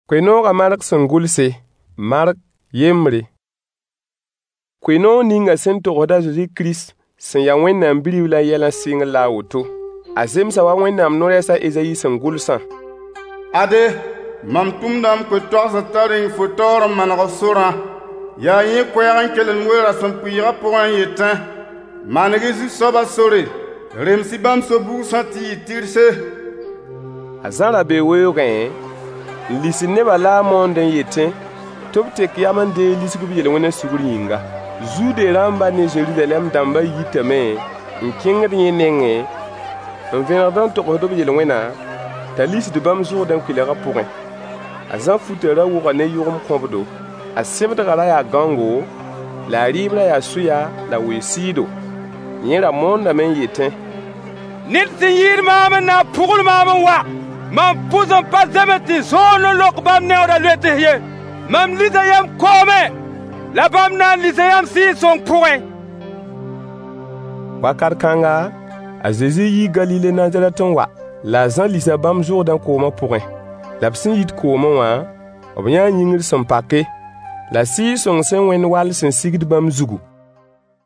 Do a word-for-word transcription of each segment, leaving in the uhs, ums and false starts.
Koe-noogã Mark sẽn gʋlse. Mark yembre. Koe-noog ninga sẽn togsd a Zezi Kirist sẽn ya Wẽnnaam Bi-riblã yɛlã sɩngr la a woto. A zemsa wa Wẽnnaam no-rɛɛs a Ezayi sẽn gʋlsã: Ade, mam tʋmda m koe-toagsd t'a reng fo taoor n maneg f sorã. Yaa yẽ koɛɛg n kelem we-rasempʋɩɩgã pʋgẽ n yetẽ: Maneg-y Zu-soabã sore, rems-y bãmb so-bugsã tɩ yɩ tɩrse. A Zã ra bee weoogẽ n lisd nebã la a moond n yetẽ tɩ b tek yam n deeg lisg b yel-wẽnã sugr yĩnga. Zude rãmba ne Zeruzalɛm dãmbã yitame n kẽngd yẽ nengẽ n vẽnegd n togsd b yel-wẽna, t'a lisd bãmb Zʋrdẽ kʋɩlgã pʋgẽ. A Zã futã ra wʋga ne yʋgem-kõbdo. A sẽbdgã ra yaa gãongo, la a rɩɩb ra yaa sʋya la wee-sɩɩdo. Yẽ ra moondame n yetẽ: Ned sẽn yɩɩd maam n na n pʋgl maam n wa. Mam pʋs n pa zems tɩ zõond n lok bãmb neooda loets ye. Mam lisa yãmb koomẽ, la bãmb na n lisa yãmb Sɩɩg-sõng pʋgẽ. Wakat kãnga, a Zezi yii Galile Nazarɛt n wa, la a Zã lisa bãmb Zʋrdẽ koomã pʋgẽ. La b sẽn yit koomẽ wã, b yãa yĩngr sẽn pake, la Sɩɩg-sõng sẽn wẽnd wall sẽn sigd bãmb zugu.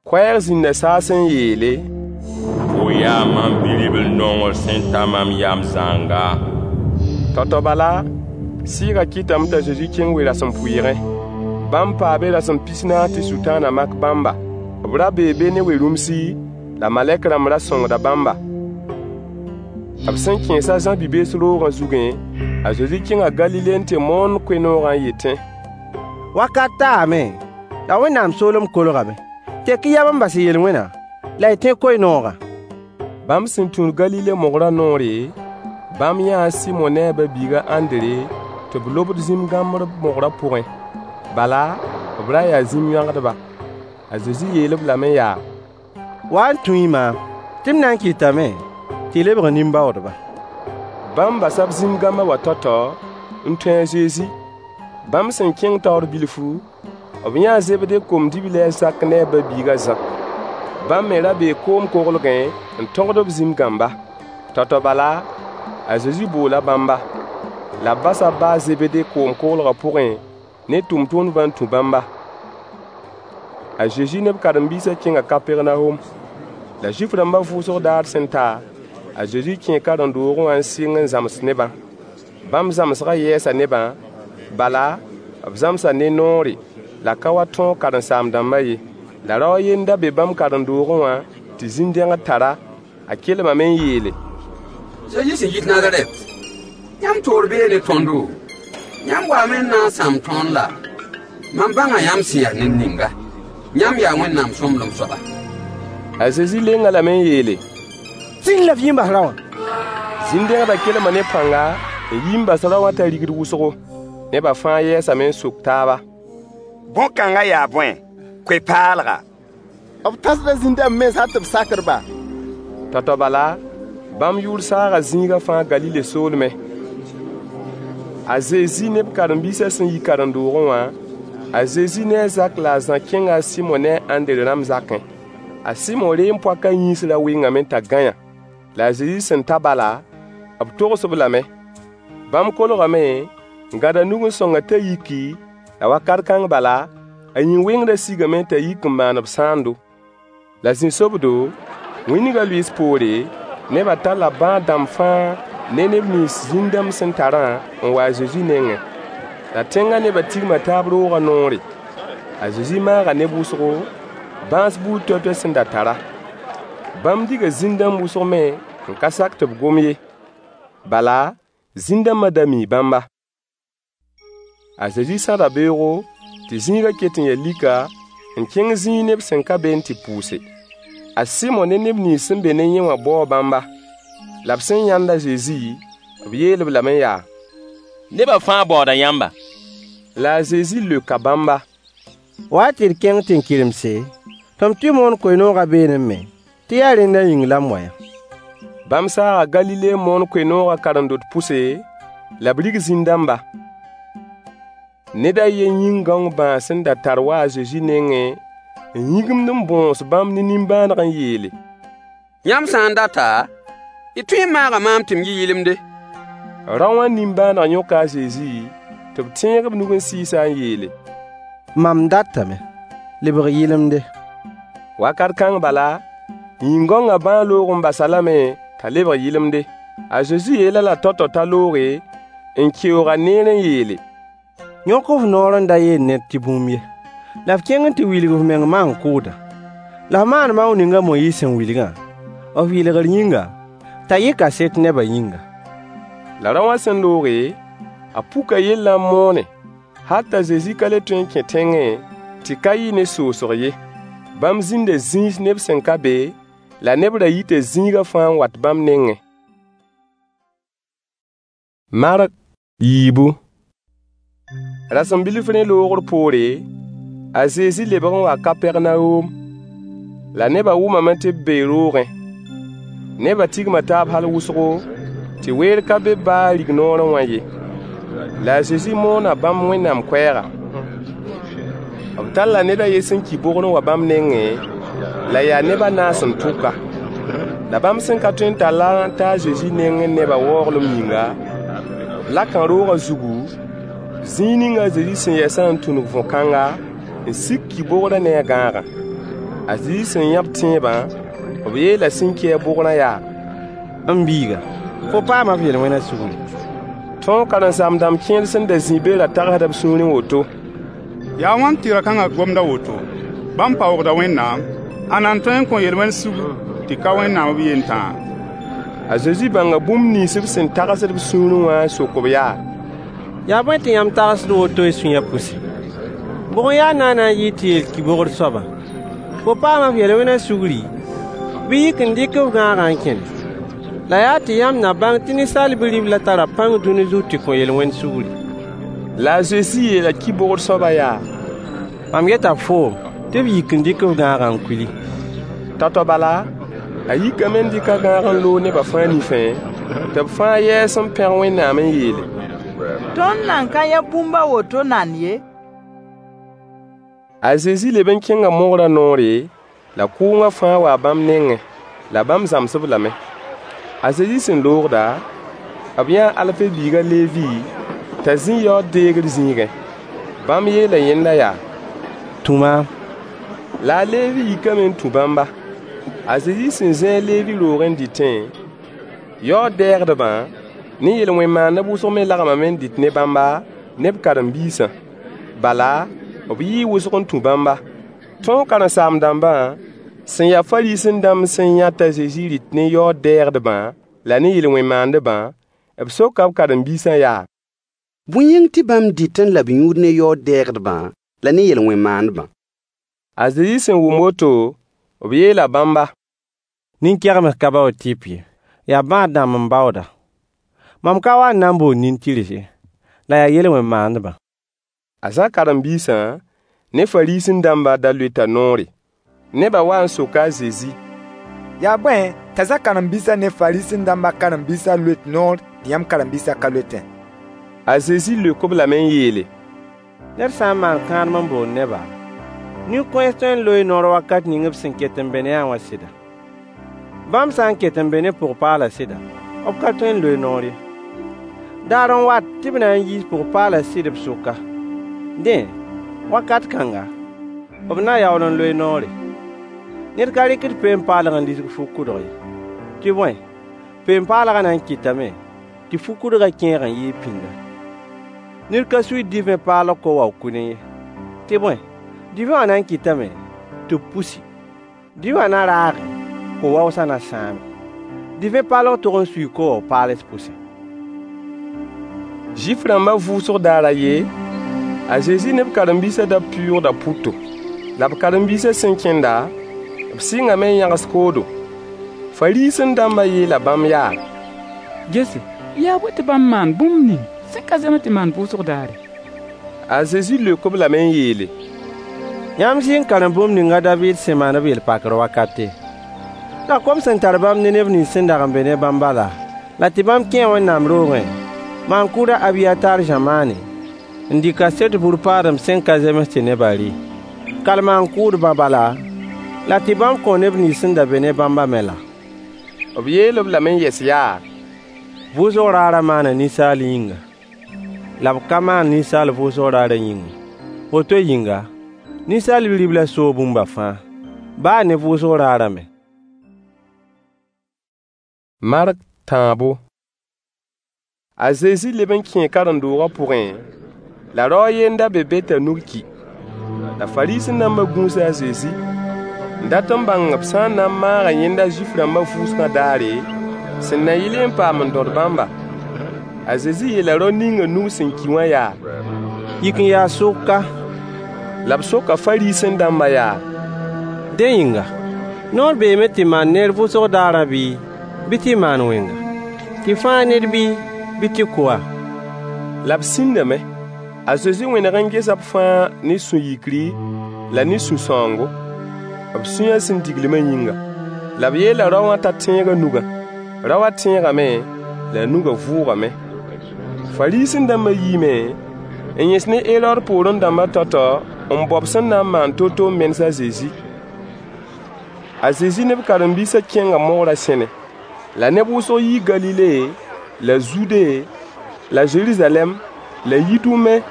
Koɛɛg zĩnda saasẽ n yeele: Fo yaa mam Bi-ribl-nongr sẽn ta mam yam zãnga. Tao-tao bala, Sɩɩgã kɩtame t'a Zezi kẽng we-rasempʋɩɩgẽ. Bãmb paa be rasem pis-naas tɩ Sʋtãanã mak bãmba. B ra bee be ne we-rũmsi, la malɛk rãmb ra sõngda bãmba. B sẽn kẽes a Zã bi-bees roogã zugẽ, a Zezi kẽnga Galile n tɩ moond koe-noogã n yetẽ: Wakat taame, la Wẽnnaam soolem kolgame. Tek-y yam n bas y yel-wẽnã, la y tẽ koe-noogã. Bãmb sẽn tũud Galile mogrã noore, bãmb yãa a Sɩmo ne a ba-biig a Ãndre tɩ b lobd zĩm-gãmbr mogrã pʋgẽ. Bala, b ra yaa zĩm-yõagdba. A Zezi yeel-b lame yaa: Wa n tũ-y maam, tɩ m na n kɩtame tɩ y lebg nin-baoodba. Bãmb basa b zĩm-gãmbã wã tao-tao n tũ a Zezi. Bãmb sẽn kẽng taoor bilfu, b yãa a Zebde kom-dibli a Zak ne a ba-biig a Zã. Bãmb me ra bee koom-koglgẽ n tõgd b zĩm-gãmba. Tao-tao bala, a Zezi boola bãmba. La b basa b ba a Zebde koom-koglgã pʋgẽ ne tʋmtʋmdbã n tũ bãmba. A Zezi ne b karen-biisã kẽnga Kapɛrnawom. La Zuif-rãmbã vʋʋsg daar sẽn ta, a Zezi kẽe karen-doogẽ wã n sɩng n zãms nebã. Bãmb zãmsgã yɛɛsa nebã, bala, b zãmsa ne noore, la ka wa tõog karen-saam-dãmbã ye. La rao a yen da be bãmb karen-doogẽ wã tɩ zĩn-dẽgd tar-a. A kelmame n yeele: Zezi sẽn yit Nazarɛt, yãmb toor bee ne tõndo? Yãmb waame n na n sãam tõnd laa? Mam bãnga yãmb sẽn ya ned ninga. Yãmb yaa Wẽnnaam sõmblem soaba. A Zezi leng-a lame n yeele: Zĩnd la f yi n bas rao wã. Zĩn-dẽgdã kelma ne pãnga n yi n bas rao wã t'a rigd wʋsgo. Nebã fãa yɛɛsame n sok taaba: Bõn-kãngã yaa bõe? Koe-paalga! B tãsda zĩn-dãmb mens hal tɩ b sakd-ba. Tao-tao bala, bãmb yʋʋr saaga zĩigã fãa Galile soolmẽ. A Zezi ne b karen-biisã sẽn yi karen-doogẽ wã, a Zezi ne a Zak la a Zã kẽnga a Sɩmo ne a Ãndre rãmb zakẽ. A Sɩmo reem-poakã yĩns ra wengame t'a gãyã. La a Zezi sẽn ta bala, b togs-b lame. Bãmb kolgame n gãd a nug n sõng-a t'a yiki, la wakat kãng bala, a yĩn-wẽngrã sigame t'a yik n maan b sãando. La zĩ-sobdo, wĩndgã lʋɩɩs poore, nebã talla bãad-dãmb fãa ne neb nins zĩn-dãmb sẽn tarã n wa a Zezi nengẽ. La tẽngã nebã tigma taab roogã noore. A Zezi maaga neb wʋsgo, bãas buud toay-toay sẽn da tar-a. Bãmb diga zĩn-dãmb wʋsg me n ka sak tɩ b gom ye. Bala, zĩn-dãmbã da mii bãmba. A Zezi sãda beoogo, tɩ zĩigã ket n ya lika, n kẽng zĩig neb sẽn ka be n tɩ pʋʋse. A Sɩmo ne neb nins sẽn be ne yẽ wã baoo bãmba. La b sẽn yãnd a Zezi, b yeel-b lame yaa: Nebã fãa baooda yãmba. La a Zezi leoka bãmba: Wa-y tɩ d kẽng tẽn-kɩremse, tɩ m tɩ moon koe-noogã beene me, tɩ yaa rẽndã yĩng la m wa yã. Bãmb saaga Galile n moon koe-noogã karen-dot pʋse, la b rig zĩn-dãmba. Ned a yen yĩn-gãong bãas sẽn da tar waa a Zezi nengẽ n yĩgimd n bõos bãmb ne nimbãaneg n yeele: Yãmb sã n data, y tõe n maaga maam tɩ m yɩ yɩlemde. Rao wã nimbãaneg yõka a Zezi, Tɩ b tẽeg b nug n sɩɩs-a n yeele: Mam datame, lebg yɩlemde. Wakat kãng bala, yĩn-gãongã bãag loog n bas-a lame t'a lebg yɩlemde. A Zezi yeel-a la tao-tao t'a looge, n keoog-a neer n yeele: Yõk f noor n da yeel ned tɩ bũmb ye. La f kẽng n tɩ wilg f meng maan-kʋʋdã. La f maan maoong ning a Moyiis sẽn wilgã, f yɩlgr yĩnga, t'a yɩ kaset nebã yĩnga. La rao wã sẽn looge, a puka yellã n moone, hal t'a Zezi ka le tõe n kẽ tẽngẽ tɩ ka yɩ ne soosg ye. Bãmb zĩnda zĩis neb sẽn ka be, la neb ra yita zĩigã fãa n wat bãmb nengẽ. Mark yiibu. Rasem bilf rẽ loogr poore, a Zezi lebg n waa Kapɛrnawom. La nebã wʋmame tɩ b bee roogẽ. Nebã tigma taab hal wʋsgo, tɩ weer ka be baa rignoorẽ wã ye. La a Zezi moona bãmb Wẽnnaam koɛɛga. B talla ned a yen sẽn ki bogr n wa bãmb nengẽ, la yaa neb a naas n tʋk-a. La bãmb sẽn ka tõe n tall-a n ta a Zezi nengẽ nebã waooglem yĩnga, b laka roogã zugu, zĩig ning a Zezi sẽn yɛsã n tũnug võ-kãnga, n sik ki-bogrã ne a gãagã. A Zezi sẽn yã b tẽebã, b yeela sẽn ki-a bogrã yaa: M biiga, fo paama f yel-wẽnã sugri. Tõog karen-saam-dãmb kẽer sẽn da zĩ be ra tagsda b sũurẽ woto: Yaa wãn tɩ ra-kãngã gomd a woto? Bãmb paoogda Wẽnnaam. Ãnna n tõe n kõ yel-wẽnd sugr tɩ ka Wẽnnaam b yen tãa? A Zezi bãnga bũmb nins b sẽn tagsd b sũurẽ wã n sok-b yaa: Yaa bõe tɩ yãmb tagsd woto y sũyã pʋse? Bʋg n ya naana n yɩɩd tɩ yeel ki-bogr soabã: Fo paama f yel-wẽnã sugri, bɩ yik n dɩk f gãagã n kẽne? La yaa tɩ yãmb na bãng tɩ Ninsaal Bi-riblã tara pãng dũni zug tɩ kõ yel-wẽnd sugri. La a Zezi yeela ki-bogr soabã yaa: Mam yeta foom tɩ f yik n dɩk f gãagã n kuli. Tao-tao bala, a yikame n dɩk a gãag n loog nebã fãa nifẽ, tɩ b fãa yɛɛs n pẽg Wẽnnaam n yeele: Tõnd nan ka yã bũmb a woto nand ye. A Zezi leb n kẽnga mogrã noore, la kʋʋngã fãa waa bãmb nengẽ, la bãmb zãms-b lame. A Zezi sẽn loogda, b yãa a Alfe biig a Levi t'a zĩ yaood-deegr zĩigẽ. Bãmb yeela yẽnda yaa: Tũ maam. La a Levi yikame n tũ bãmba. A Zezi sẽn zĩ a Levi roogẽ n dɩtẽ, yaood-dɛɛgdbã ne yel-wẽn-maandb wʋsg me lagmame n dɩt ne bãmba ne b karen-biisã. Bala, b yɩɩ wʋsg n tũ bãmba. Tõog karen-saam-dãmbã sẽn ya Fariisẽ-dãmb sẽn yã t'a Zezi rɩt ne yaood-dɛɛgdbã la ne yel-wẽn-maandbã, b soka b karen-biisã yaa: Bõe yĩng tɩ bãmb dɩtẽ la b yũud ne yaood-dɛɛgdbã la ne yel-wẽn-maandbã? A Zezi sẽn wʋm woto, b yeela bãmba: Nin-kɛgems ka baood tɩp ye, yaa bãad-dãmb n baooda. Mam ka wa n na n bool nin-tɩrs ye, la yaa yel-wẽn-maandbã. A Zã karen-biisã ne Fariisẽ-dãmbã da loeta noore. Nebã waa n soka a Zezi: Yaa bõe t'a Zã karen-biisã ne Fariisẽ-dãmbã karen-biisã loet noor tɩ yãmb karen-biisã ka loetẽ? A Zezi leok-b lame n yeele: Ned sã n maan kãadem n bool neba, nin-kõens tõe n loee noor wakat ning b sẽn ket n be ne-a wã sɩda? Bãmb sã n ket n be ne pʋg-paalã sɩda, b ka tõe n loe noor ye. Daar n wat tɩ b na n yiis pʋg-paalã sɩd b sʋka. Dẽ, wakat kãnga, b na yaool n loe noore. Ned ka rɩkd peen-paalg n lisg fu-kʋdg ye. Tɩ bõe, peen-paalgã na n kɩtame tɩ fu-kʋdgã kẽeg n yɩɩg pĩnda. Ned ka suiid divẽ paalg ko-wao-kʋdẽ ye. Tɩ bõe, divẽ wã na n kɩtame tɩ b pusi. Divẽ wã na raage, ko-waoosã na sãame. Divẽ paalg tog n suii ko-wao-paals pʋsẽ. Zuif-rãmbã vʋʋsg daar a yen, a Zezi ne b karen-biisã da pʋʋgda pʋto. La b karen-biisã sẽn kẽnda, b sɩngame n yãgs koodo. Fariisẽ-dãmbã yeela bãmb yaa: Gese, yaa bõe tɩ bãmb maan bũmb ning sẽn ka zems tɩ maan vʋʋsg daare? A Zezi leok-b lame n yeele: Yãmb zɩ n karem bũmb ning a Daviid sẽn maan b yel-pakr wakate? La kom sẽn tar bãmb ne neb nins sẽn dag n be ne bãmbã laa? La tɩ bãmb kẽe Wẽnnaam roogẽ, maan-kʋʋd a Abiyatar zamaane, n dɩ kaset bur-paadem sẽn ka zems tɩ nebã rɩ. Kal maan-kʋʋdbã bala, la tɩ bãmb kõ neb nins sẽn da be ne bãmbã me laa? B yeel-b lame n yɛs yaa: Vʋʋsg raarã maana ninsaal yĩnga. la b ka maan ninsaal vʋʋsg raarã yĩng ye. Woto yĩnga, Ninsaal Bi-riblã soo bũmba fãa, baa ne vʋʋsg raarã me. Mark tãabo. A Zezi leb n kẽe karen-doogã pʋgẽ, la rao a yen n da be be t'a nug ki. La Fariisẽ-dãmbã gũusa a Zezi, n dat n bãng b sã n na n maaga yẽnda Zuif-rãmbã vʋʋsgã daare, sẽn na yɩl n paam n dõd bãmba. A Zezi yeela rao ning nug sẽn ki wã yaa: Yik n yaas sʋk ka. La b soka Fariisẽ-dãmbã yaa: Dẽ yĩnga, noor beeme tɩ maan neer vʋʋsg daarã bɩ, bɩ tɩ maan wẽnga? Tɩ fãag ned bɩ, bɩ tɩ kʋ-a? La b sĩndame. A Zezi wẽneg n gesa b fãa ne sũ-yikri la ne sũ-sãoongo, b sũyã sẽn diglemã yĩnga. La b yeela rao wã t'a tẽeg a nugã. Rao wã tẽegame, la a nugã vʋʋgame. Fariisẽ-dãmbã yiime n yẽs ne Herood poorẽ dãmbã tao-tao n bao b sẽn na n maan to-to n menes a Zezi. A Zezi ne b karen-biisã kẽnga mogrã sẽne. La neb wʋsg yii Galile la Zude la Zeruzalɛm la Yidume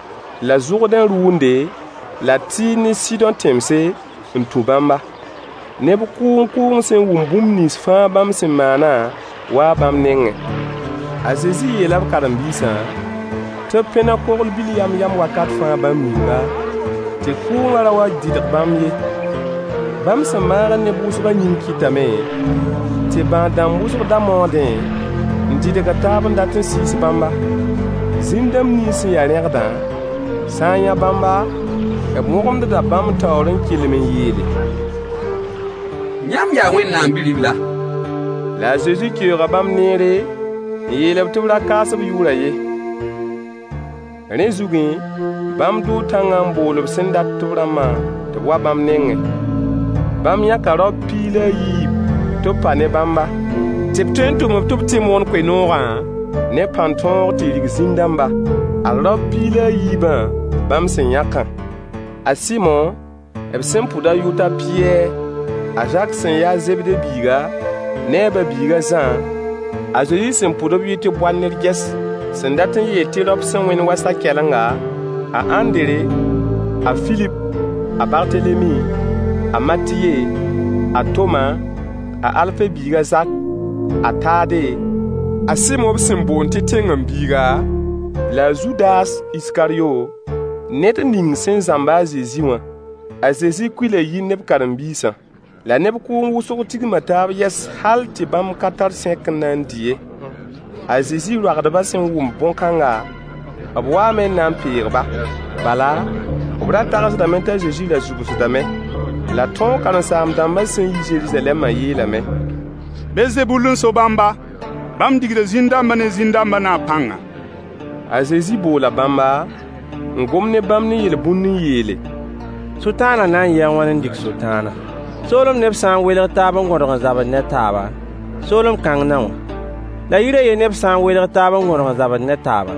la Zʋrdẽ rʋʋnde la Tɩɩr ne Sɩdõ tẽmse n tũ bãmba. Neb kʋʋng-kʋʋng sẽn wʋm bũmb nins fãa bãmb sẽn maanã waa bãmb nengẽ. A Zezi yeela b karen-biisã tɩ b pẽneg kogl-bil yam-yam wakat fãa bãmb yĩnga, tɩ kʋʋngã ra wa dɩdg bãmb ye. Bãmb sẽn maagd neb wʋsgã yĩng kɩtame tɩ bãad-dãmb wʋsg da maoodẽ n dɩdgd taab n dat n sɩɩs bãmba. Zĩn-dãmb nins sẽn ya rẽgdã, sã n yã bãmba, b wõgemdda bãmb taoor n kelem n yeele: Yãmb yaa Wẽnnaam Bi-ribla. La a Zezi keooga bãmb neere n yeel-b tɩ b ra kaas b yʋʋrã ye. Rẽ zugẽ, bãmb dʋʋ tãngã n bool b sẽn dat tɩ b rãmbã tɩ b wa bãmb nengẽ. Bãmb yãka raop piig la a yiib tɩ b pa ne bãmba, tɩ b tõe n tʋm-b tɩ b tɩ moon koe-noogã ne pãn-tõog tɩ rig zĩn-dãmba. Ad raop piig la a yiibã bãmb sẽn yãkã: A Sɩmo, b sẽn pʋd a yʋʋr t'a Pɩyɛɛr, a Zak sẽn ya a Zebde biiga, ne a ba-biig a Zã, a Zezi sẽn pʋd b yʋʋr tɩ Boanerges, sẽn dat n yeel tɩ raop sẽn wẽnd wa sa-kɛlenga, a Ãndere, a Filip, a Bartelemi, a Matiye, a Toma, a Alfe biig a Zak, a Tade, a Sɩmo b sẽn boond tɩ tẽngem-biiga, la a Zudas Iskaryo, ned ning sẽn zãmb a Zezi wã. A Zezi kuila yir ne b karen-biisã. La neb kʋʋng wʋsg tigma taab yɛs hal tɩ bãmb ka tar sẽk n na n dɩ ye. A Zezi roagdbã sẽn wʋm bõn-kãnga, b waame n na n peeg-ba. Bala, b ra tagsdame t'a Zezi ra zʋbsdame. La tõog karen-saam-dãmbã sẽn yi Zeruzalɛmã yeelame: Belzebul n so bãmba. Bãmb digda zĩn-dãmbã ne zĩn-dãmbã naab pãnga. A Zezi boola bãmba, n gom ne bãmb ne yel-bũnd n yeele: Sʋtãanã na n yɩ a wãn n dig Sʋtãana? Soolem neb sã n welg taab n gõdg n zabd ne taaba, soolem kãng na wã. La yir a yen neb sã n welg taab n gõdg n zabd ne taaba,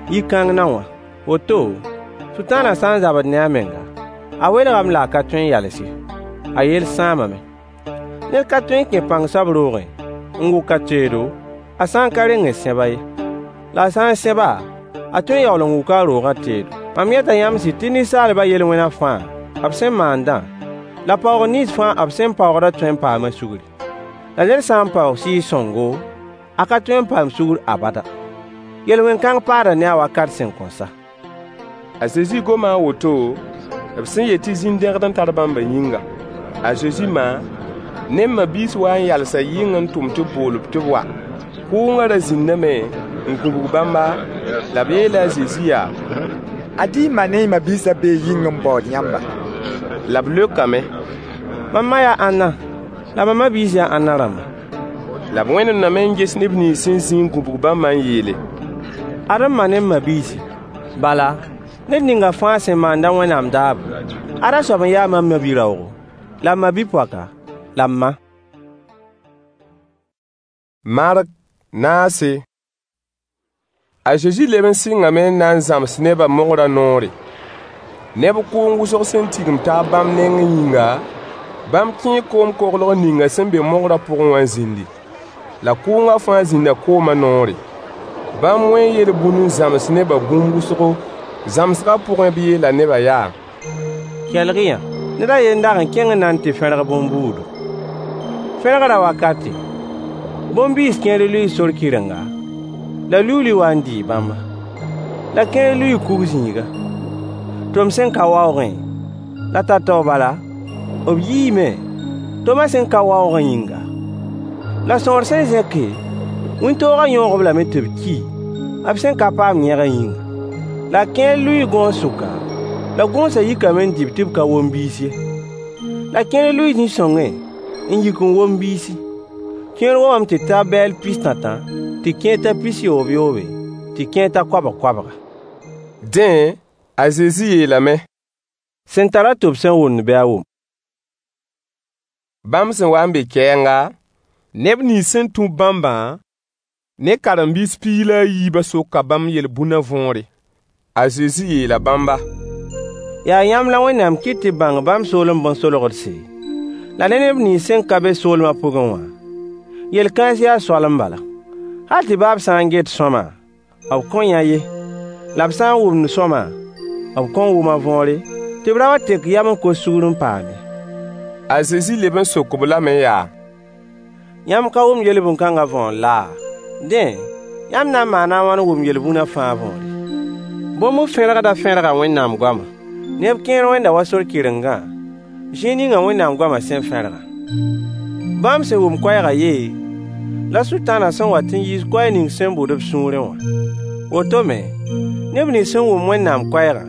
yir-kãng na wã. Woto, Sʋtãanã sã n zabd ne a menga, a welgame la a ka tõe n yals ye. A yell sãamame. Ned ka tõe n kẽ pãng soab roogẽ n wʋk a teedo, a sã n ka reng n sẽb-a ye. La a sã n sẽb-a, a tõe n yaool n wuka a roogã teedo. Mam yeta yãmb sɩd tɩ ninsaalbã yel-wẽnã fãa, b sẽn maandã, la paoog nins fãa b sẽn paoogdã tõe n paama sugri. La ned sã n paoog Sɩɩg-sõngo, a ka tõe n paam sugr abada. Yel-wẽn-kãng paada ne a wakat sẽn kõn sa. A Zezi goma a woto, b sẽn yet tɩ zĩn-dẽgd n tar bãmbã yĩnga. A Zezi ma ne b ma-biis wa n yalsa yɩng n tʋm tɩ b bool-b tɩ b wa. Kʋʋngã ra zĩndame n gũbg bãmba, la b yeela a Zezi yaa: Ad-y y ma ne y ma-biisã bee yĩng n baood yãmba. La b leokame: Mam ma yaa ãnna, la mam ma-biis yaa ãnna rãmba? La b wẽnemdame n ges neb nins sẽn zĩ n gũbg bãmbã n yeele: Ad m ma ne m ma-biisi. Bala, ned ninga fãa sẽn maand a Wẽnnaam daabo, ada soab n ya mam ma-bi-raoogo, la m ma-bi-poaka, la m ma. Mark naase. A Zezi leb n sɩngame n na n zãms nebã mogrã noore. Neb kʋʋng wʋsg sẽn tigim taab bãmb nengẽ yĩnga, bãmb kẽe koom-koglg ninga sẽn be mogrã pʋgẽ wã n zĩndi. La kʋʋngã fãa zĩnda koomã noore. Bãmb wẽe yel-bũn n zãms nebã bũmb wʋsgo. Zãmsgã pʋgẽ b yeela nebã yaa: Kelg-y-yã! Ned a yen dag n kẽng n na n tɩ fẽrg bõn-buudo. Fẽrgrã wakate, bõn-biis kẽer lʋɩɩ sor kɩrenga, la luuli wa n dɩɩ bãmba. La kẽer lʋɩɩ kug-zĩiga. Tom sẽn ka waoogẽ, la tao-tao bala, b yiime, tomã sẽn ka waoogã yĩnga. La sõor sẽn zẽke, wĩntoogã yõog-b lame tɩ b ki, b sẽn ka paam yẽgã yĩnga. La kẽer lʋɩɩ gõos sʋka, la gõosã yikame n dɩ-b tɩ b ka wom biis ye. La kẽer lʋɩɩ zĩ-sõngẽ n yik n wom biisi. Kẽer womame tɩ ta bɛɛl pis-tãtã, tɩ kẽer ta pis-yoob-yoobe, tɩ kẽer ta koabg-koabga. Dẽ, a Zezi yeelame: Sẽn tar-a tʋb sẽn wʋmd bɩ a wʋm. Bãmb sẽn wa n be kɛɛnga, neb nins sẽn tũ-b bãmbã ne karen-biis piig la a yiibã soka bãmb yel-bũnã võore. A Zezi yeela bãmba: Yaa yãmb la Wẽnnaam kɩt tɩ b bãng bãmb soolem bõn-solgdse, la ne neb nins sẽn ka be soolmã pʋgẽ wã, yel-kãens yaa soalem bala. Hal tɩ baa b sã n get sõama, b kõn yã ye, la b sã n wʋmd sõama, b kõn wʋm a võore, tɩ b ra wa tek yam n kos sugr n paam ye. A Zezi leb n sok-b lame yaa: Yãmb ka wʋmd yel-bũn-kãngã võor laa? Dẽ, yãmb na n maana a wãn n wʋm yel-bũnã fãa võore? Bõn-bu-fẽrgdã fẽrga Wẽnnaam goama. Neb kẽer wẽnda wa sor kɩrengã, zĩig ninga Wẽnnaam goamã sẽn fẽrgã. Bãmb sẽn wʋm koɛɛgã yee, la Sʋtãanã sẽn wat n yiis koɛɛg ning sẽn bʋd b sũurẽ wã. Woto me, neb nins sẽn wʋm Wẽnnaam koɛɛgã,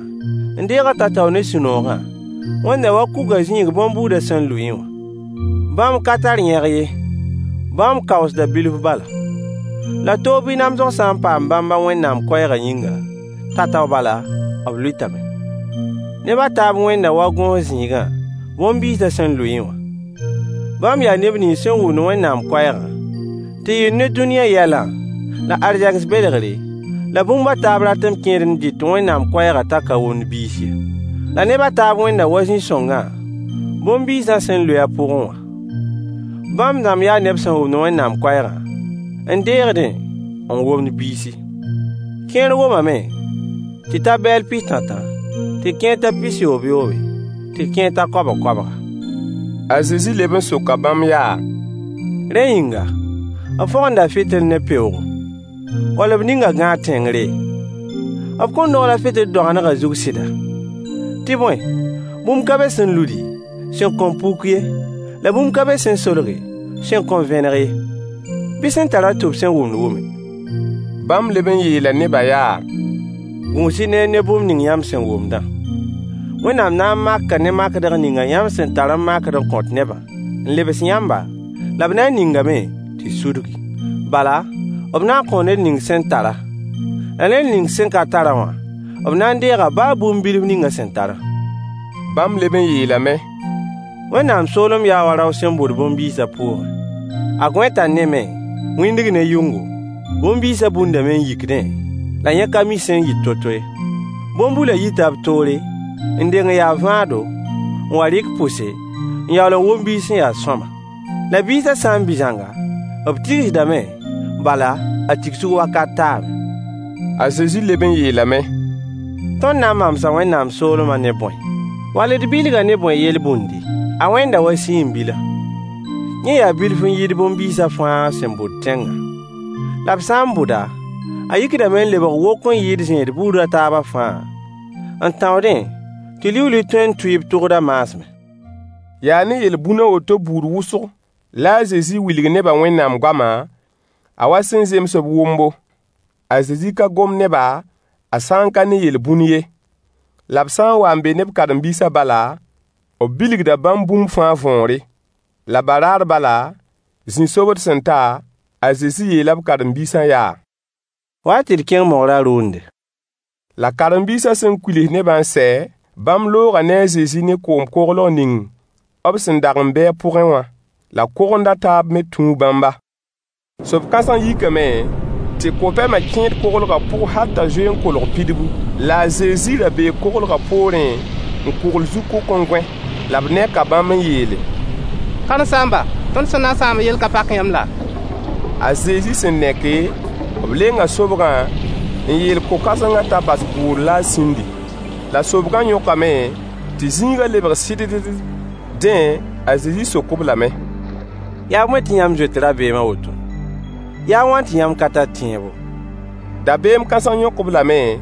n deeg-a tao-tao ne sũ-noogã, wẽnda wa kugã zĩig bõn-buudã sẽn lʋɩẽ wã. Bãmb ka tar yẽg ye, bãmb kaoosda bilf bala. La toog bɩ namsg sã n paam bãmba Wẽnnaam koɛɛgã yĩnga, tao-tao bala, b lʋɩtame. Neb a taab wẽnda wa gõos zĩigã, bõn-biisã sẽn lʋɩẽ wã. Bãmb yaa neb nins sẽn wʋmd Wẽnnaam koɛɛgã, tɩ yɩ ne dũniyã yɛlã, la arzegs belgre, la bũmb a taab rat n kẽed n dɩt Wẽnnaam koɛɛgã t'a ka womd biis ye. La neb a taab wẽnda wa zĩ-sõngã, bõn-biisã sẽn lʋɩ a pʋgẽ wã. Bãmb dãmb yaa neb sẽn wʋmd Wẽnnaam koɛɛgã, n deegdẽ, n womd biisi. Kẽer womame tɩ ta bɛɛl pis-tãtã, tɩ kẽer ta pis-yoob-yoobe, tɩ kẽer ta koabg-koabga. A Zezi leb n soka bãmb yaa: Rẽ yĩnga, b fõgenda fɩtɩl ne peoogo, wall b ninga gãag tẽngre? B kõn dogl a fɩtɩl doagendgã zug sɩda? Tɩ bõe, bũmb ka be sẽn ludi, sẽn kõn puk ye, la bũmb ka be sẽn solge, sẽn kõn vẽneg ye. Bɩ sẽn tar-a tʋb sẽn wʋmd wʋme. Bãmb leb n yeela nebã yaa: Gũus-y neer ne bũmb ning yãmb sẽn wʋmdã. Wẽnnaam na n maka ne makdg ninga yãmb sẽn tar n makd n kõt nebã, n lebs yãmba, la b na n ningame tɩ sudgi. Bala, b na n kõo ned ning sẽn tara, la ned ning sẽn ka tarã wã, b na n deega baa bũmb bilf ning a sẽn tarã. Bãmb leb n yeelame: Wẽnnaam soolem yaa wa rao sẽn bʋd bõn-biisã pʋʋgẽ. A gõeta neme, wĩndg ne yʋngo, bõn-biisã bundame n yikdẽ, la yẽ ka mi sẽn yit to-to ye. Bõn-bulã yita b toore, n deng n ya vãado, n wa rɩk pʋse, n yaool n wom biis sẽn ya sõama. La biisã sã n bɩ zãnga, b tigsdame, bala, a tigsg wakat taame. A Zezi leb n yeelame: Tõnd na n mamsa Wẽnnaam soolmã ne bõe? Wall d bilga ne bõe yel-bũndi? A wẽnda wa sĩim-bila. Yẽ yaa bilf n yɩɩd bõn-biisã fãa sẽn bʋd tẽngã. La b sã n bʋda, a yikdame n lebg wok n yɩɩd zẽed buud a taabã fãa, n tãoodẽ tɩ liuuli tõe n tʋɩ b tʋgdã maasmẽ. Yaa ne yel-bũn a woto buud wʋsg la a Zezi wilg nebã Wẽnnaam goama, a wa sẽn zems b wʋmbo. A Zezi ka gom ne-ba a sã n ka ne yel-bũn ye. La b sã n wa n be ne b karen-biisã bala, b bilgda bãmb bũmb fãa võore. La baraar bala, zĩ-sobd sẽn ta, a Zezi yeela b karen-biisã yaa: Wa-y tɩ d kẽng mogrã rʋʋnde. La karen-biisã sẽn kuils nebã n sɛ, bãmb looga ne a Zezi ne koom-koglg ning b sẽn dag n be a pʋgẽ wã. La kogend a taab me tũu bãmba. Sob-kãseng yikame tɩ ko-pɛmã kẽed koglgã pʋg hal t'a zoe n kolg pidbu. La a Zezi ra bee koglgã poorẽ n kugl zu-kʋk n gõe. La b neka bãmb n yeele: Karen-saamba, tõnd sẽn na n sãam yell ka pak yãmb laa? A Zezi sẽn neke, B lenga sobgã n yeel ko-kãsengã t'a bas bʋʋr la a sĩndi. La sobgã yõkame tɩ zĩigã lebg sɩddd. Dẽ, a Zezi sok-b lame: Yaa bõe tɩ yãmb zoet rabeem a woto? Yaa wãn tɩ yãmb ka tar tẽebo? Dabeem kãseng yõk-b lame,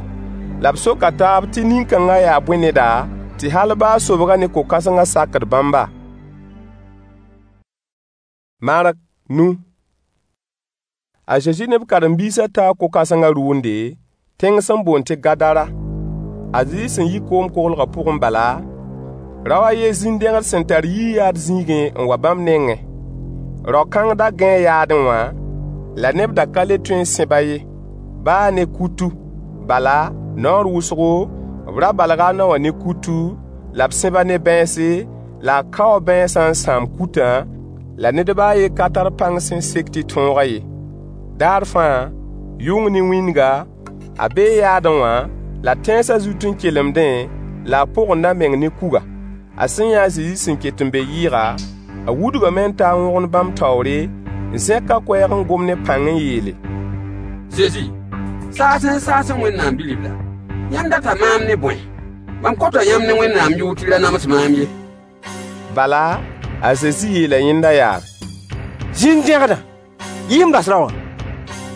la b soka taab tɩ nin-kãngã yaa bõe neda, tɩ hal baa sobgã ne ko-kãsengã sakd bãmba? Mark nu. A Zezi ne b karen-biisã taa ko-kãsengã rʋʋnde, tẽng sẽn boond tɩ Gadara. A Zezi sẽn yi koom-koglgã pʋgẽ bala, rao a yen zĩn-dẽgd sẽn tar yii-yaad zĩigẽ n wa bãmb nengẽ. Rao-kãng da gãee yaadẽ wã, la neb da ka le tõe n sẽb-a ye, baa ne kutu. Bala, naoor wʋsgo, b ra balga a nao wã ne kutu, la b sẽb-a ne bãense, la a kao bãensã n sãam kutã, la ned baa a yen ka tar pãng sẽn sek tɩ tõog-a ye. Daar fãa, yʋng ne wĩndga, a bee yaadẽ wã, la tẽnsã zut n kelemdẽ, la a pogend a meng ne kuga. A sẽn yã a Zezi sẽn ket n be yɩɩga, a wudgame n ta n wõgemd bãmb taoore, n zẽk a koɛɛg n gom ne pãng n yeele: Zezi, saasẽ n saasẽ Wẽnnaam Bi-ribla, yãmb data maam ne bõe? Mam kota yãmb ne Wẽnnaam yʋʋr tɩ y ra nams maam ye. Bala, a Zezi yeela yẽnda yaa: Zĩn-dẽgdã, yi n bas rao wã.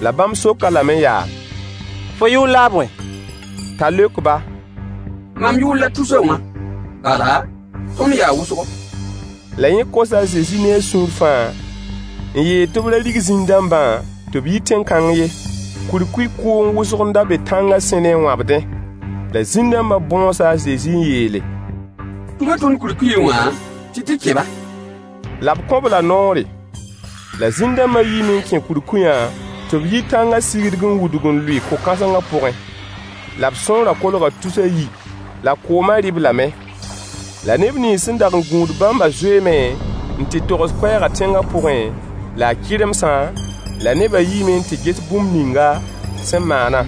La bãmb sok-a lame yaa: Fo yʋʋr la a bõe? T'a leok-ba: Mam yʋʋr la Tusa wã. Bala, tõnd yaa wʋsgo. La yẽ kosa a Zezi ne a sũur fãa, n yeel tɩ b ra rig zĩn-dãmbã tɩ b yi tẽn-kãng ye. Kurkuy kʋʋng wʋsg n da be tãngã sẽne n wãbdẽ. La zĩn-dãmbã bõosa a Zezi n yeele: Tũ-b tõnd kurkuyẽ wã tɩ tɩ kẽ-ba. La b kõ-b la noore. La zĩn-dãmbã yiime n kẽ kurkuyã tɩ b yi tãngã sigdg n wudg n lʋɩ ko-kãsengã pʋgẽ. La b sõorã kolga tus a yi, la koomã rɩ-b lame. La neb nins sẽn dag n gũud bãmbã zoeeme n tɩ togs koɛɛgã tẽngã pʋgẽ, la a kɩremsã, la nebã yiime n tɩ ges bũmb ninga sẽn maana.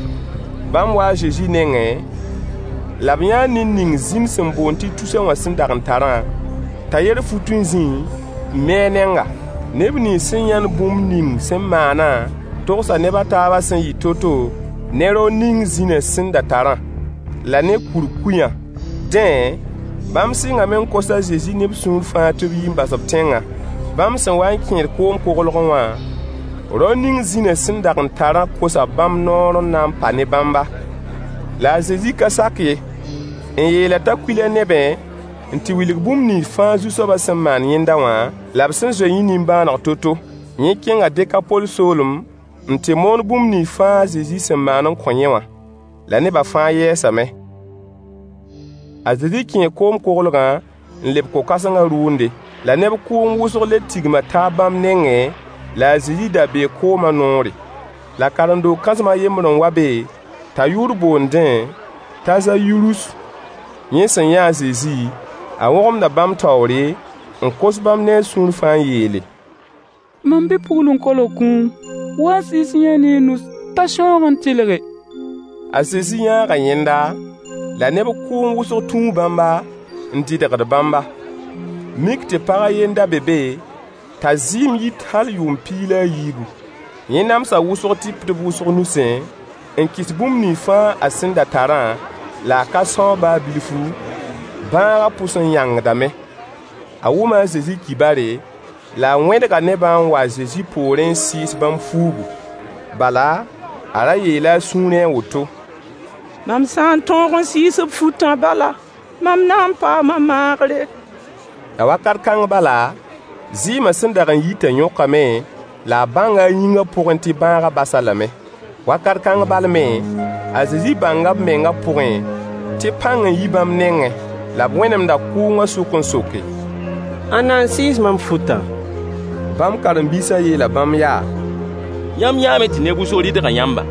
Bãmb waa a Zezi nengẽ, la b yãa ned ning zĩn sẽn boond tɩ tusa wã sẽn dag n tarã, t'a yer fut n zĩ n mi a nenga. Neb nins sẽn yãnd bũmb ning sẽn maanã togsa neb a taabã sẽn yɩ to-to ne rao ning zĩnã sẽn da tarã, la ne kurkuyã. Dẽ, bãmb sɩngame n kos a Zezi ne b sũur fãa tɩ b yi n bas b tẽngã. Bãmb sẽn wa n kẽed koom-koglgẽ wã, rao ning zĩnã sẽn dag n tarã kosa bãmb noor n na n pa ne bãmba. La a Zezi ka sak ye, n yeel-a t'a kuil a nebẽ n tɩ wilg bũmb nins fãa Zu-soabã sẽn maan yẽnda wã, la b sẽn zoe yẽ nimbãaneg to-to. Yẽ kẽnga Dekapol soolem n tɩ moon bũmb nins fãa a Zezi sẽn maan n kõ yẽ wã. La nebã fãa yɛɛsame. A Zezi kẽe koom-koglgã n leb ko-kãsengã rʋʋnde. La neb kʋʋng wʋsg le tigma taab bãmb nengẽ, la a Zezi da bee koomã noore. La karen-doog kãsem a yembr n wa be, t'a yʋʋr boondẽ t'a Zayirus. Yẽ sẽn yã a Zezi, a wõgemda bãmb taoore, n kos bãmb ne a sũur fãa n yeele: Mam bi-pugl n kolg kũum. Wa n sɩɩs yẽ ne y nus t'a sãoog n tɩlge. A Zezi yãaga yẽnda, la neb kʋʋng wʋsg tũu bãmba n dɩdgd bãmba. Mik tɩ pag a yen da be be, t'a zɩɩm yit hal yʋʋm piig la a yiibu. Yẽ namsa wʋsg tɩpdb wʋsg nusẽ, n kɩs bũmb nins fãa a sẽn da tarã, la a ka são baa bilfu, bãagã pʋs n yãngdame. A wʋma a Zezi kibare, la a wẽdga nebã n wa a Zezi poorẽ n sɩɩs bãmb fuugu. Bala, a ra yeela a sũurẽ a woto: Mam sã n tõog n sɩɩs b futã bala, mam na n paama maagre. La wakat kãng bala, zɩɩmã sẽn dag n yitã yõkame, la a bãnga a yĩngã pʋgẽ tɩ bãagã bas-a lame. Wakat kãng bal me, a Zezi bãnga b mengã pʋgẽ tɩ pãng n yi bãmb nengẽ. La b wẽnemda kʋʋngã sʋk n soke: Ãnna n sɩɩs mam futã? Bãmb karen-biisã yeela bãmb yaa: Yãmb yãame tɩ neb wʋsg rɩdga yãmba,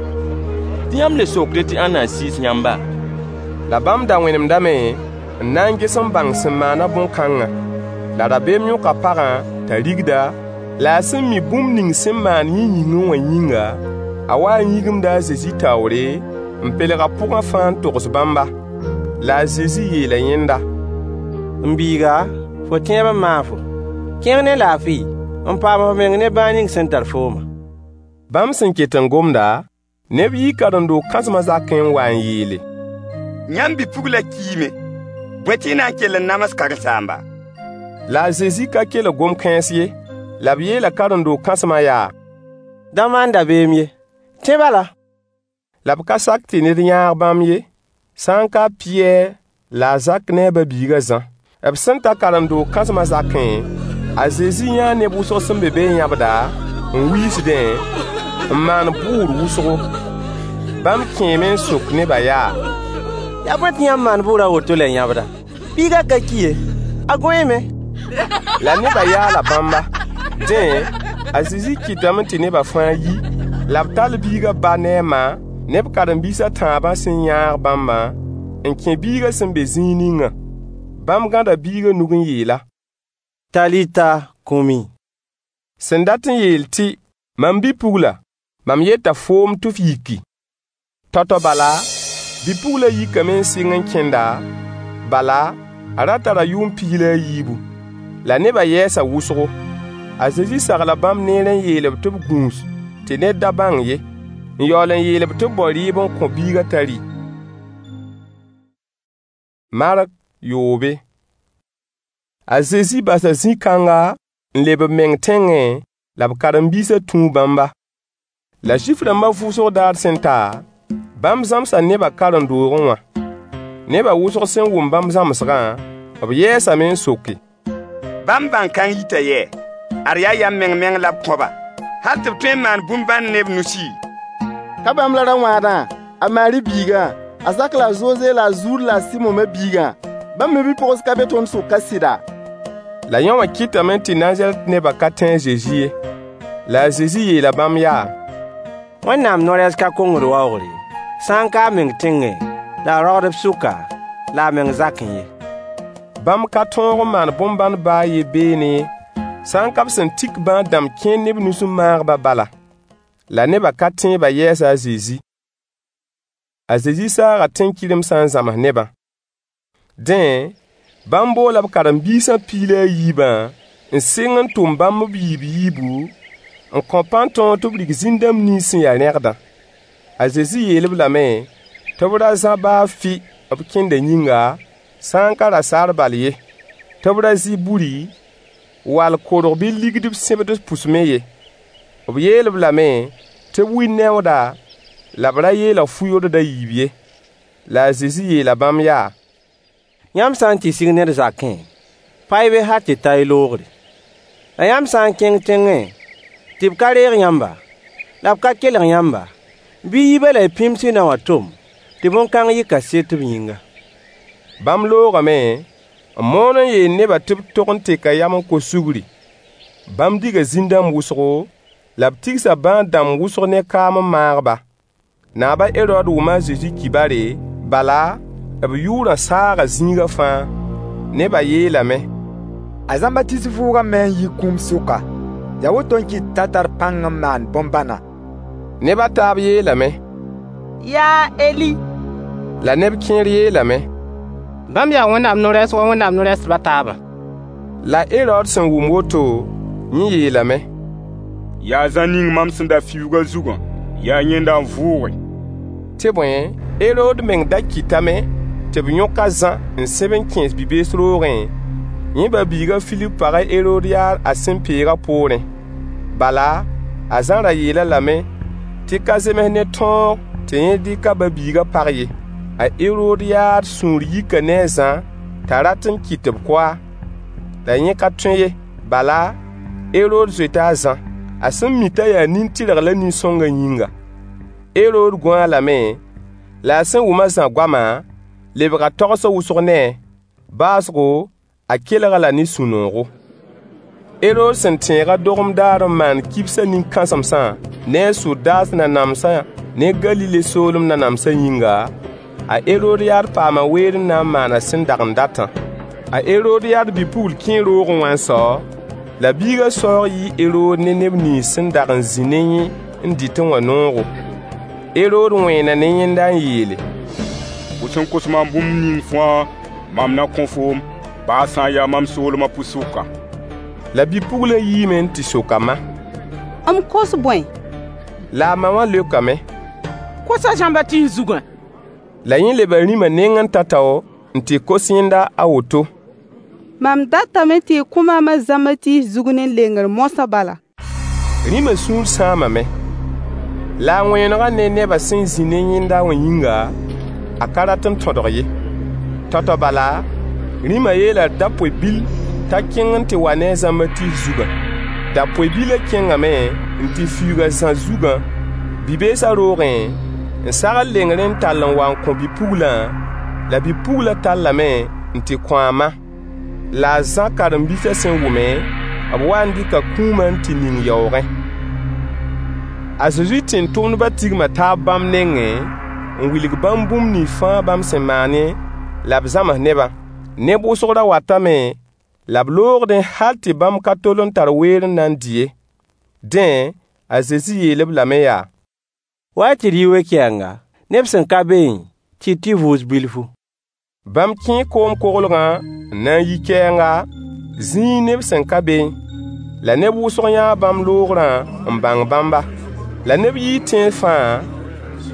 tɩ yãmb le sokdẽ tɩ ãnna n sɩɩs yãmba? La bãmb da wẽnemdame n na n ges n bãng sẽn maana bõn-kãngã. La rabeem yõka pagã t'a rigda, la a sẽn mi bũmb ning sẽn maan yẽ yĩngẽ wã yĩnga, a waa n yĩgimda a Zezi taoore, n pelg a pʋgã fãa n togs bãmba. La a Zezi yeela yẽnda: M biiga, fo tẽeb n maag fo. Kẽng ne laafɩ n paam f meng ne bãag ning sẽn tar foomã. Bãmb sẽn ket n gomda, Neb yii karen-doog kãsmã zakẽ n wa n yeele: Yãmb bi-puglã kiime. Bõe tɩ y na n kell n nams karen-saamba? La a Zezi ka kelg gom-kãens ye. La b yeela karen-doog kãsmã yaa: Da maan dabeem ye, tẽ bala. La b ka sak tɩ ned yãag bãmb ye, sã n ka a Pɩyɛɛr la a Zak ne a ba-biig a Zã. B sẽn ta karen-doog kãsmã zakẽ, a Zezi yãa neb wʋsg sẽn be be n yãbda, n wiisdẽ, n maan bʋʋr wʋsgo. Bãmb kẽeme n sok nebã yaa: Yaa bõe tɩ yãmb maan bʋʋr a woto la y yãbda? Biigã ka ki ye, a gõeeme. La nebã yaala bãmba. Dẽ, a Zezi kɩtame tɩ nebã fãa yi, la b tall biigã ba ne a ma ne b karen-biis a tãabã sẽn yãag bãmbã n kẽ biigã sẽn be zĩig ningã. Bãmb gãda biigã nug n yeel-a: Talita kumi. Sẽn dat n yeel tɩ: Mam bi-pugla, mam yeta foom tɩ f yiki. Tao-tao bala, bi-puglã yikame n sɩng n kẽnda, bala, a ra tara yʋʋm piig la a yiibu. La nebã yɛɛsa wʋsgo. A Zezi sagla bãmb neer n yeel-b tɩ b gũus tɩ ned da bãng ye, n yaool n yeel-b tɩ b bao rɩɩb n kõ biigã t'a rɩ. Mark yoobe. A Zezi basa zĩ-kãnga n leb b meng tẽngẽ, la b karen-biisã tũu bãmba. La Zuif-rãmbã vʋʋsg daar sẽn ta, bãmb zãmsa nebã karen-doogẽ wã. Nebã wʋsg sẽn wʋm bãmb zãmsgã, b yɛɛsame n soke: Bãmb bãn-kãng yita yɛ? Ad yaa yam meng-meng la b kõ-ba, hal tɩ b tõe n maan bũmb bãnd ne b nusi? Ka bãmb la rao-wãadã, a Maari biigã, a Zak la a Zoze la a Zuud la a Sɩmo ma-biigã? Bãmb me bi-pogs ka be tõnd sʋka sɩda? La yõ wã kɩtame tɩ Nazarɛt nebã ka tẽ a Zezi ye. La a Zezi yeela bãmb yaa: Wẽnnaam no-rɛɛs ka kongd waoogr ye, sã n ka a meng tẽngẽ, la a raoodb sʋka, la a meng zakẽ ye. Bãmb ka tõog n maan bõn-bãn baa a yen beene ye, sã n ka b sẽn tik bãad-dãmb kẽer ne b nus n maag-ba bala. La nebã ka tẽebã yɛɛsa a Zezi. A Zezi saaga tẽn-kɩremsã n zãms nebã. Dẽ, bãmb boola b karen-biisã piig la a yiibã n sɩng n tʋm bãmb b yiib-yiibu, n kõ pãn-tõog tɩ b rig zĩn-dãmb nins sẽn ya rẽgdã. A Zezi yeel-b lame tɩ b ra zã baa fɩ b kẽndã yĩnga, sã n ka rasaar bal ye, tɩ b ra zɩ buri, wall korg bɩ ligd b sẽbd pʋs me ye. B yeel-b lame tɩ b wi neooda la b ra yeelg fu-yordg a yiib ye. La a Zezi yeela bãmb yaa: Yãmb sã n tɩ sig ned zakẽ, pa-y be hal tɩ ta y loogre. La yãmb sã n kẽng tẽngẽ tɩ b ka reeg yãmba, la b ka kelg yãmba, bɩ y yi be la y pĩms y nao wã tom tɩ bõn-kãng yɩ kaset b yĩnga. Bãmb loogame n moon n yeel nebã tɩ b tog n teka yam n kos sugri. Bãmb diga zĩn-dãmb wʋsgo, la b tigsa bãad-dãmb wʋsg ne kaam n maag-ba. Naab a Herood wʋma a Zezi kibare, bala, b yʋʋrã saaga zĩigã fãa. Nebã yeelame: A Zãmbatiis vʋʋgame n yi kũum sʋka. Yaa woto n kɩt t'a tar pãng n maan bõn-bãna. Neb a taab yeelame: Yaa a Eli. La neb kẽer yeelame: Bãmb yaa Wẽnnaam no-rɛɛs wa Wẽnnaam no-rɛɛsdb a taabã. La a Herood sẽn wʋm woto, yẽ yeelame: Yaa Zã ning mam sẽn da fiuug a zugã, yaa yẽnda n vʋʋge. Tɩ bõe, Herood meng da kɩtame tɩ b yõk a Zã n sẽb n kẽes bi-bees roogẽ, yẽ ba-biig a Filip pag a Heroodyaad a sẽn peegã poorẽ. Bala, a Zã ra yeel-a lame tɩ ka zems ne tõog tɩ yẽ dɩk a ba-biigã pag ye. A Heroodyaad sũur yika ne a Zã t'a rat n kɩt tɩ b kʋ-a. La yẽ ka tõe ye. Bala, Herood zoeta a Zã, a sẽn mi t'a yaa nin-tɩrg la nin-sõngã yĩnga. Herood gõ-a lame, la a sẽn wʋm a Zã goamã, lebga tagsg wʋsg ne-a. Baoosgo, a kelg-a la ne sũ-noogo. Herood sẽn tẽeg a dogem daar n maan kibsã nin-kãsemsã ne a sodaas nanamsã ne Galile soolem nanamsã yĩnga, a Heroodyaad paama weer n na n maan a sẽn dag n datã. A Heroodyaad bi-pugl kẽe roogẽ wã n sao, la biigã saoog yɩɩ Herood ne neb nins sẽn dag n zĩ ne yẽ n dɩtẽ wã noogo. Herood wẽena ne yẽnda n yeele: Fo sẽn kos maam bũmb ning fãa, mam na kõ foom, baa sã n ya mam soolmã pʋ-sʋka. La bi-puglã yiime n tɩ sok a ma: M kos bõe? La a ma wã leokame: Kos a Zãmbatiis zugã. La yẽ leba rĩmã nengẽ n ta tao n tɩ kos yẽnda a woto: Mam datame tɩ y kõ maam a Zãmbatiis zug ne lengr moasã bala. Rĩmã sũur sãamame. La a wẽenegã ne nebã sẽn zĩ ne yẽnda wã yĩnga, a ka rat n tõdg ye. Tao-tao bala, rĩmã yeela dapoy-bil t'a kẽng n tɩ wa ne a Zãmbatiis zugã. Dapoy-bilã kẽngame n tɩ fiuug a Zã zugã bi-beesã roogẽ, n sagl lengrẽ n tall n wa n kõ bi-puglã, la bi-puglã tallame n tɩ kõ a ma. La a Zã karen-biisã sẽn wʋme, b waa n dɩka kũumã n tɩ ning yaoogẽ. A Zezi tẽn-tʋmdbã tigma taab bãmb nengẽ n wilg bãmb bũmb nins fãa bãmb sẽn maane la b zãms nebã. Neb wʋsg ra watame la b loogdẽ hal tɩ bãmb ka tol n tar weer n na n dɩ ye. Dẽ, a Zezi yeel-b lame yaa: Wa-y tɩ d yi we-kɛɛnga, neb sẽn ka beẽ, tɩ d tɩ vʋʋs bilfu. Bãmb kẽe koom-koglgã n na n yi kɛɛnga, zĩig neb sẽn ka beẽ. La neb wʋsg yãa bãmb loogrã n bãng bãmba. La neb yii tẽns fãa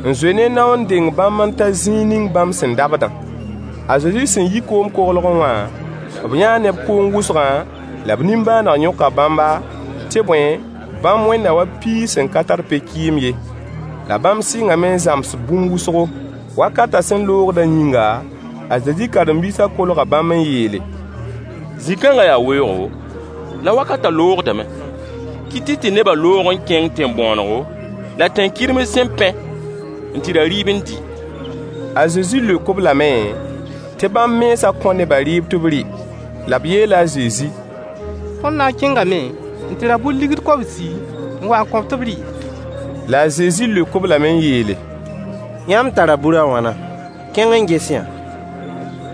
n zoe ne nao n deng bãmb n ta zĩig ning bãmb sẽn dabdã. A Zezi sẽn yi koom-koglgẽ wã, b yãa neb kʋʋng wʋsgã, la b nimbãaneg yõka bãmba, tɩ bõe, bãmb wẽnda wa piis sẽn ka tar pe-kɩɩm ye. La bãmb sɩngame n zãms bũmb wʋsgo. Wakatã sẽn loogdã yĩnga, a Zezi karen-biisã kolga bãmb n yeele: Zĩ-kãngã yaa weoogo, la wakatã loogdame. Kɩt-y tɩ nebã loog n kẽng tẽn-bõonego la tẽn-kɩrems sẽn pẽ n tɩ ra rɩɩb n dɩ. A Zezi leok-b lame tɩ bãmb mensã kõ nebã rɩɩb tɩ b rɩ. La b yeela a Zezi: Tõnd na n kẽngame n tɩ ra bur ligd kobsi n wa n kõ-b tɩ b rɩ? La a Zezi leok-b lame n yeele: Yãmb tara bur a wãna? Kẽng n ges-y-yã.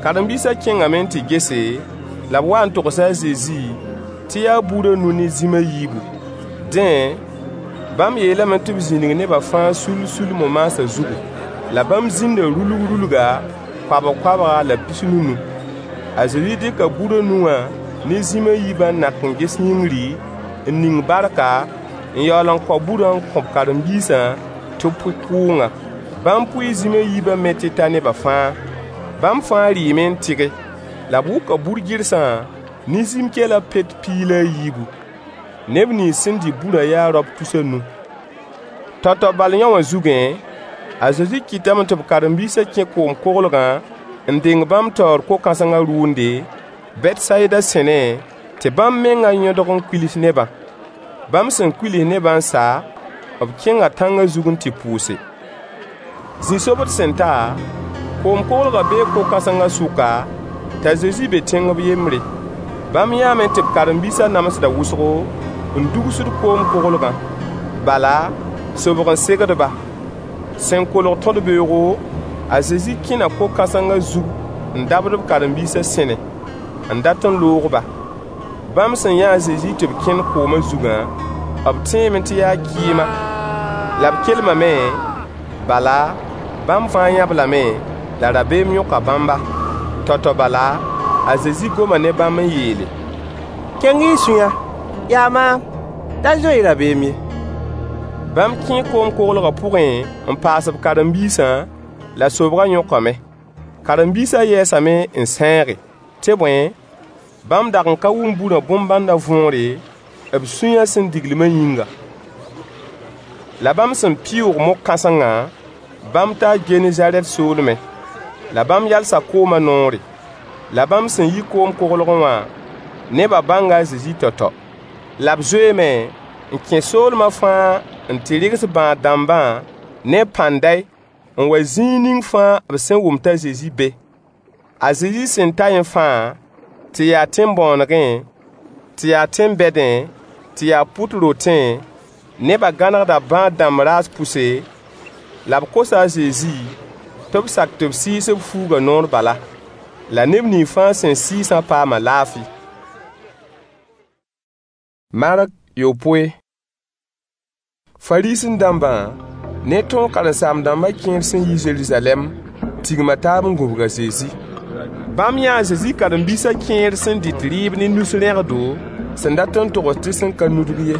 Karen-biisã kẽngame n tɩ gese, la b waa n togsa a Zezi tɩ yaa bur a nu ne zĩm a yiibu. Dẽ, bãmb yeelame tɩ b zĩnig nebã fãa sul-sul mo-maasã zugu. La bãmb zĩnda rulg-rulga, koabg-koabga la pis-nu-nu. A Zezi dɩka bur a nu wã ne zĩm a yiibã n nak n ges yĩngri, n ning barka, n yaool n kao burã n kõ b karen-biisã tɩ b pʋɩ kʋʋngã. Bãmb pʋɩɩ zĩm a yiibã me tɩ ta nebã fãa. Bãmb fãa rɩɩme n tɩge. La b wʋka bur-gɩrsã ne zĩm-kɛlã pet piig la a yiibu. Neb nins sẽn dɩ burã yaa raop tus a nu. Tao-tao bal yão wã zugẽ, a Zezi kɩtame tɩ b karen-biisã kẽ koom-koglgã n deng bãmb taoor ko-kãsengã rʋʋnde, Bɛtsayida sẽnẽ, tɩ bãmb mengã yõdg n kuils nebã. Bãmb sẽn kuils nebã n sa, b kẽnga tãngã zug n tɩ pʋʋse. Zĩ-sobd sẽn ta, koom-koglgã bee ko-kãsengã sʋka, t'a Zezi be tẽng b yembre. Bãmb yãame tɩ b karen-biisã namsda wʋsgo n dugsd koom-koglgã. Bala, sobg n segd-ba. Sẽn kolg tõd-beoogo, a Zezi kẽna ko-kãsengã zug n dabd b karen-biisã sẽne, n dat n loog-ba. Bãmb sẽn yã a Zezi tɩ b kẽnd koomã zugã, b tẽeme tɩ yaa kɩɩma. La b kelmame, bala, bãmb fãa yã-b lame, la rabeem yõka bãmba. Tao-tao bala, a Zezi goma ne bãmb n yeele: Keng-y y sũyã, yaa maam, da zoe-y rabeem ye. Bãmb kẽe koom-koglgã pʋgẽ n paas b karen-biisã, la sobgã yõkame. Karen-biisã yɛɛsame n sãeege. Tɩ bõe, bãmb dag n ka wʋm burã bõn-bãndã võore, b sũyã sẽn diglmã yĩnga. La bãmb sẽn pɩʋʋg mog-kãsengã, bãmb taa Genezaarɛt soolmẽ. La bãmb yalsa koomã noore. La bãmb sẽn yi koom-koglgẽ wã, nebã bãnga a Zezi tao-tao. La b zoeeme n kẽ soolmã fãa n tɩ rɩgs bãad-dãmbã ne pãnday n wa zĩig ning fãa b sẽn wʋm t'a Zezi be. A Zezi sẽn ta yẽ fãa, tɩ yaa tẽn-bõonegẽ, tɩ yaa tẽn-bɛdẽ, tɩ yaa pʋt rotẽ, nebã gãnegda bãad-dãmb raas pʋse, la b kosa a Zezi tɩ b sak tɩ b sɩɩs b fuugã noor bala. La neb nins fãa sẽn sɩɩsã paama laafɩ. Mark yopoe. Fariisẽ-dãmbã ne tõog karen-saam-dãmbã kẽer sẽn yi Zeruzalɛm tigma taab n gũbg a Zezi. Bãmb yãa a Zezi karen-biisã kẽer sẽn dɩt rɩɩb ne nus rẽgdo sẽn dat n togs tɩ sẽn ka nudg ye.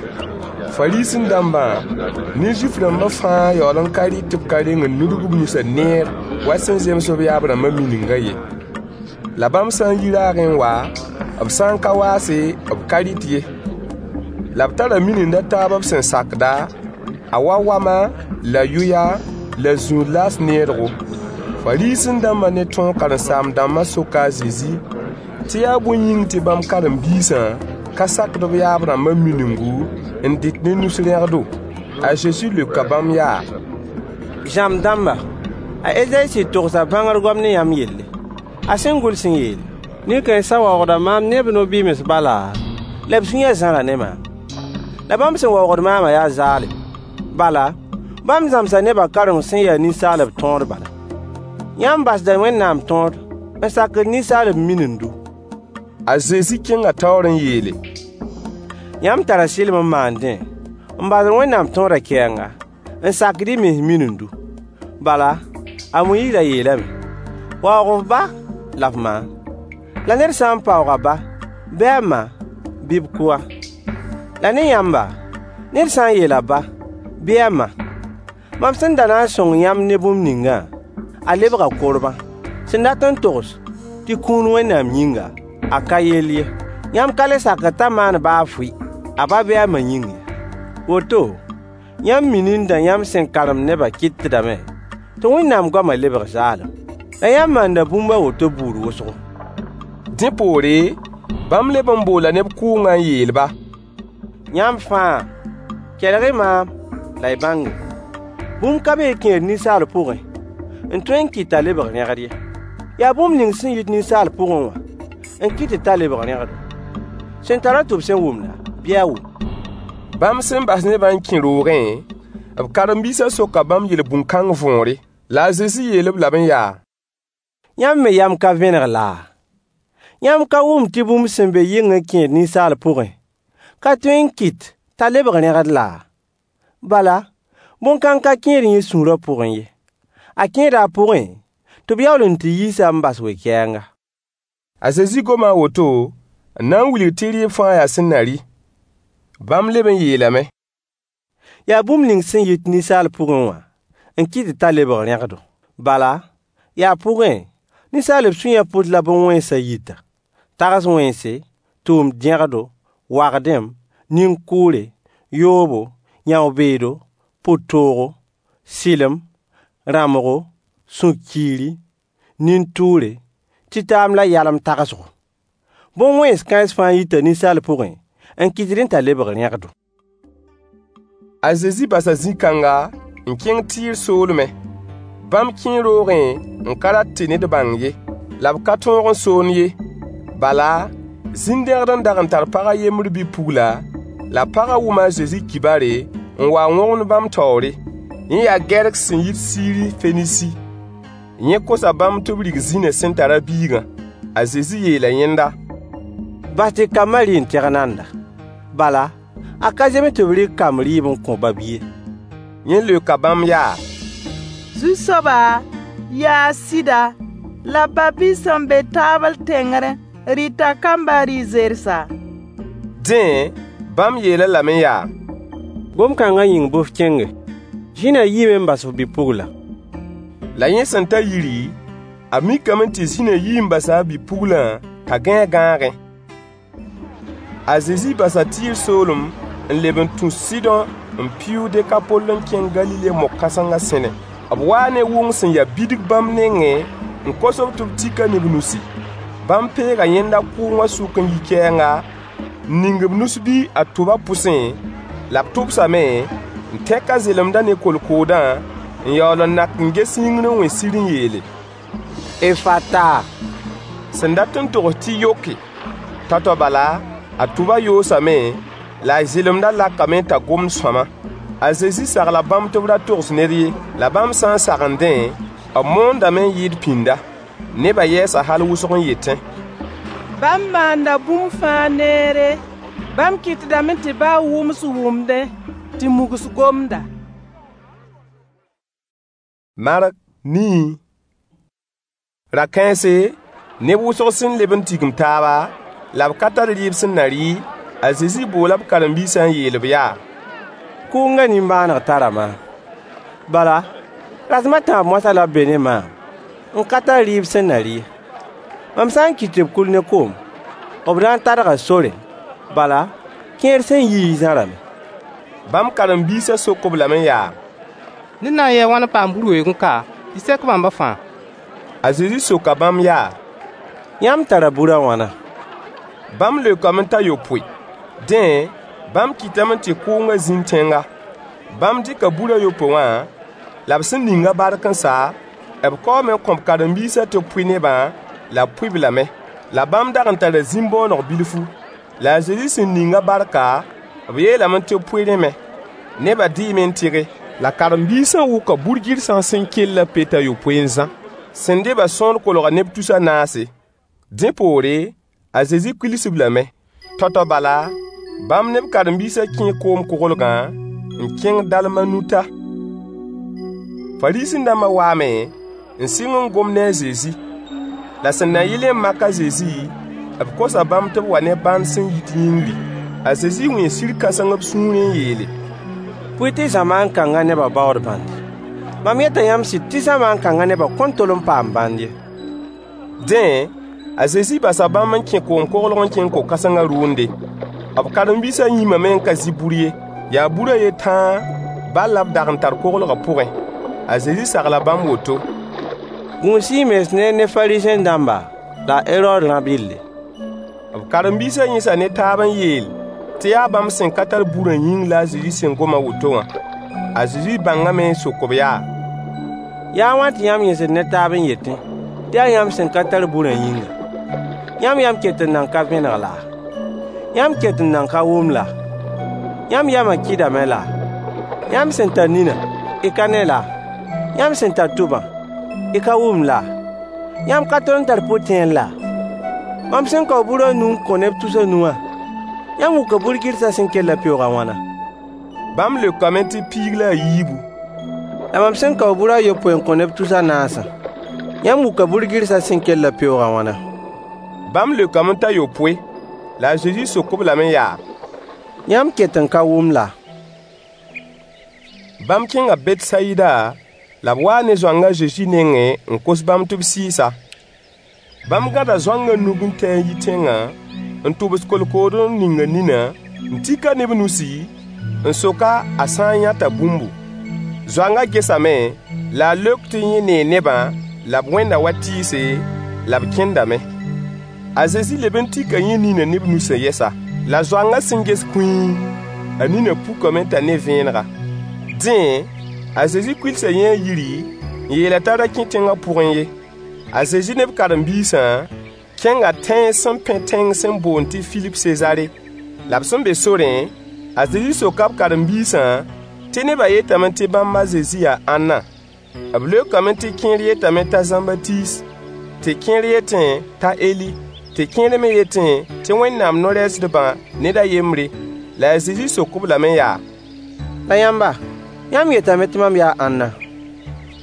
Fariisẽ-dãmbã ne Zuif-rãmbã fãa yaool n ka rɩt tɩ b ka reng n nudg b nusã neer wa sẽn zems b yaab-rãmbã miningã ye. La bãmb sã n yi raagẽ n wa, b sã n ka waase, b ka rɩt ye. La b tara minind a taab b sẽn sakda, a wa wama la yʋya la zũud laas needgo. Fariisẽ-dãmbã ne tõog karen-saam-dãmbã soka a Zezi tɩ yaa bõe yĩng tɩ bãmb karen-biisã ka sakd b yaab-rãmbã miningu n dɩt ne nus rẽgdo. A Zezi leoka bãmb yaa: Zãmb dãmba, a Ezayi sɩd togsa bãngr goam ne yãmb yelle, a sẽn gʋls n yeele: Nin-kãensã waoogda maam ne b no-bɩms bala, la b sũyã zãra ne maam. La bãmb sẽn waoogd maamã yaa zaalem. Bala, bãmb zãmsa nebã karem sẽn ya ninsaalb tõod bala. Yãmb basda Wẽnnaam tõod n sakd ninsaalb minindu. A Zezi kẽnga taoor n yeele: Yãmb tara sɩlem n maandẽ n basd Wẽnnaam tõodã kɛɛnga, n sakd y mens minindu. Bala, a Moyiis ra yeelame: Waoog f ba la f ma, la ned sã n paoog a ba bɩ a ma, bɩ b kʋ-a. La ne yãmba, ned sã n yeel a ba bɩ a ma: Mam sẽn da na n sõng yãmb ne bũmb ningã, a lebga korbã, sẽn dat n togs tɩ kũun Wẽnnaam yĩnga, a ka yell ye. Yãmb ka le sakd t'a maan baa fʋɩ a ba bɩ a ma yĩng ye. Woto, yãmb minindã yãmb sẽn karemd nebã kɩtdame tɩ Wẽnnaam goamã lebg zaalem. La yãmb maanda bũmb a woto buud wʋsgo. Dẽ poore, bãmb leb n boola neb kʋʋngã n yeel-ba: Yãmb fãa, kelg-y maam la y bãnge: Bũmb ka be n kẽed ninsaal pʋgẽ n tõe n kɩt t'a lebg rẽgd ye. Yaa bũmb ning sẽn yit ninsaal pʋgẽ wã n kɩtd t'a lebg rẽgdo. Sẽn tar-a tʋb sẽn wʋmda, bɩ a wʋm. Bãmb sẽn bas nebã n kẽ roogẽ, b karen-biisã soka bãmb yel-bũn-kãng võore. La a Zezi yeel-b lame yaa: Yãmb me yam ka vẽneg laa? Yãmb ka wʋm tɩ bũmb sẽn be yɩng n kẽed ninsaal pʋgẽ ka tõe n kɩt t'a lebg rẽgd laa? Bala, bõn-kãng ka kẽed yẽ sũurã pʋgẽ ye. A kẽeda a pʋgẽ tɩ b yaool n tɩ yiis-a n bas we-kɛɛnga. A Zezi goma a woto n na n wilg tɩ rɩɩb fãa yaa sẽn na rɩ. Bãmb leb n yeelame: Yaa bũmb ning sẽn yit ninsaal pʋgẽ wã n kɩtd t'a lebg rẽgdo. Bala, yaa pʋgẽ, ninsaalb sũyã pʋs la bõn-wẽnsã yita: tags wẽnse, tʋʋm-dẽgdo, wagdem, nin-kʋʋre, yoobo, yão-beedo, pʋ-toogo, sɩlem, rãmbgo, sũ-kiiri, nin-tʋʋre, tɩtaam la yalem tagsgo. Bõn-wẽns kãens fãa yita ninsaal pʋgẽ n kɩtdẽ t'a lebg rẽgdo. A Zezi basa zĩ-kãnga n kẽng Tɩɩr soolmẽ. Bãmb kẽe roogẽ n ka rat tɩ ned bãng ye. La b ka tõog n soond ye. Bala, zĩn-dẽgd n dag n tar pag a yembr bi-pugla, la pagã wʋma a Zezi kibare n wa n wõgemd bãmb taoore. Yẽ yaa Gɛrk sẽn yit Siiri-Fenisi. Yẽ kosa bãmb tɩ b rig zĩnã sẽn tar a biigã. A Zezi yeela yẽnda: Bas tɩ kambã rɩ n tẽg nanda. Bala, a ka zems tɩ b rɩk kamb rɩɩb n kõ ba-bi ye. Yẽ leoka bãmb yaa: Zu-soaba, yaa sɩda, la ba-bi sẽn be taabl tẽngrẽ rɩta kambã rɩ-zersa. Dẽ, bãmb yeel-a lame yaa: Gom-kãngã yĩng bɩ f kẽnge. Zĩnã yiime n bas f bi-puglã. La yẽ sẽn ta yiri, a mikame tɩ zĩnã yii n basa a bi-puglã t'a gãe a gãagẽ. A Zezi basa Tɩɩr soolem n leb n tũ Sɩdõ n pɩʋʋg Dekapol n kẽng Galile mog-kãsengã sẽne. B waa ne wʋng sẽn ya bidg bãmb nengẽ n kos-b tɩ b tik-a ne b nusi. Bãmb peega yẽnda kʋʋngã sʋk n yi kɛɛnga, n ning b nus-bi a tʋbã pʋsẽ, la b tʋbsame, n tẽk a zelemdã ne kolkoodã, n yaool n nak n ges yĩngr n wẽ sir n yeele: Efata, sẽn dat n togs tɩ yoke. Tao-tao bala, a tʋbã yoosame, la a zelemdã lakame t'a gomd sõama. A Zezi sagla bãmb tɩ b ra togs ned ye. La bãmb sã n sagendẽ, b moondame n yɩɩd pĩnda. Nebã yɛɛsa hal wʋsg n yetẽ: Bãmb maanda bũmb fãa neere. Bãmb kɩtdame tɩ baa wʋms wʋmdẽ, tɩ mugs gomda. Mark nii. Ra-kãense, neb wʋsg sẽn leb n tigim taaba, la b ka tar rɩɩb sẽn na rɩ, a Zezi boola b karen-biisã n yeel-b yaa: Kʋʋngã nimbãaneg tara maam. Bala, rasem a tãab moasã la b be ne maam, n ka tar rɩɩb sẽn na rɩ ye. Mam sã n kɩt tɩ b kul ne koom, b na n tadga sorẽ, bala, kẽer sẽn yiẽ zãrame. Bãmb karen-biisã sok-b lame yaa: Ned na n yɩɩ a wãn n paam bur weoog n ka tɩ sek bãmbã fãa? A Zezi soka bãmb yaa: Yãmb tara bur a wãna? Bãmb leokame t'a yopoe. Dẽ, bãmb kɩtame tɩ kʋʋngã zĩnd tẽnga. Bãmb dɩka bur a yopoe wã, la b sẽn ning-a bark n sa, b kaoome n kõ b karen-biisã tɩ b pʋɩ nebã, la b pʋɩ-b lame. La bãmb dag n tara zĩm-bõoneg bilfu. La a Zezi sẽn ning-a barka, b yeelame tɩ b pʋɩ rẽ me. Nebã dɩɩme n tɩge. La karen-biisã wʋka bur-gɩrsã sẽn kellã pet a yopoe n zã. Sẽn dɩ-bã sõor kolga neb tus a naase. Dẽ poore, a Zezi kuils-b lame. Tao-tao bala, bãmb ne b karen-biisã kẽe koom-koglgã n kẽng Dalmanuta. Fariisẽ-dãmbã waame n sɩng n gom ne a Zezi. La sẽn na yɩlẽ n mak a Zezi, b kosa bãmb tɩ b wa ne bãnd sẽn yit yĩngri. A Zezi wẽe sir-kãseng b sũurẽ n yeele: Bʋɩ tɩ zamaan kãngã nebã baood bãndi. Mam yeta yãmb sɩd tɩ zamaan kãngã nebã kõn tol n paam bãnd ye. Dẽ, a Zezi basa bãmb n kẽ koom-koglg n kẽng ko-kãsengã rʋʋnde. B karen-biisã yĩmame n ka zɩ bur ye. Yaa bur a yen tãa bal la b dag n tar koglgã pʋgẽ. A Zezi sagla bãmb woto: Gũus-y y mens neer ne Fariisẽ-dãmba la a Herood rã-bɩlle. B karen-biisã yẽsa ne taab n yeel tɩ yaa bãmb sẽn ka tar burã yĩng la a Zezi sẽn gom a woto wã. A Zezi bãngame n sok-b yaa: Yaa a wãn tɩ yãmb yẽsd ne taab n yetẽ tɩ yaa yãmb sẽn ka tar burã yĩnga? Yãmb yam ket n nan ka vẽneg laa? Yãmb ket n nan ka wʋm laa? Yãmb yamã kɩdame laa? Yãmb sẽn tar nina, y ka ne laa? Yãmb sẽn tar tʋbã, y ka wʋmd laa? Yãmb ka tol n tar pʋ-tẽer laa? Mam sẽn kao bur a nu n kõ neb tus a nu wã, yãmb wʋka bur-gɩrsã sẽn kellã peoog a wãna? Bãmb leokame tɩ piig la a yiibu. La mam sẽn kao bur a yopoe n kõ neb tus a naasã, yãmb wʋka bur-gɩrsã sẽn kellã peoog a wãna? Bãmb leokame t'a yopoe. La a Zezi sok-b lame yaa: Yãmb ket n ka wʋm laa? Bãmb kẽnga Betsayida, la b waa ne zoang a Zezi nengẽ n kos bãmb tɩ b sɩɩs-a. Bãmb gãda zoangã nug n tɛ n yi tẽngã, n tʋbs kolkood n ning a ninã, n tik-a ne b nusi, n sok-a a sã n yãta bũmbu. Zoangã gesame, la a leok tɩ yẽ nee nebã la b wẽnda wa tɩɩse, la b kẽndame. A Zezi leb n tika yẽ ninã ne b nusã yɛsa. La zoangã sẽn ges kũii, a ninã pukame t'a ne vẽenega. Dẽ, a Zezi kuilsa yẽ a yiri n yeel-a t'a ra kẽ tẽngã pʋgẽ ye. A Zezi ne b karen-biisã kẽnga tãens sẽn pẽ tẽng sẽn boond tɩ Filip Sezare. La b sẽn be sorẽ, a Zezi soka b karen-biisã tɩ nebã yetame tɩ bãmb a Zezi yaa ãnna? B leokame tɩ kẽer yetame t'a Zãmbatiis, tɩ kẽer yetẽ t'a Eli, tɩ kẽer me yetẽ tɩ Wẽnnaam no-rɛɛsdbã ned a yembre. La a Zezi sok-b lame yaa: La yãmba, yãmb yetame tɩ mam yaa ãnna?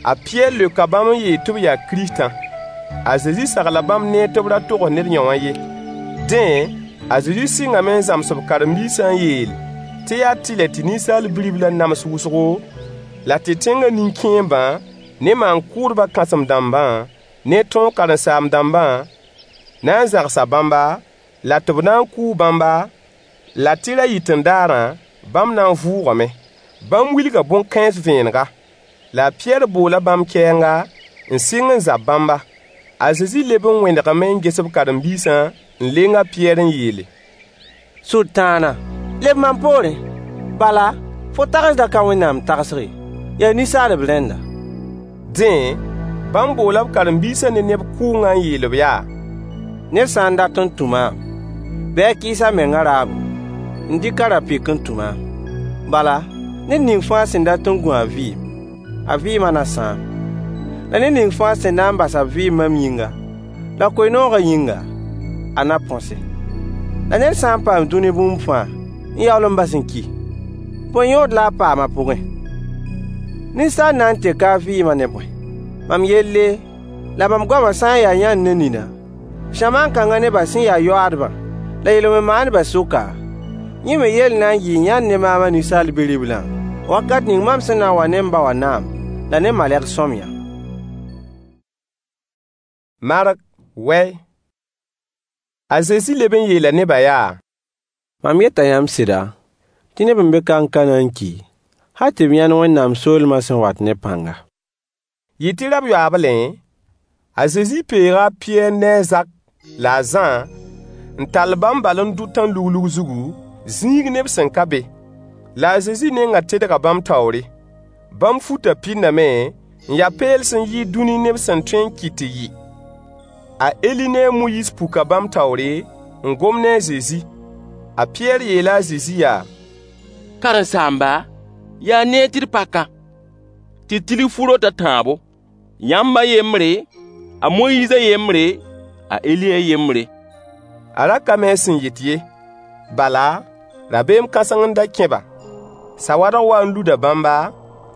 A Pɩyɛɛr leoka bãmb n yeel tɩ b yaa Kiristã. A Zezi sagla bãmb neer tɩ b ra togs ned yõ wã ye. Dẽ, a Zezi sɩngame n zãms b karen-biisã n yeel tɩ yaa tɩlɛ tɩ Ninsaal Bi-riblã nams wʋsgo, la tɩ tẽngã nin-kẽembã ne maan-kʋʋdbã kãsem-dãmbã ne tõog karen-saam-dãmbã na n zãgsa bãmba, la tɩ b na n kʋʋ bãmba, la tɩ ra-yɩt-n-daarã bãmb na n vʋʋgame. Bãmb wilga bõn-kãens vẽenega. La a Pɩyɛɛr boola bãmb kɛɛnga n sɩng n zab bãmba. A Zezi leb n wẽnegame n ges b karen-biisã n leng a Pɩyɛɛr n yeele: Sʋtãana, leb mam poorẽ! Bala, fo tagsdã ka Wẽnnaam tagsg ye, yaa ninsaalb rẽnda. Dẽ, bãmb boola b karen-biisã ne neb kʋʋngã n yeel-b yaa: Ned sã n dat n tũ maam, bɩ a kɩɩs a menga raabo, n dɩk a ra-pɩk n tũ maam. Bala, ned ning fãa sẽn dat n gũ a vɩɩm, a vɩɩmã na sãam. La ned ning fãa sẽn na n bas a vɩɩm mam yĩnga, la koe-noogã yĩnga, a na põse. La ned sã n paam dũni bũmb fãa n yaool n bas n ki, bõe yõod la a paam a pʋgẽ? Ninsaal na n teka a vɩɩmã ne bõe? Mam yelle la mam goamã sã n yaa yãnd ne nina, zamaan kãngã nebã sẽn ya yoaadbã la yel-wẽn-maandbã sʋka, yẽ me yell na n yɩɩ yãnd ne maam a Ninsaal Bi-riblã, Wakat ning mam sẽn na n wa ne m ba wã naam la ne malɛgs sõamyã. Mark wɛ. A Zezi leb n yeela nebã yaa: Mam yeta yãmb sɩda, tɩ neb n be kang ka na n ki, hal tɩ b yãnd Wẽnnaam soolmã sẽn wat ne pãnga. Yɩ tɩ rab-yoaablẽ, a Zezi peega a Pɩyɛɛr ne a Zak la a Zã n tall bãmb bal n dʋ tãn-luglug zugu, zĩig neb sẽn ka be. La a Zezi nengã tedga bãmb taoore. Bãmb futã pɩndame n ya peels n yɩɩd dũni neb sẽn tõe n kɩt tɩ yɩ. A Eli ne a Moyiis puka bãmb taoore n gom ne a Zezi. A Pɩyɛɛr yeela a Zezi yaa: Karen-saamba, yaa neer tɩ d pa ka, tɩ d tilg fu-rot a tãabo: yãmb a yembre, a Moyiis a yembre, a Eli a yembre. A ra ka mi a sẽn yet ye. Bala, rabeem kãseng n da kẽ-ba. Sawadg wa n luda bãmba,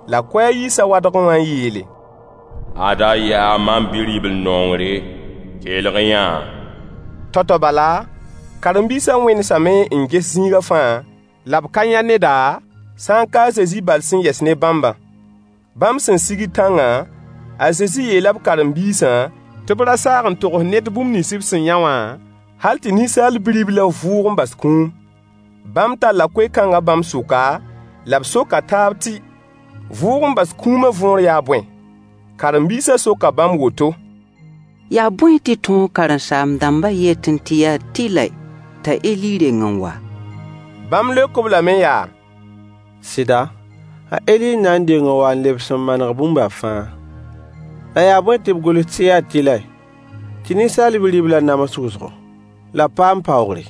la koɛɛg yi sawadgẽ wã n yeele: Ada yaa mam Bi-ribl-nongre, kelg-y-yã-a. Tao-tao bala, karen-biisã wẽnesame n ges zĩigã fãa, la b ka yã neda, sã n ka a Zezi bal sẽn yɛs ne bãmbã. Bãmb sẽn sigd tãngã, a Zezi yeela b karen-biisã tɩ b ra saag n togs ned bũmb nins b sẽn yã wã, hal tɩ Ninsaal Bi-riblã vʋʋg n bas kũum. Bãmb talla koe-kãngã bãmb sʋka, la b soka taab tɩ, vʋʋg n bas kũumã võor yaa bõe? Karen-biisã soka bãmb woto: Yaa bõe tɩ tõog karen-saam-dãmbã yetẽ tɩ yaa tɩlɛ t'a Eli reng n wa? Bãmb leok-b lame yaa: Sɩda, a Eli n na n deng n wa n lebs n maneg bũmba fãa. La yaa bõe tɩ b gʋls tɩ yaa tɩlɛ tɩ Ninsaal Bi-riblã nams wʋsgo, la b paam paoogre?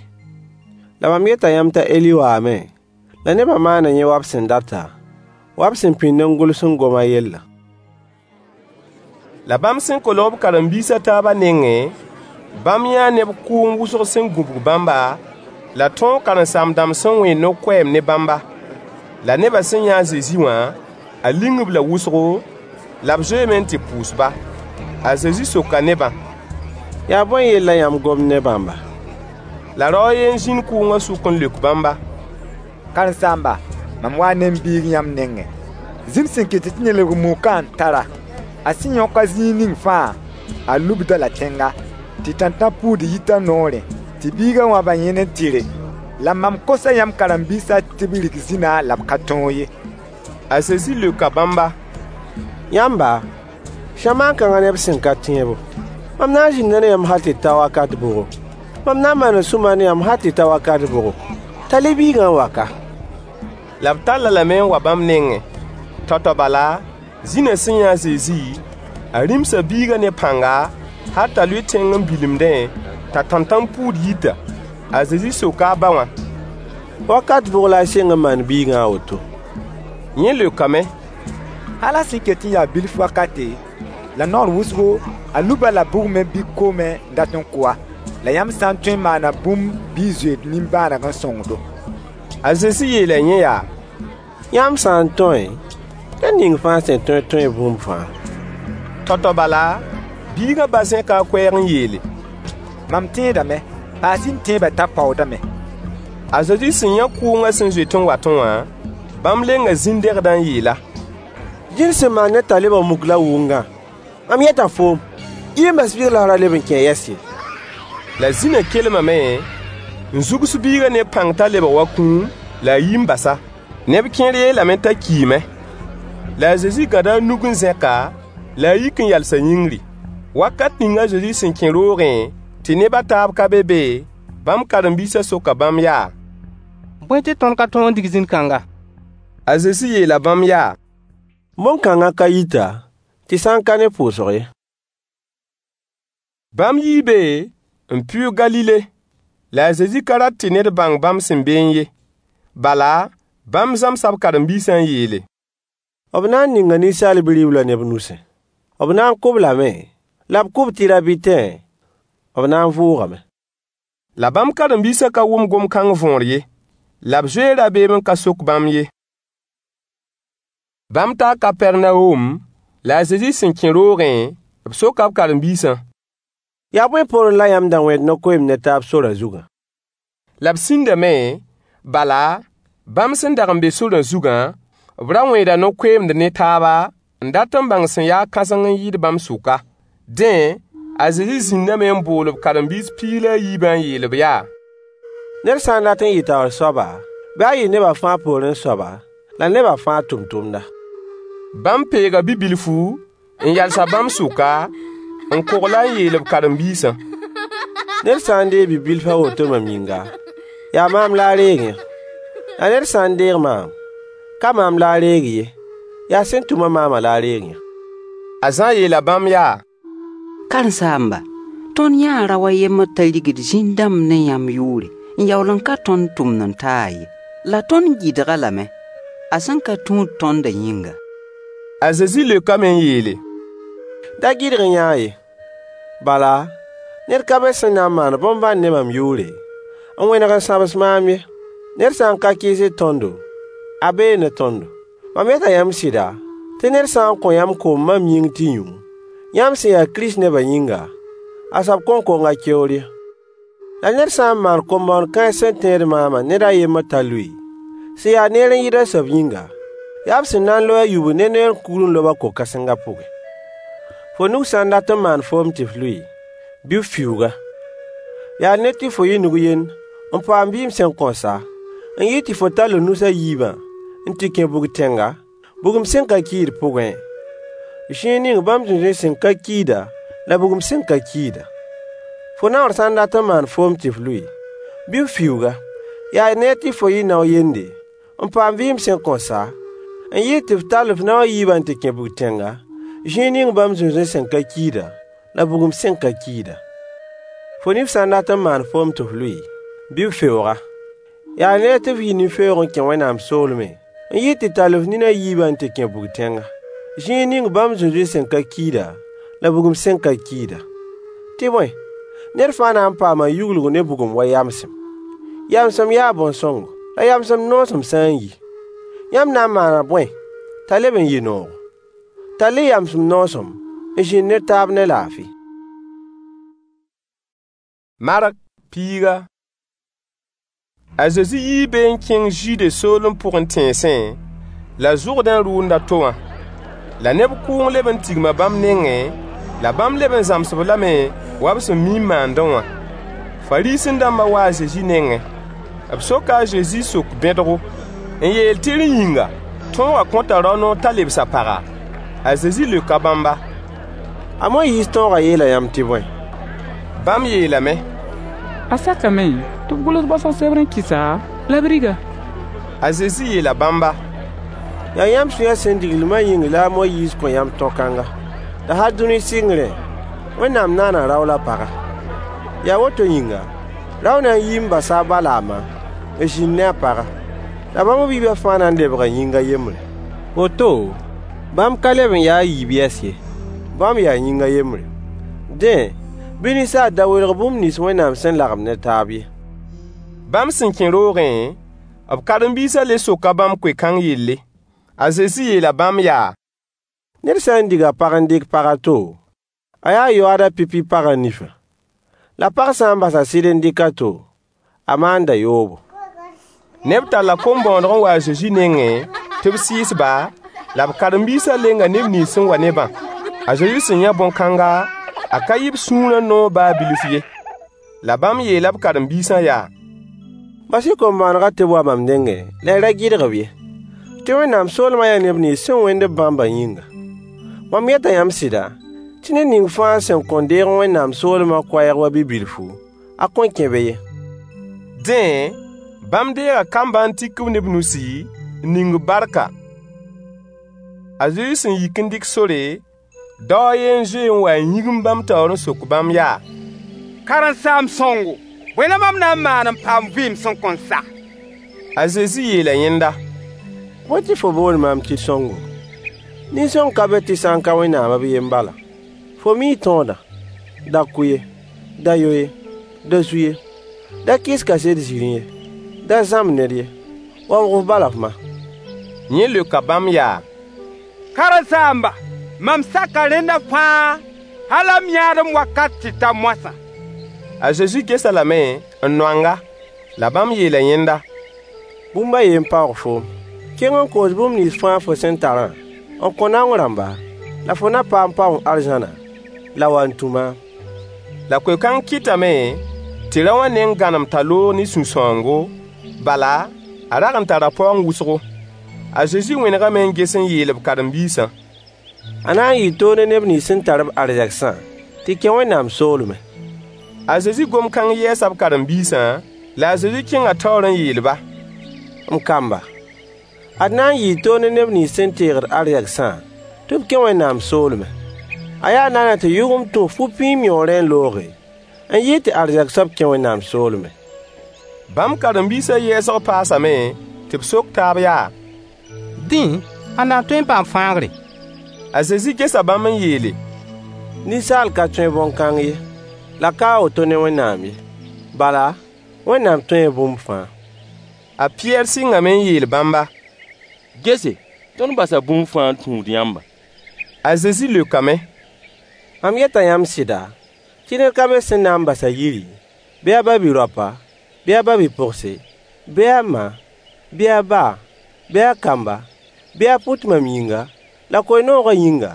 La mam yeta yãmb t'a Eli waame, la nebã maana yẽ wa b sẽn data, wa b sẽn pĩnd n gʋls n gom a yellã. La bãmb sẽn kolg b karen-biis a taabã nengẽ, bãmb yãa neb kʋʋng wʋsg sẽn gũbg bãmba, la tõog karen-saam-dãmb sẽn wẽed no-koɛɛm ne bãmba. La nebã sẽn yã a Zezi wã, a ling-b la wʋsgo, la b zoeeme n tɩ pʋʋs-ba. A Zezi soka nebã: Yaa bõe yell la yãmb gomd ne bãmba? La rao a yen n zĩnd kʋʋngã sʋk n leok bãmba: Karen-saamba, mam waa ne m biig yãmb nengẽ. Zĩn sẽn kɩt tɩ yẽ lebg mukã n tar-a. A sẽn yõk-a zĩig ning fãa, a lubd-a-la tẽnga, tɩ tãntã-puud yit a noorẽ, tɩ biigã wãb a yẽn n tɩre. La mam kosa yãmb karen-biisã tɩ b rik zĩnã la b ka tõog ye. A Zezi leoka bãmba: Yãmba, zamaan kãngã neb sẽn ka tẽebo, mam na n zĩnda ne yãmb hal tɩ ta wakat bʋgo? Mam na n maana sũ-mar ne yãmb hal tɩ ta wakat bʋgo? Tall-y biigã n wa ka. La b tall-a lame n wa bãmb nengẽ. Tao-tao bala, zĩnã sẽn yã a Zezi, a rĩmsa biigã ne pãnga, hal t'a lʋɩ tẽng n bilemdẽ, t'a tãntãn-puud yita. A Zezi soka a ba wã: Wakat bʋg la a sɩng n maan biigã a woto? Yẽ leokame: Hal a sẽn ket n ya bilf wakate, la naoor wʋsgo, a lub-a-la bugmẽ bɩ koomẽ n dat n kʋ-a. La yãmb sã n tõe n maana bũmb bɩ y zoe d nimbãaneg n sõng-do. A Zezi yeela yẽ yaa: Yãmb sã n tõe, ned ning fãa sẽn tõe tõe bũmb fãa. Tao-tao bala, biigã ba zẽka a koɛɛg n yeele: Mam tẽedame, paas-y m tẽebã t'a paoodame. A Zezi sẽn yã kʋʋngã sẽn zoet n watẽ wã, bãmb lenga zĩn-dẽgdã n yeel-a: Zĩn sẽn maan ned t'a lebg muk la wʋngã, mam yeta foom, yi n bas biig la f ra leb n kẽ yɛs ye. La zĩnã kelmame n zugs biigã ne pãng t'a lebg wa kũum, la a yi n bas-a. Neb kẽer yeelame t'a kiime. La a Zezi gãda a nug n zẽk-a, la a yik n yalsa yĩngri. Wakat ning a Zezi sẽn kẽ roogẽ tɩ neb a taab ka be be, bãmb karen-biisã soka bãmb yaa: Bõe tɩ tõnd ka tõog n dig zĩn-kãnga? A Zezi yeela bãmb yaa: Bõn-kãngã ka yita tɩ sã n ka ne pʋʋsg ye. Bãmb yii be n pʋʋg Galile. La a Zezi ka rat tɩ ned bãng bãmb sẽn beẽ ye. Bala, bãmb zãmsa b karen-biisã n yeele: B na n ninga Ninsaal Bi-riblã neb nusẽ. B na n kʋ-b lame, la b kʋ-b tɩ rabɩtẽ, b na n vʋʋgame. La bãmb karen-biisã ka wʋm gom-kãng võor ye. La b zoee rabeem n ka sok bãmb ye. Bãmb taa Kapɛrnawom, la a Zezi sẽn kẽ roogẽ, b soka b karen-biisã: Yaa bõe poorẽ la yãmb da wẽed no-koeemd ne taab sorã zugã? La b sĩndame, bala, bãmb sẽn dag n be sorã zugã, B ra wẽeda no-koeemd ne taaba n dat n bãng sẽn yaa kãseng n yɩɩd bãmb sʋka. Dẽ, a Zezi zĩndame n bool b karen-biis piig la a yiibã n yeel-b yaa: Ned sã n dat n yɩ taoor soaba, bɩ a yɩ nebã fãa poorẽ soaba, la nebã fãa tʋmtʋmda. Bãmb peega bi-bilfu n yals-a bãmb sʋka, n kogl-a n yeel b karen-biisã: Ned sã n deeg bi-bilf a woto mam yĩnga, yaa maam la a reeg yã. La ned sã n deeg maam, ka maam la a reegd ye, yaa sẽn tʋm-a maamã la a reeg yã. A Zã yeela bãmb yaa: Karen-saamba, tõnd yãa rao a yembr t'a rigd zĩn-dãmb ne yãmb yʋʋre n yaool n ka tõnd tʋmd-n-taag ye. La tõnd gɩdg-a lame, a sẽn ka tũud tõndã yĩnga. A Zezi leokame n yeele: Da gɩdg-y yã ye. Bala, ned ka be sẽn na n maan bõn-bãn ne mam yʋʋre, n wẽneg n sãbs maam ye. Ned sã n ka kɩɩsd tõndo, a bee ne tõndo. Mam yeta yãmb sɩda, tɩ ned sã n kõ yãmb koom mam yĩng tɩ yũ, yãmb sẽn ya Kirist nebã yĩnga, a soab kõn kong a keoor ye. La ned sã n maan kom-bõoneg kãens sẽn tẽed maamã ned a yembr t'a lʋɩ, sẽn ya neer n yɩɩd a soab yĩnga, yaa b sẽn na n loe a yubd ne neer kugr n lob-a ko-kãsengã pʋgẽ. Fo nug sã n dat n maan foom tɩ f lʋɩ, bɩ f fiuug-a. Yaa neer tɩ fo yɩ nug yend n paam vɩɩm sẽn kõn sa, n yɩɩd tɩ fo tall f nus a yiibã n tɩ kẽ bug-tẽnga, bugum sẽn ka kiid pʋgẽ, zĩig ning bãmb zũnzũy sẽn ka kiida la bugum sẽn ka kiida. Fo naoor sã n dat n maan foom tɩ f lʋɩ, bɩ f fiuug-a. Yaa neer tɩ fo yɩ nao yende n paam vɩɩm sẽn kõn sa, n yɩɩd tɩ f tall f nao a yiibã n tɩ kẽ bug-tẽnga, zĩig ning bãmb zũnzũy sẽn ka kiida la bugum sẽn ka kiida. Fo nif sã n dat n maan foom tɩ f lʋɩ, bɩ f feoog-a. Yaa neer tɩ f yɩ nin-feoog n kẽ Wẽnnaam soolmẽ, n yɩɩd tɩ tall f nin a yiibã n tɩ kẽ bug-tẽnga, zĩig ning bãmb zũnzũy sẽn ka kiida la bugum sẽn ka kiida. Tɩ bõe, ned fãa na n paama yuglg ne bugum wa yamsem. Yamsem yaa bõn-sõngo, la yamsem noosem sã n yi, yãmb na n maana bõe t'a leb n yɩ noogo? Tall-y yamsem noosem n zĩnd ne taab ne laafɩ. Mark piiga. A Zezi yii be n kẽng Zude soolem pʋgẽ tẽnsẽ, la Zʋrdẽ rʋʋnd a to wã. La neb kʋʋng leb n tigma bãmb nengẽ, la bãmb leb n zãms-b lame wa b sẽn mi n maandẽ wã. Fariisẽ-dãmbã waa a Zezi nengẽ. B soka a Zezi sok-bẽdgo n yeel tɩ rẽ yĩnga, tõogã kõta rao noor t'a lebs a paga? A Zezi leoka bãmba: A Moyiis tõogã yeela yãmb tɩ bõe? Bãmb yeelame: A sakame tɩ b gʋls baosg sebr n kɩs-a la b rig-a. A Zezi yeela bãmba: Yaa yãmb sũyã sẽn digl lmã yĩng la a Moyiis kõ yãmb tõ-kãnga. La hal dũni sɩngrẽ, Wẽnnaam naana rao la paga. Yaa woto yĩnga, rao na n yii n basa a ba la a ma, n zĩnd ne a paga. La bãmb b yiibã fãa na n lebga yĩng a yembre. Woto, bãmb ka leb n ya a yiib yɛs ye, bãmb yaa yĩng a yembre. Dẽ, bɩ ninsaal da welg bũmb nins Wẽnnaam sẽn lagem ne taab ye. Bãmb sẽn kẽ roogẽ, b karen-biisã le soka bãmb koe-kãng yelle. A Zezi yeela bãmb yaa: Ned sã n dig a pag n dɩk pag a to, a yaa yoaad a pipi pagã nifã. La pag sã n bas a sɩd n dɩk a to, a maanda yoobo. Neb talla kom-bõoneg n wa a Zezi nengẽ tɩ b sɩɩs-ba, la b karen-biisã lenga neb nins sẽn wa ne-bã. A Zezi sẽn yã bõn-kãnga, a ka yɩ b sũurã noog baa bilf ye. La bãmb yeela b karen-biisã yaa: Bas-y kom-bõonegã tɩ b wa mam nengẽ la y ra gɩdg-b ye, tɩ Wẽnnaam soolmã yaa neb nins sẽn wẽnd b bãmbã yĩnga. Mam yeta yãmb sɩda, tɩ ned ning fãa sẽn kõn deeg Wẽnnaam soolmã koɛɛg wa bi-bilfu, a kõn kẽ be ye. Dẽ, bãmb deega kambã n tik-b ne b nusi, n ning-b barka. A Zezi sẽn yik n dɩk sore, dao a yen n zoe n wa n yĩgimd bãmb taoor n sok bãmb yaa: Karen-saam-sõngo, bõe la mam na n maan n paam vɩɩm sẽn kõn sa? A Zezi yeela yẽnda: Bõe tɩ fo boond maam tɩ sõngo? Nin-sõng ka be tɩ sã n ka Wẽnnaam b yen bala. Fo mii tõodã: Da kʋ ye, da yo ye, da zu ye, da kɩs kaset zirẽ ye, da zãmb ned ye, waoog f ba la f ma. Yẽ leoka bãmb yaa: Karen-saamba, mam saka rẽnda fãa, hal m yãadem wakat tɩ ta moasã. A Zezi ges-a lame n noang-a. La bãmb yeela yẽnda: Bũmb a yen n paoog foom. Kẽng n koos bũmb nins fãa fo sẽn tarã n kõ naong rãmba, la fo na paam paoong arzãna, la wa n tũ maam. La koe-kãng kɩtame tɩ rao wã neng gãnem t'a loog ne sũ-sãoongo, bala, a rag n tara paoong wʋsgo. A Zezi wẽnegame n ges n yeel b karen-biisã: A na n yɩɩ toog ne neb nins sẽn tar-b arzegsã tɩ kẽ Wẽnnaam soolmẽ. A Zezi gom-kãng yɛɛsa b karen-biisã, la a Zezi kẽnga taoor n yeel-ba: M kamba, ad na n yɩɩ toog ne neb nins sẽn teegd arzegsã tɩ b kẽ Wẽnnaam soolmẽ. A yaa naana tɩ yʋgem tũ fu-pĩim yõorẽ n looge, n yɩɩd tɩ arzɛk soab kẽ Wẽnnaam soolmẽ. Bãmb karen-biisã yɛɛsg paasame tɩ b sok taab yaa: Dẽ, ãnna n tõe n paam fãagre? A Zezi gesa bãmb n yeele: Ninsaal ka tõe bõn-kãng ye, la ka a woto ne Wẽnnaam ye. Bala, Wẽnnaam tõee bũmb fãa. A Pɩyɛɛr sɩngame n yeel bãmba: Gese, tõnd basa bũmb fãa n tũud yãmba. A Zezi leokame: Mam yeta yãmb sɩda, tɩ ned ka be sẽn na n bas a yiri, bɩ a ba-bi-raopa, bɩ a ba-bi-pogse, bɩ a ma, bɩ a ba, bɩ a kamba, bɩ a pʋt mam yĩnga, la koe-noogã yĩnga,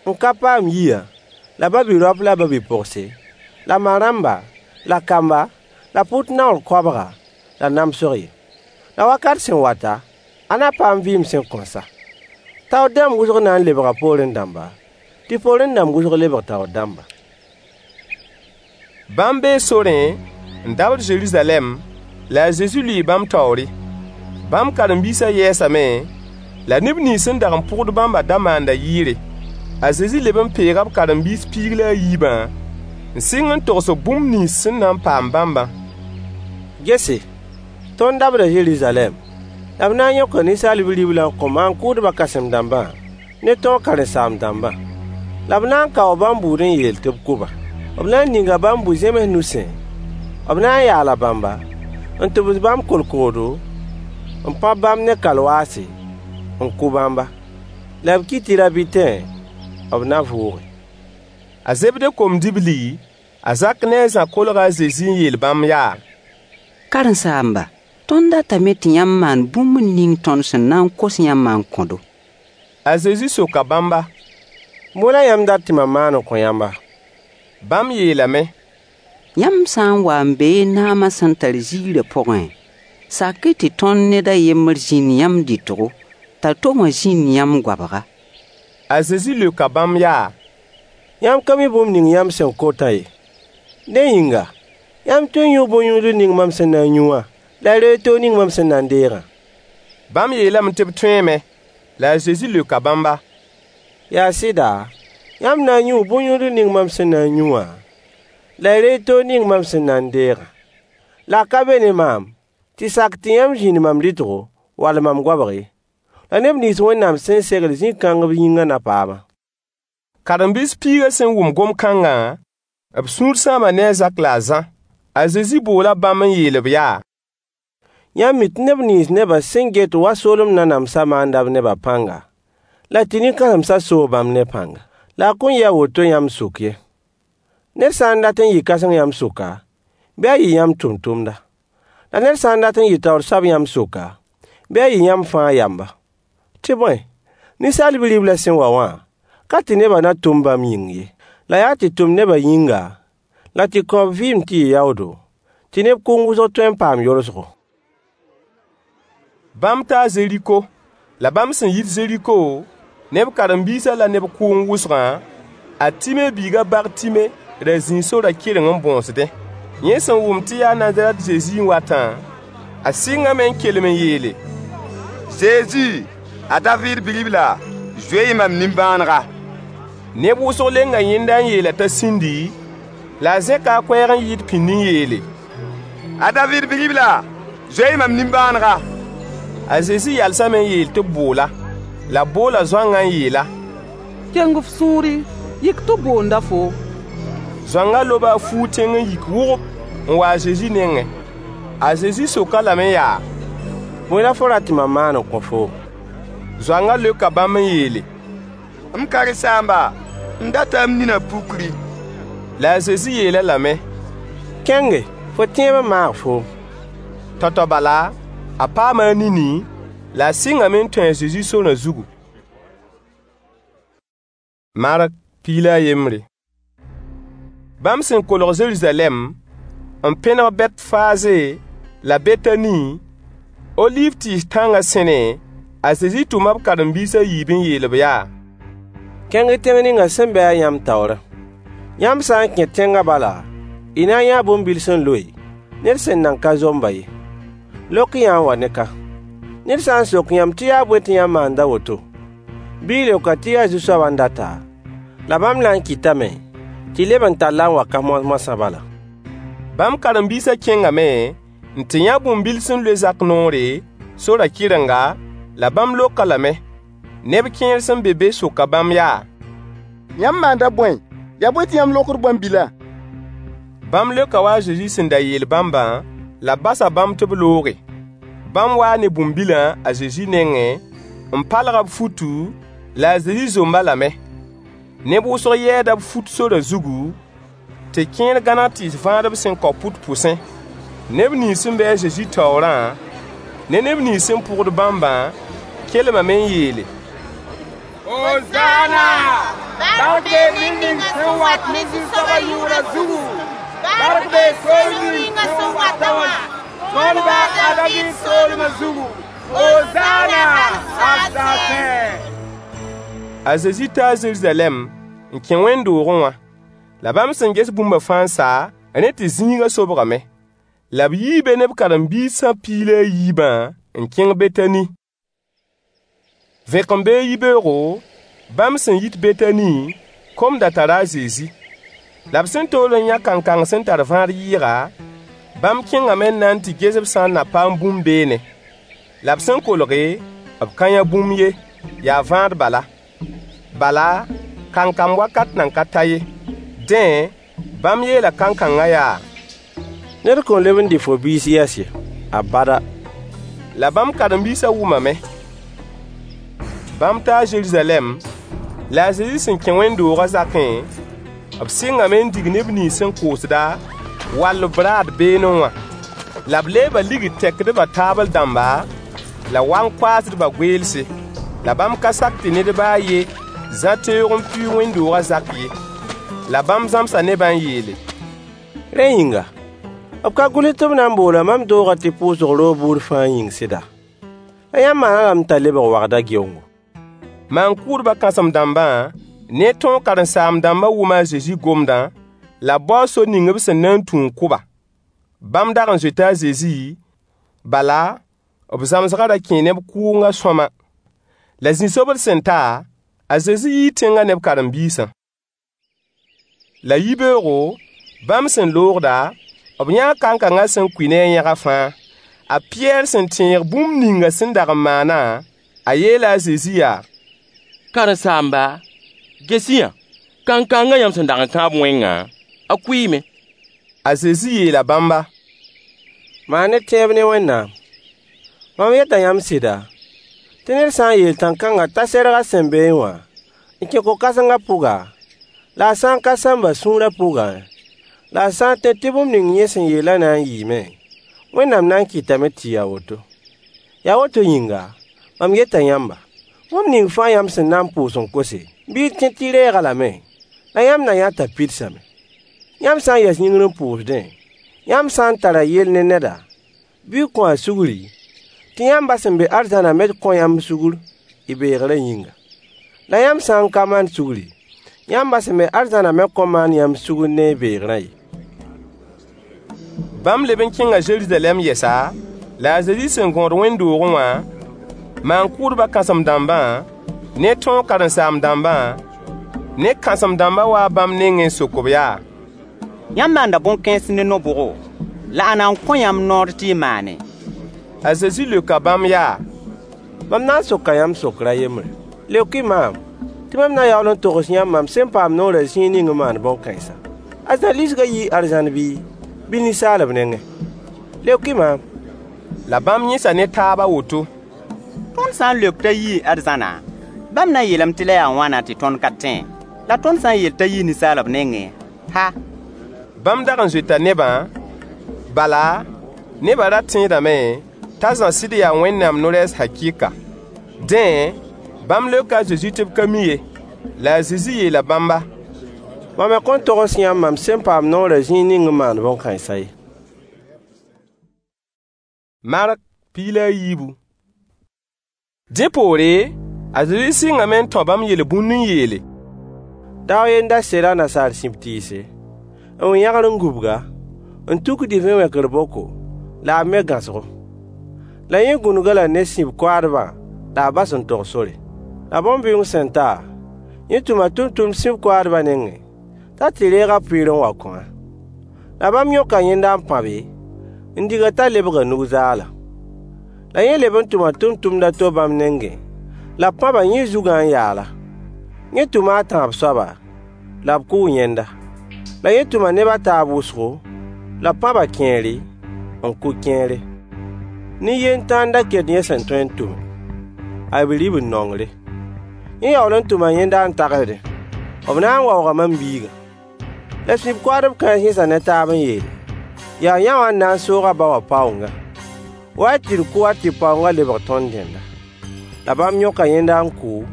n ka paam yiyã, la ba-bi-raop la ba-bi-pogse, la ma-rãmba, la kamba, la pʋt naoor koabga, la namsg ye. La wakat sẽn wata, a na paam vɩɩm sẽn kõn sa. Taoor dãmb wʋsg na n lebga poorẽ dãmba, tɩ poorẽ dãmb wʋsg lebg taoor dãmba. Bãmb bee sorẽ n dabd Zeruzalɛm, la a Zezi lʋɩɩ bãmb taoore. Bãmb karen-biisã yɛɛsame, la neb nins sẽn dag n pʋgd bãmbã da maanda yɩɩre. A Zezi leb n peega b karen-biis piig la a yiibã n sɩng n togs-b bũmb nins sẽn na n paam bãmbã. Gese, tõnd dabda Zeruzalɛm, la b na n yõka Ninsaal Bi-riblã n kõ maan-kʋʋdbã kãsem-dãmbã ne tõog karen-saam-dãmbã. La b na n kao bãmb buud n yeel tɩ b kʋ-ba. B na n ninga bãmb bu-zẽms nusẽ, b na n yaala bãmba, n tʋbs bãmb kolkoodo, n pãb bãmb ne kalwaase, n kʋ bãmba. La b kɩt tɩ ra-bɩtẽ, b na vʋʋge. A Zebde kom-dibli, a Zak ne a Zã kolga a Zezi n yeel bãmb yaa: Karen-saamba, tõnd datame tɩ yãmb maan bũmb ning tõnd sẽn na n kos yãmbã n kõ-do. A Zezi soka bãmba: Bõe la yãmb dat tɩ mam maan n kõ yãmba? Bãmb yeelame: Yãmb sã n wa n beẽ y naamã sẽn tar ziirã pʋgẽ, sak-y tɩ tõnd ned a yembr zĩnd yãmb dɩtgo, t'a to wã zĩnd yãmb goabga. A Zezi leoka bãmb yaa: Yãmb ka mi bũmb ning yãmb sẽn kotã ye. Dẽ yĩnga, yãmb tõe n yũu bõn-yũudl ning mam sẽn na n yũ wã, la y reeg toog ning mam sẽn na n deegã? Bãmb yeelame tɩ b tõeeme. La a Zezi leoka bãmba: Yaa sɩda, yãmb na n yũu bõn-yũudl ning mam sẽn na n yũ wã, la y reeg toog ning mam sẽn na n deegã. La a ka be ne maam tɩ sak tɩ yãmb zĩnd mam dɩtgo wall mam goabg ye. La neb nins Wẽnnaam sẽn segl zĩ-kãng b yĩngã na paam-a. Karen-biis piigã sẽn wʋm gom-kãngã, b sũur sãama ne a Zak la a Zã. A Zezi boola bãmb n yeel-b yaa: Yãmb mi tɩ neb nins nebã sẽn get wa soolem nanamsã maanda b nebã pãnga, la tɩ nin-kãsemsã soog bãmb ne pãnga. La a kõn yɩ a woto yãmb sʋk ye. Ned sã n dat n yɩ kãseng yãmb sʋka, bɩ a yɩ yãmb tʋmtʋmda. La ned sã n dat n yɩ taoor soab yãmb sʋka, bɩ a yɩ yãmb fãa yamba. Tɩ bõe, Ninsaal Bi-riblã sẽn wa wã, ka tɩ nebã na tʋm bãmb yĩng ye, la yaa tɩ tʋm nebã yĩnga, la tɩ kõ b vɩɩm tɩ yɩ yaoodo, tɩ neb kʋʋng wʋsg tõe n paam yolsgo. Bãmb taa Zeriko. La bãmb sẽn yit Zeriko, ne b karen-biisã la neb kʋʋng wʋsgã, a Time biig a Bartime ra zĩi sorã kɩreng n bõosdẽ. Yẽ sẽn wʋm tɩ yaa Nazarɛt Zezi n watã, a sɩngame n kelem n yeele: Zezi, a Daviid bi-ribla, zoe-y mam nimbãanega. Neb wʋsg lenga yẽnda n yeel-a t'a sĩndi, la a zẽka a koɛɛg n yɩɩd pĩnd n yeele: A Daviid bi-ribla, zoe-y mam nimbãanega. A Zezi yalsame n yeel tɩ b bool-a. La b boola zoangã n yeel-a: Keng f sũuri, yik tɩ b boonda foo. Zoangã loba a fuug tẽng n yik wʋgb n wa a Zezi nengẽ. A Zezi sok-a lame yaa: Bõe la fo rat tɩ mam maan n kõ foom? Zoangã leoka bãmb n yeele: M karen-saamba, m data m ninã pukri. La a Zezi yeel-a lame: Kẽnge, fo tẽebã maag foom. Tao-tao bala, a paama a nini, La a sɩngame n tũ a Zezi sorã zugu. Mark piig la a yembre. Bãmb sẽn kolg Zeruzalɛm n pẽneg Bɛtfaze la Betani, Oliiv tɩɩs tãngã sẽne, a Zezi tʋma b karen-biis a yiib n yeel-b yaa: Kẽng-y tẽng ning sẽn be-a yãmb taoorã. Yãmb sã n kẽ tẽngã bala, y na n yãa bũmb-bil sẽn loe, ned sẽn nan ka zomb-a ye. Lok-y-yã n wa ne ka. Ned sã n sok yãmb tɩ yaa bõe tɩ yãmb maand a woto, bɩ y leok-a tɩ yaa Zu-soabã n dat-a, la bãmb na n kɩtame tɩ y leb n tall-a n wa ka moas-moasã bala. Bãmb karen-biisã kẽngame n tɩ yã bũmb-bil sẽn loe zak noore, sorã kɩrenga, la bãmb lok-a lame. Neb kẽer sẽn be be soka bãmb yaa: Yãmb maanda bõe? Yaa bõe tɩ yãmb lokd bõn-bilã? Bãmb leoka wa a Zezi sẽn da yeel bãmbã, la b basa bãmb tɩ b looge. Bãmb waa ne bũmb-bilã a Zezi nengẽ, n palg b futu, la a Zezi zomb-a lame. Neb wʋsg yɛɛda b fut sorã zugu, tɩ kẽer gãneg tɩɩs vãadb sẽn kao pʋt pʋsẽ. Neb nins sẽn be a Zezi taoorã ne neb nins sẽn pʋgd bãmbã kelmame n yeele: Hozaana! Bark bee ned ning sẽn wat ne Zu-soabã yʋʋrã zugu! Bark bee soolem ning sẽn watã wã, tõnd ba a Daviid soolmã zugu! Hozaana hal saasẽ! A Zezi taa Zeruzalɛm n kẽ wẽnd-doogẽ wã. La bãmb sẽn ges bũmba fãa n sa, rẽ tɩ zĩigã sobgame. La b yii be ne b karen-biisã piig la a yiibã n kẽng Betani. Vẽkembeoog yibeoogo, bãmb sẽn yit Betani, kom da tara a Zezi. La b sẽn tool n yã kankang sẽn tar vãad yɩɩga, bãmb kẽngame n na n tɩ ges b sã n na paam bũmb beene. La b sẽn kolge, b ka yã bũmb ye, yaa vãad bala. Bala, kankam wakat nan ka ta ye. Dẽ, bãmb yeela kankangã yaa: Ned kõn leb n dɩ fo biis yɛs ye, abada. La bãmb karen-biisã wʋmame. Bãmb taa Zeruzalɛm, la a Zezi sẽn kẽ wẽnd-doogã zakẽ, b sɩngame n dig neb nins sẽn koosda, wall b raad beene wã. La b leeba ligd-tɛkdbã taabl dãmba, la wang-koaasdbã goeelse. La bãmb ka sak tɩ ned ba a yen zã teoog n pɩʋʋg wẽnd-doogã zak ye. La bãmb zãmsa nebã n yeele: Rẽ yĩnga, b ka gʋls tɩ b na n boola mam doogã tɩ pʋʋsg roog buud fãa yĩng sɩda? La yãmb maan-a lame t'a lebg wagda geoongo. Maan-kʋʋdbã kãsem-dãmbã ne tõog karen-saam-dãmbã wʋma a Zezi gomdã, la b bao sor ning b sẽn na n tũ n kʋ-ba. Bãmb dag n zoeta a Zezi, bala, b zãmsgã ra kẽe neb kʋʋngã sõama. La zĩ-sobd sẽn ta, a Zezi yii tẽngã ne b karen-biisã. La yibeoogo, bãmb sẽn loogda, b yãa kankangã sẽn kʋɩ ne a yẽga fãa. A Pɩyɛɛr sẽn tẽeg bũmb ninga sẽn dag n maanã, a yeela a Zezi yaa: Karen-saamba, ges-y-yã, kankangã yãmb sẽn dag n kãab wẽngã, a kʋɩɩme. A Zezi yeela bãmba: Maan-y tẽeb ne Wẽnnaam. Mam yeta yãmb sɩda, tɩ ned sã n yeel tãn-kãngã t'a serg a sẽn beẽ wã n kẽ ko-kãsengã pʋga, la a sã n ka sãmb a sũurã pʋgã, la a sã n tẽ tɩ bũmb ning yẽ sẽn yeelã na n yɩɩme, Wẽnnaam na n kɩtame tɩ yɩ a woto. Yaa woto yĩnga, mam yeta yãmba, bũmb ning fãa yãmb sẽn na n pʋʋs n kose, bɩ y tẽ tɩ y reeg-a lame, la yãmb na yã t'a pidsame. Yãmb sã n yɛs yĩngr n pʋʋsdẽ, yãmb sã n tara yell ne neda, bɩ y kõ-a sugri, tɩ yãmb ba sẽn be arzãnã me kõ yãmb sugr y beegrã yĩnga. La yãmb sã n ka maan sugri, yãmb ba sẽn be arzãnã me kõn maan yãmb sugr ne y beegrã ye. Bãmb leb n kẽnga Zeruzalɛm yɛsa, la a Zezi sẽn gõod wẽnd-doogẽ wã, maan-kʋʋdbã kãsem-dãmbã ne tõog karen-saam-dãmbã ne kãsem-dãmbã waa bãmb nengẽ n sok-b yaa: Yãmb maanda bõn-kãens ne no-bʋgo, la ãnna n kõ yãmb noor tɩ y maane? A Zezi leoka bãmb yaa: Mam na n soka yãmb sokr a yembre. Leok-y maam, tɩ mam na yaool n togs yãmb mam sẽn paam noorã zĩig ning n maan bõn-kãensã. A Zã lisgã yii arzãn bɩ, bɩ ninsaalb nengẽ? Leok-y maam. La bãmb yẽsa ne taab a woto: Tõnd sã n leok t'a yii arzãna, bãmb na n yeelame tɩ la yaa wãna tɩ tõnd ka tẽ? La tõnd sã n yeel t'a yii ninsaalb nengẽ, ha! Bãmb dag n zoeta nebã, bala, nebã ra tẽedame t'a Zã sɩd yaa Wẽnnaam no-rɛɛs hakɩɩka. Dẽ, bãmb leoka a Zezi tɩ b ka mi ye. La a Zezi yeela bãmba: Mam me kõn togs yãmb mam sẽn paam noorã zĩig ning n maand bõn-kãensã ye. Mark piig la a yiibu. Dẽ poore, a Zezi sɩngame n tão bãmb yel-bũnd n yeele: Dao a yen da sela nasaar sib tɩɩse, n wĩ yãgr n gubg-a, n tuk divẽ wẽkr boko, la a me gãosgo. La yẽ gũnug-a la ne sib koaadbã la a bas n tog sore. La bõn-bɩʋʋng sẽn ta, yẽ tʋma tʋmtʋmd sib koaadbã nengẽ t'a tɩ reeg a pʋɩɩr n wa kõ-a. La bãmb yõka yẽnda n pãbe, n dig-a t'a lebga nug-zaala. La yẽ leb n tʋma tʋmtʋmd a to bãmb nengẽ, la b pãba yẽ zugã n yaal-a. Yẽ tʋma a tãab soaba, la b kʋʋ yẽnda. La yẽ tʋma neb a taab wʋsgo, la b pãba kẽere, n kʋ kẽere. Nin-yend tãa n da ket yẽ sẽn tõe n tʋme: a bi-ribl-nongre. Yẽ yaool n tʋma yẽnda n tagsdẽ: B na n waooga mam biigã. La sib koaadb kãens yẽsa ne taab n yeele: Yaa yã wã n na n soog a ba wã paoongã. Wa-y tɩ d kʋ-a tɩ paoongã lebg tõnd dẽnda. La bãmb yõka yẽnda n kʋ,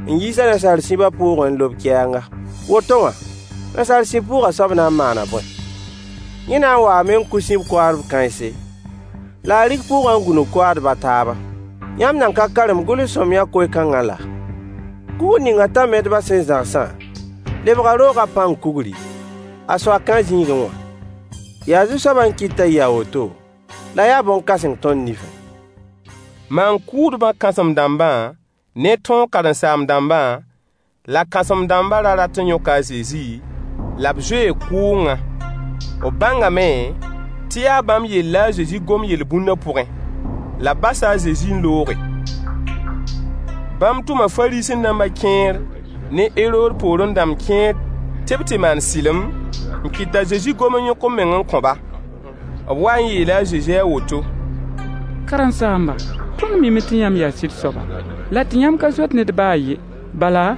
n yiis-a nasaar sibã pʋʋgẽ n lob kɛɛnga. Woto wã, nasaar sib pʋʋgã soab na n maana bõe? Yẽ na n waame n kʋ sib koaadb kãense, la a rig pʋʋgã n gũnug koaadb a taabã. Yãmb nan ka karem gʋls-sõamyã koe-kãngã laa? Kugr ning tãn-metbã sẽn zãgsã lebga roogã pãng kugri, a soaka zĩigẽ wã. Yaa Zu-soabã n kɩt t'a yɩ a woto, la yaa bõn-kãseng tõnd nifẽ. Maan-kʋʋdbã kãsem-dãmbã ne tõog karen-saam-dãmbã la kãsem-dãmbã ra rat n yõka a Zezi, la b zoee kʋʋngã. B bãngame tɩ yaa bãmb yell la a Zezi gom yel-bũndã pʋgẽ. La b basa a Zezi n looge. Bãmb tʋma Fariisẽ-dãmbã kẽer ne Herood poorẽ dãmb kẽer tɩ b tɩ maan sɩlem n kɩt t'a Zezi gom n yõk b meng n kõ-ba. B waa n yeela a Zezi a woto: Karen-saamba, tõnd miime tɩ yãmb yaa sɩd soaba, la tɩ yãmb ka zoet ned ba a yen. Bala,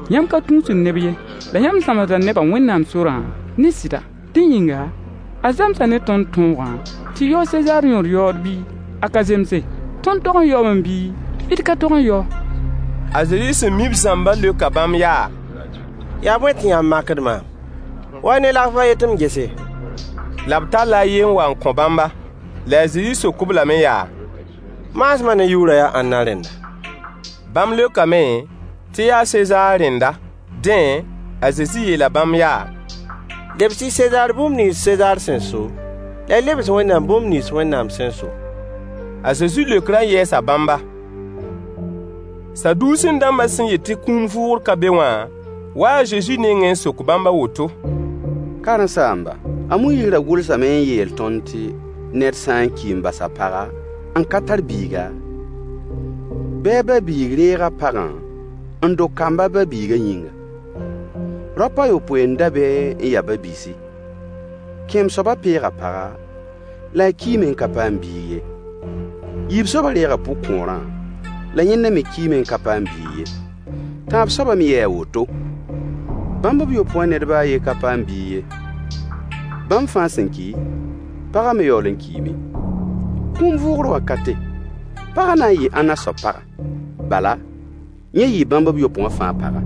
yãmb ka tũusd neb ye, la yãmb zãmsda nebã Wẽnnaam sorã ne sɩda. Dẽ yĩnga, a zemsa ne tõnd tõogã tɩ yao Sezaar yõod yaood bɩ a ka zemse? Tõnd tog n yaoome bɩ d ka tog n yao? A Zezi sẽn mi b zãmbã leoka bãmb yaa: Yaa bõe tɩ yãmb makd maam? Wa-y ne lagf a yen tɩ m gese. La b talla a yen n wa n kõ bãmba. La a Zezi sok-b lame yaa: Maasmã ne yʋʋrã yaa ãnna rẽnda? Bãmb leokame tɩ yaa Sezaar rẽnda. Dẽ, a Zezi yeela bãmb yaa: Lebs-y Sezaar bũmb nins Sezaar sẽn so, la y lebs Wẽnnaam bũmb nins Wẽnnaam sẽn so. A Zezi leokrã yɛɛsa bãmba. Saduusẽ-dãmbã sẽn yet tɩ kũum vʋʋgr ka be wã, waa a Zezi nengẽ n sok bãmb a woto: Karen-saamba, a Moyiis ra gʋlsame n yeel tõnd tɩ ned sã n ki n bas a paga n ka tar biiga, bɩ a ba-biig reeg a pagã n dog kamb a ba-biigã yĩnga. Raop a yopoe n da be n ya ba-biisi. Kẽem soabã peega paga, la a kiime n ka paam biig ye. Yiib soabã reega pʋg-kõorã, la yẽnda me kiime n ka paam biig ye. Tãab soabã me yɛɛ a woto. Bãmb b yopoe wã ned ba a yen ka paam biig ye. Bãmb fãa sẽn ki, pagã me yaool n kiime. Kũum vʋʋgr wakate, pagã na n yɩɩ ãnna soab paga? Bala, yẽ yɩɩ bãmb b yopoe wã fãa paga.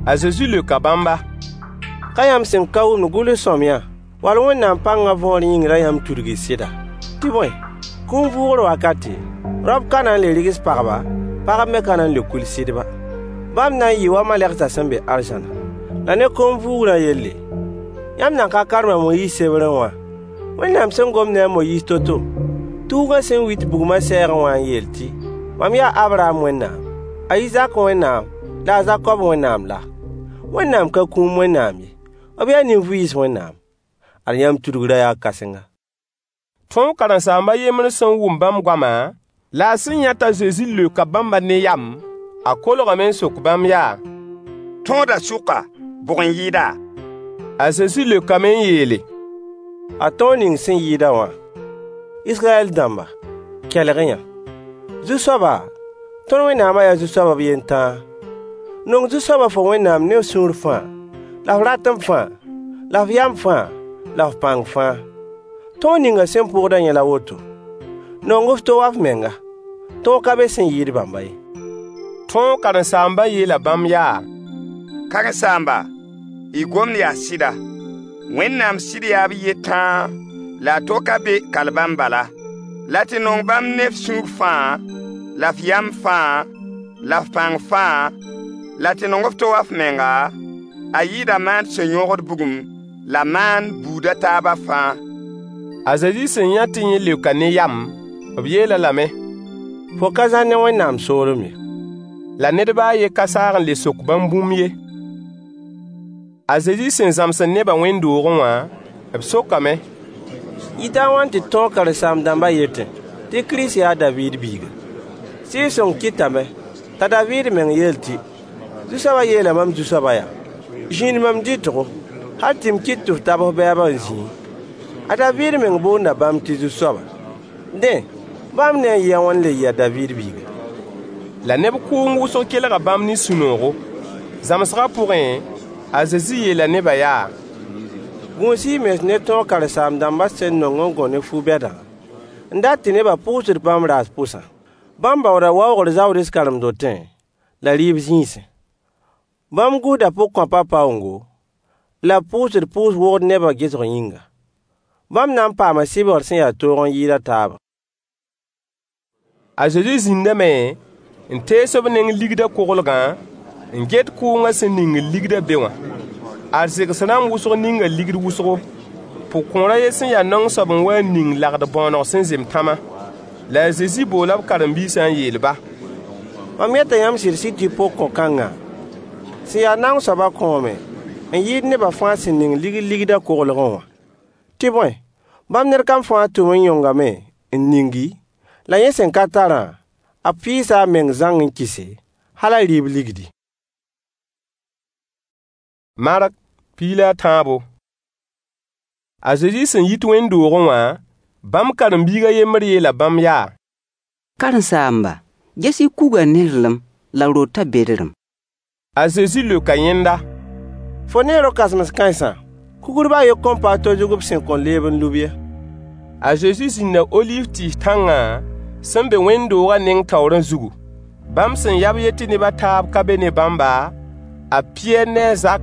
A Zezi leoka bãmba: Ka yãmb sẽn ka wʋmd gʋls-sõamyã wall Wẽnnaam pãngã võor yĩng la yãmb tudg y sɩda? Tɩ bõe, kũum vʋʋgr wakate, raop ka na n le rɩgs pagba, pagb me ka na n le kuil sɩdba. Bãmb na n yɩɩ wa malegsã sẽn be arzãna. La ne kũum vʋʋgrã yelle, yãmb nan ka karem a Moyiis sebrẽ wã, Wẽnnaam sẽn gom ne a Moyiis to-to, tuugã sẽn wit bugmã sɛɛgẽ wã n yeel tɩ: Mam yaa a Abraham Wẽnnaam, a Izak Wẽnnaam la a Zakob Wẽnnaam laa? Wẽnnaam ka kũum Wẽnnaam ye, b yaa nin-vɩɩs Wẽnnaam. Ad yãmb tudgrã yaa kãsenga. Tõog karen-saamb a yembr sẽn wʋm bãmb goamã, la a sẽn yã t'a Zezi leoka bãmba ne yam, a kolgame n sok bãmb yaa: Tõodã sʋka, bʋg n yɩɩda? A Zezi leokame n yeele: A tõog ning sẽn yɩɩda wã: Israyɛl dãmba, kelg-y-yã. Zu-soaba, tõnd Wẽnnaamã yaa Zu-soab b yen tãa. Nong Zu-soabã fo Wẽnnaam ne f sũur fãa, la f ratem fãa, la f yam fãa, la f pãng fãa. Tõog ninga sẽn pʋgdã yẽ la woto: Nong f to wa f menga. Tõog ka be sẽn yɩɩd bãmba ye. Tõog karen-saambã yeela bãmb yaa: Karen-saamba, y gomd yaa sɩda. Wẽnnaam sɩd yaa b yen tãa la a to ka be kal bãmb bala. La tɩ nong bãmb ne f sũur fãa, la f yam fãa, la f pãng fãa, la tɩ nong f to wa f menga, a yɩɩda maand sẽn yõgd bugum la maand buud a taabã fãa. A Zezi sẽn yã tɩ yẽ leoka ne yam, b yeel-a lame: Fo ka zãr ne Wẽnnaam soolem ye. La ned baa a yen ka saag n le sok bãmb bũmb ye. A Zezi sẽn zãmsd nebã wẽnd-doogẽ wã, b sokame: Yɩta a wãn tɩ tõog karen-saam-dãmbã yetẽ tɩ Kirist yaa a Daviid biiga? Sɩɩg-sõng kɩtame t'a Daviid meng yeel tɩ: Zu-soabã yeela mam Zu-soabã yaa: Zĩnd mam dɩtgo, hal tɩ m kɩt tɩ f tab f bɛɛbã n zĩẽ. A Daviid meng boonda bãmb tɩ Zu-soaba. Dẽ, bãmb ne a yɩ a wãn n le yɩ a Daviid biiga? La neb kʋʋng wʋsg kelga bãmb ne sũ-noogo. Zãmsgã pʋgẽ, a Zezi yeela nebã yaa: Gũus-y y mens ne tõog karen-saam-dãmbã sẽn nong n gõ ne fu-bɛdã, n dat tɩ nebã pʋʋsd bãmb raas pʋsã. Bãmb baooda waoogr zaods karen-dotẽ la rɩɩb zĩisẽ. Bãmb gũsda pʋgkõapã paoongo, la b pʋʋsd pʋʋs-wogd nebã gesg yĩnga. Bãmb na n paama sɩbgr sẽn ya toog n yɩɩd a taabã. A Zezi zĩndame n tees b neng ligdã koglgã, n get kʋʋngã sẽn ningd ligdã be wã. Arzegs rãmb wʋsg ninga ligd wʋsgo. Pʋg-kõor a yen sẽn ya naong soab n wa n ning lagd-bõoneg sẽn zem tãmã. La a Zezi boola b karen-biisã n yeel-ba: Mam yeta yãmb sɩd-sɩd tɩ pʋg-kõ-kãngã sẽn ya naong soabã kõome n yɩɩd nebã fãa sẽn ning ligd ligdã koglgẽ wã. Tɩ bõe, bãmb ned kam fãa tʋm n yõngame n ning-y, la yẽ sẽn ka tarã, a piisa a meng zãng n kɩse, hal a rɩɩb ligdi. Mark piig la a tãabo. A Zezi sẽn yit wẽnd-doogẽ wã, bãmb karen-biig a yembr yeela bãmb yaa: Karen-saamba, ges-y kugã nẽrlem la rotã bedrem. A Zezi leoka yẽnda: Fo nee ro-kãsems kãensã, kugr baa a yen kõn pa a to zug b sẽn kõn leeb n lub ye. A Zezi zĩnda oliiv tɩɩs tãngã sẽn be wẽnd-doogã neng taoorã zugu. Bãmb sẽn yã b yetɩ neb a taab ka be ne bãmba, a Pɩyɛɛr ne a Zak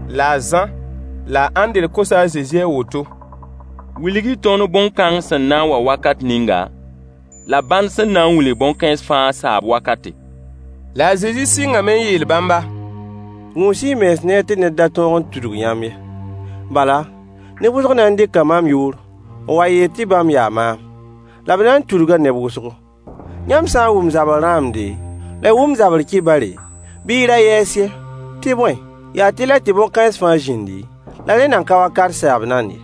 la a Zã la a Ãndre kosa a Zezi a woto: Wilg-y tõnd bõn-kãng sẽn na n wa wakat ninga, la bãnd sẽn na n wilg bõn-kãens fãa saab wakate. La a Zezi sɩngame n yeel bãmba: Gũus-y y mens neer tɩ ned da tõog n tudg yãmb ye. Bala, neb wʋsg na n dɩka mam yʋʋr n wa yeel tɩ bãmb yaa maam. La b na n tudga neb wʋsgo. Yãmb sã n wʋm zabr rãamde, la y wʋm zabr kibare, bɩ y ra yɛɛs ye. Tɩ bõe, yaa tɩlɛ tɩ bõn-kãens fãa zĩndi, la rẽ nan ka wakat saab nand ye.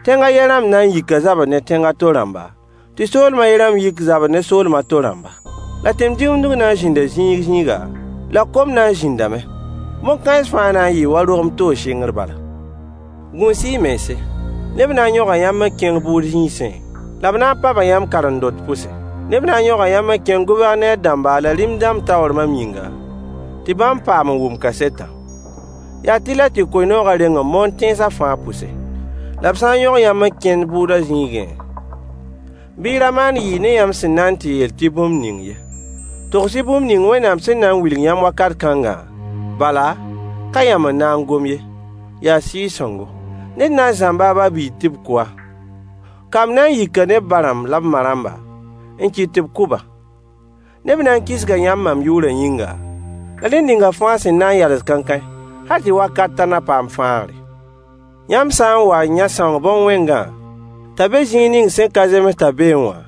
Tẽng a yen rãmb na n yika zabr ne tẽng a to rãmba, tɩ soolem a yen rãmb yik zabr ne soolem a to rãmba. La tẽn-dĩmdg na n zĩnda zĩig zĩiga, la kom na n zĩndame. Bõn-kãens fãa na n yɩɩ wa rogem toog sɩngr bala. Gũus-y y mense. Neb na n yõga yãmb n kẽng bʋʋd zĩisẽ, la b na n paba yãmb karen-dot pʋsẽ. Neb na n yõga yãmb n kẽng gʋvɛrneer dãmba la rĩm-dãmb taoor mam yĩnga, tɩ bãmb paam n wʋm kasetã. Yaa tɩlɛ tɩ koe-noogã reng n moon tẽnsã fãa pʋse. La b sã n yõg yãmb n kẽnd bʋʋdã zĩigẽ, bɩ y ra maan yɩɩ ne yãmb sẽn na n tɩ yeel tɩ bũmb ning ye. Togs-y bũmb ning Wẽnnaam sẽn na n wilg yãmb wakat kãngã, bala, ka yãmb n na n gom ye, yaa Sɩɩg-sõngo. Ned na n zãmba a ba-biig tɩ b kʋ-a. Kamb na n yika ne b ba-rãmb la b ma-rãmba, n kɩt tɩ b kʋ-ba. Neb na n kisga yãmb mam yʋʋrã yĩnga, la ned ninga fãa sẽn na n yals kãnkãe, hal tɩ wakatã na paam fãagre. Yãmb sã n wa n yã sãoong bõn-wẽngã t'a be zĩig ning sẽn ka zems t'a beẽ wã,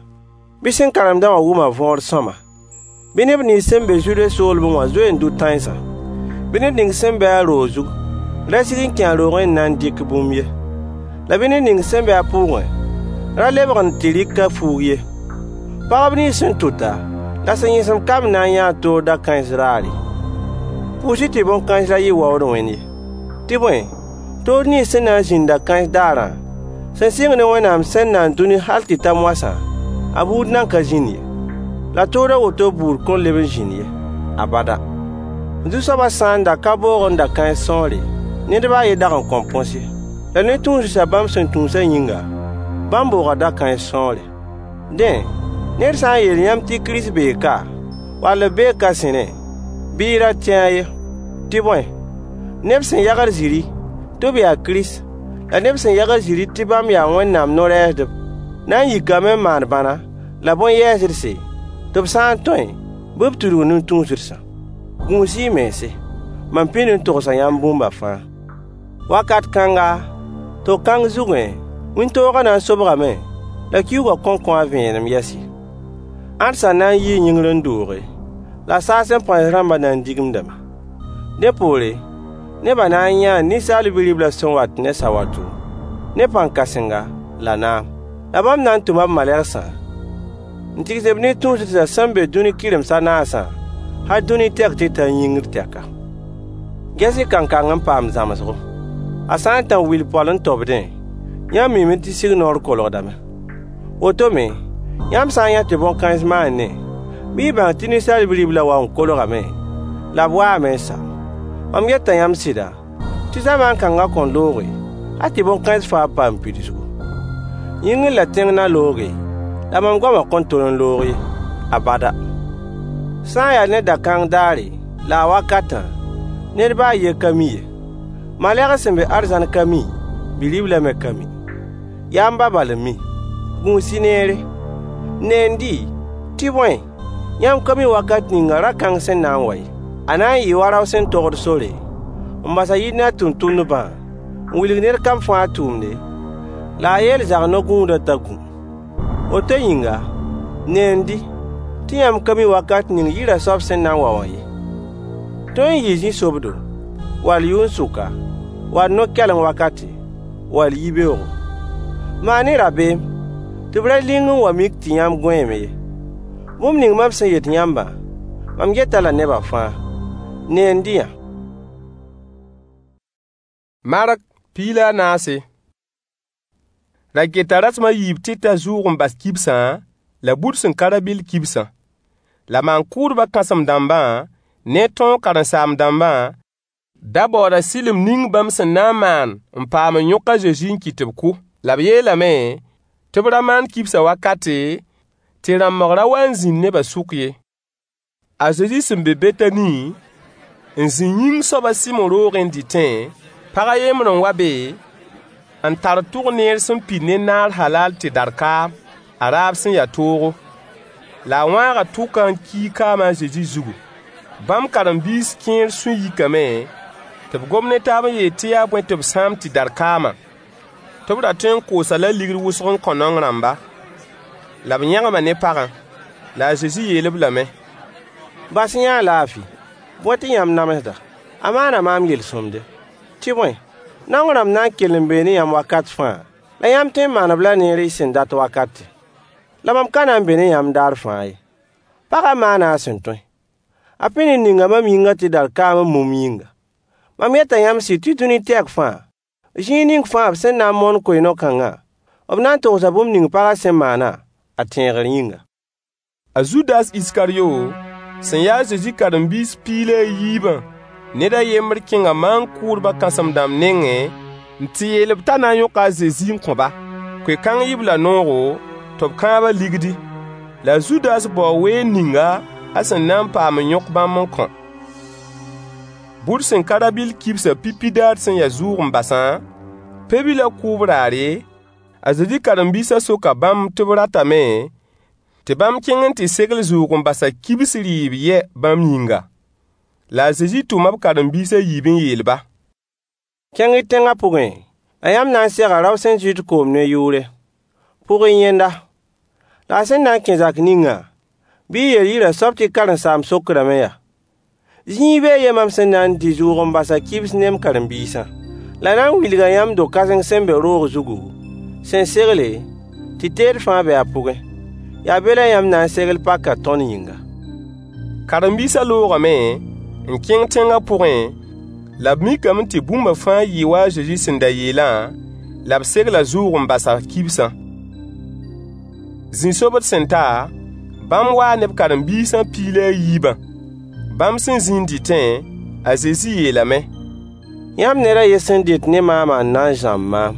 bɩ sẽn karemdã wã wʋm a võor sõama. Bɩ neb nins sẽn be Zude soolmẽ wã zoe n dʋ tãensã. Bɩ ned ning sẽn be a roog zug ra sig n kẽ a roogẽ n na n dɩk bũmb ye. La bɩ ned ning sẽn be a pʋʋgẽ ra lebg n tɩ rɩk a fuug ye. Pagb nins sẽn tʋta la sẽn yẽsem kamb na n yãa toor da-kãens raare. Pʋʋs-y tɩ bõn-kãens ra yɩ waood wẽnd ye. Tɩ bõe, tood nins sẽn na n zĩnd da-kãens daarã, sẽn sɩng ne Wẽnnaam sẽn nan dũni hal tɩ ta moasã, a buud nan ka zĩnd ye. La tood a woto buud kõn leb n zĩnd ye, abada. Zu-soabã sã n da ka boogẽ da-kãens sõore, ned baa a yen dag n kõn põs ye. La ne tũudsã bãmb sẽn tũusã yĩnga, bãmb booga da-kãens sõore. Dẽ, ned sã n yeel yãmb tɩ Kirist bee ka, wall b bee ka sẽnẽ, bɩ y ra tẽ-a ye. Tɩ bõe, neb sẽn yagd zĩri tɩ b yaa Kirist la neb sẽn yagd zĩri tɩ bãmb yaa Wẽnnaam no-rɛɛsdb na n yikame n maan bãna la bõn-yɛɛsdse, tɩ b sã n tõe, bɩ b tudg nin-tũusdsã. Gũus-y y mense. Mam pĩnd n togsa yãmb bũmba fãa. Wakat kãnga, to-kãng zugẽ, wĩntoogã na n sobgame, la kiuugã kõn kõ a vẽenem yɛs ye. Ãdsã na n yii yĩngr n dooge, la saasẽ pãens rãmbã na n digimdame. Dẽ poore, nebã na n yãa Ninsaal Bi-riblã sẽn wat ne sawato, ne pãn-kãsenga la naam. La bãmb na n tʋma b malegsã n tigs b nin-tũusdsã sẽn be dũni kɩrems a naasã, hal dũni tɛk tɩ ta yĩngr tɛka. Ges-y kankang n paam zãmsgo. A sã n tã wil poal n tobdẽ, yãmb miime tɩ signoor kolgdame. Woto me, yãmb sã n yã tɩ bõn-kãens maanẽ, bɩ y bãng tɩ Ninsaal Bi-riblã wa n kolgame, la b waame n sa. Mam yeta yãmb sɩda, tɩ zamaan kãngã kõn looge, hal tɩ bõn-kãens fãa paam pidsgu. Yĩngr la tẽng na looge, la mam goamã kõn tol n loog ye. Abada. Sã n ya ne da-kãng daare la a wakatã, ned baa a yen ka mi ye. Malegs sẽn be arzãn ka mi, Bi-riblã me ka mi. Yaa m ba bal n mi. Gũus-y neere. Neend-y, tɩ bõe, yãmb ka mi wakat ning ra-kãng sẽn na n wa ye. A na n yɩɩ wa rao sẽn togd sore, n bas a yir ne a tʋmtʋmdbã, n wilg ned kam fãa a tʋʋmde, la a yeel zag-no-gũudã t'a gũ. Woto yĩnga, neend-y, tɩ yãmb ka mi wakat ning yirã soab sẽn na n wa wã ye. Tõe n yɩɩ zĩ-sobdo, wall yʋn-sʋka, wall no-kɛleng wakate, wall yibeoogo. Maan-y rabeem, tɩ b ra ling n wa mik tɩ yãmb gõeeme ye. Bũmb ning mam sẽn yet yãmbã, mam yet-a la nebã fãa: Neend-y-yã. Mark piig la a naase. Ra geta rasem a yiib tɩ ta zʋʋg-n-bas kibsã la bud sẽn ka rã-bɩll kibsã. La maan-kʋʋdbã kãsem-dãmbã ne tõog karen-saam-dãmbã da baooda sɩlem ning bãmb sẽn na n maan n paam n yõk a Zezi n kɩt tɩ b kʋ. La b yeelame tɩ b ra maan kibsã wakate, tɩ rãmbg ra wa n zĩnd nebã sʋk ye. A Zezi sẽn be Betani, n zĩ yĩng soab a Sɩmo roogẽ n dɩtẽ, pag a yembr n wa be, n tar tʋg-neer sẽn pid ne naar halal tɩdar kaam, a raab sẽn ya toogo. La a wãaga tʋkã n kii kaamã a Zezi zugu. Bãmb karen-biis kẽer sũ yikame tɩ b gom ne taab n yeel tɩ yaa bõe tɩ b sãam tɩdar kaamã? Tɩ b ra tõe n koos-a-la ligd wʋsg n kõ naong rãmba. La b yẽgma ne pagã. La a Zezi yeel-b lame: Bas-y-yã-a laafɩ. Bõe tɩ yãmb namsda? A maana maam yel-sõmde. Tɩ bõe, naong rãmb na n kell n bee ne yãmb wakat fãa, la yãmb tõe n maan-b la neer y sẽn dat wakate. La mam ka na n be ne yãmb daar fãa ye. Pagã maana a sẽn tõe. A pĩnd n ninga mam yĩngã tɩdar kaam n mum m yĩnga. Mam yeta yãmb sɩd tɩ dũni tɛk fãa, zĩig ning fãa b sẽn na n moon koe-no-kãngã, b na n togsa bũmb ning pagã sẽn maana, a tẽegr yĩnga. A Zudas Iskaryo, sẽn ya a Zezi karen-biis piig la a yiibã ned a yembr kẽnga maan-kʋʋdbã kãsem-dãmb nengẽ n tɩ yeel-b t'a na n yõka a Zezi n kõ-ba. Koe-kãng yɩ-b la noogo tɩ b kãab-a ligdi. La a Zudas bao weer ninga a sẽn na n paam n yõk bãmb n kõ. Bʋd sẽn ka rã-bɩll kibsã pipi daar sẽn ya zʋʋg-n-basã, pe-bilã kʋʋb raare, a Zezi karen-biisã soka bãmb tɩ b ratame tɩ bãmb kẽng n tɩ segl zʋʋg-n-basã kibs rɩɩb yɛ bãmb yĩnga. La a Zezi tʋma b karen-biis a yiib n yeel-ba: Kẽng-y tẽngã pʋgẽ, la yãmb na n sega rao sẽn zɩɩd koom ne yʋʋre. Pʋg-y yẽnda. La a sẽn na n kẽ zak ningã, bɩ y yeel yirã soab tɩ karen-saamb sokdame yaa: Zĩig bee yɛ mam sẽn na n dɩ zʋʋg-n-basã kibs ne m karen-biisã? La a na n wilga yãmb do-kãseng sẽn be roog zugu, sẽn segle, tɩ teed fãa be a pʋgẽ. Yaa be la yãmb na n segl pakã tõnd yĩnga. Karen-biisã loogame n kẽng tẽngã pʋgẽ, la b mikame tɩ bũmba fãa yɩɩ wa a Zezi sẽn da yeelã, la b segla zʋʋg-n-basã kibsã. Zĩ-sobd sẽn ta, bãmb waa ne b karen-biisã piig la a yiibã. Bãmb sẽn zĩ n dɩtẽ, a Zezi yeelame: Yãmb ned a yen sẽn dɩt ne maamã n na n zãmb maam.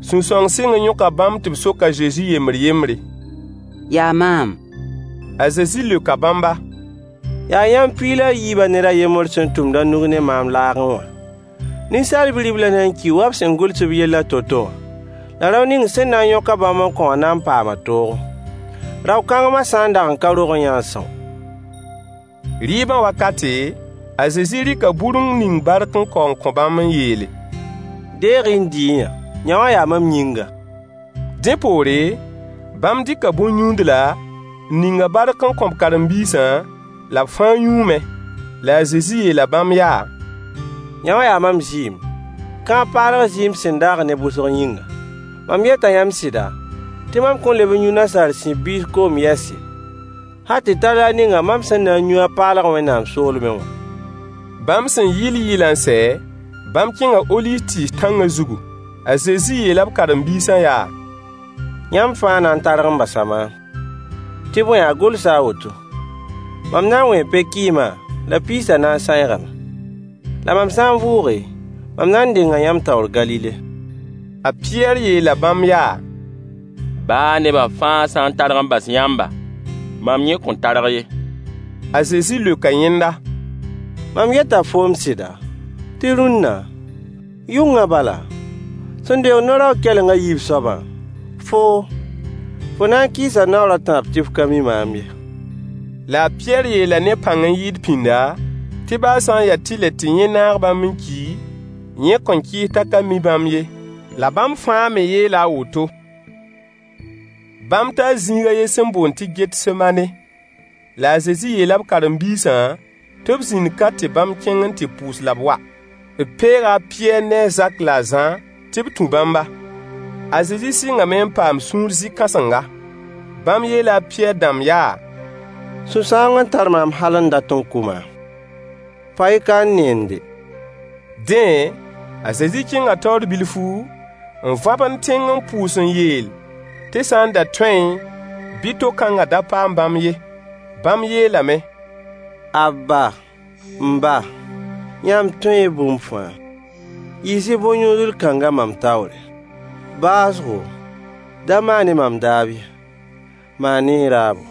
Sũ-sãoong sɩng n yõka bãmb tɩ b sok a Zezi yembr yembre. Yaa maam. A Zezi leoka bãmba: Yaa yãmb piig la a yiibã ned a yembr sẽn tũmd a nug ne maam laagẽ wã. Ninsaal Bi-riblã na n kii wa b sẽn gʋls b yellã to-to wã. La rao ning sẽn na n yõk-a bãmb n kõ wã na n paama toogo. Rao-kãngmã sã n dag n ka rog n yãa sõo. Rɩɩbã wakate, a Zezi rɩka bur n ning bark n kao n kõ bãmb n yeele: Deeg-y n dɩ-y-yã, yã wã yaa mam yĩnga. Dẽ poore, bãmb dɩka bõn-yũudla, n ning-a bark n kõ b karen-biisã, la b fãa yũume. La a Zezi yeela bãmb yaa: Yã wã yaa mam zɩɩm, kãab paalg zɩɩm sẽn daag neb wʋsg yĩnga. Mam yeta yãmb sɩda, tɩ mam kõn leb n yũ nasaar sib biis koom yɛs ye, hal tɩ ta daar ninga mam sẽn na n yũ a paalg Wẽnnaam soolmẽ wã. Bãmb sẽn yɩl yɩlã n sɛ, bãmb kẽnga oliiv tɩɩs tãngã zugu. A Zezi yeela b karen-biisã yaa: Yãmb fãa na n targ n basa maam. Tɩ bõe, a gʋlsa a woto: Mam na n wẽe pe-kɩɩmã la piisã na n sãeegame. La mam sã n vʋʋge, mam na n denga yãmb taoor Galile. A Pɩyɛɛr yeela bãmb yaa: Baa nebã fãa sã n targ n bas yãmba, mam yẽ kõn targ ye. A Zezi leoka yẽnda: Mam yeta foom sɩda, tɩ rũnna, yʋngã bala, sẽn deoog no-raoog keleng a yiib soabã, foo, fo na n kɩɩsa naoor a tãab tɩ f ka mi maam ye. La a Pɩyɛɛr yeela ne pãng n yɩɩd pĩnda, tɩ baa sã n yaa tɩlɛ tɩ yẽ naag bãmb n ki, yẽ kõn kɩɩs t'a ka mi bãmb ye. La bãmb fãa me yeela a woto. Bãmb taa zĩig a yen sẽn boond tɩ Getsemane. La a Zezi yeela b karen-biisã tɩ b zĩnd ka tɩ bãmb kẽng n tɩ pʋʋs la b wa. B peega a Pɩyɛɛr ne a Zak la a Zã tɩ b tũ bãmba. A Zezi sɩngame n paam sũur zĩ-kãsenga. Bãmb yeela a Pɩyɛɛr dãmb yaa: Sũ-sãoong n tar maam hal n dat n kʋ maam. Pa-y ka n neende. Dẽ, a Zezi kẽnga taoor bilfu, n vãbend tẽng n pʋʋs n yeel tɩ sã n da tõeẽ, bɩ to-kãngã da paam bãmb ye. Bãmb yeelame: Abba, m ba, yãmb tõee bũmb fãa. Yiis-y bõn-yũudl kãngã mam taoore. Baoosgo, da maan-y mam daab ye, maan-y y raabo.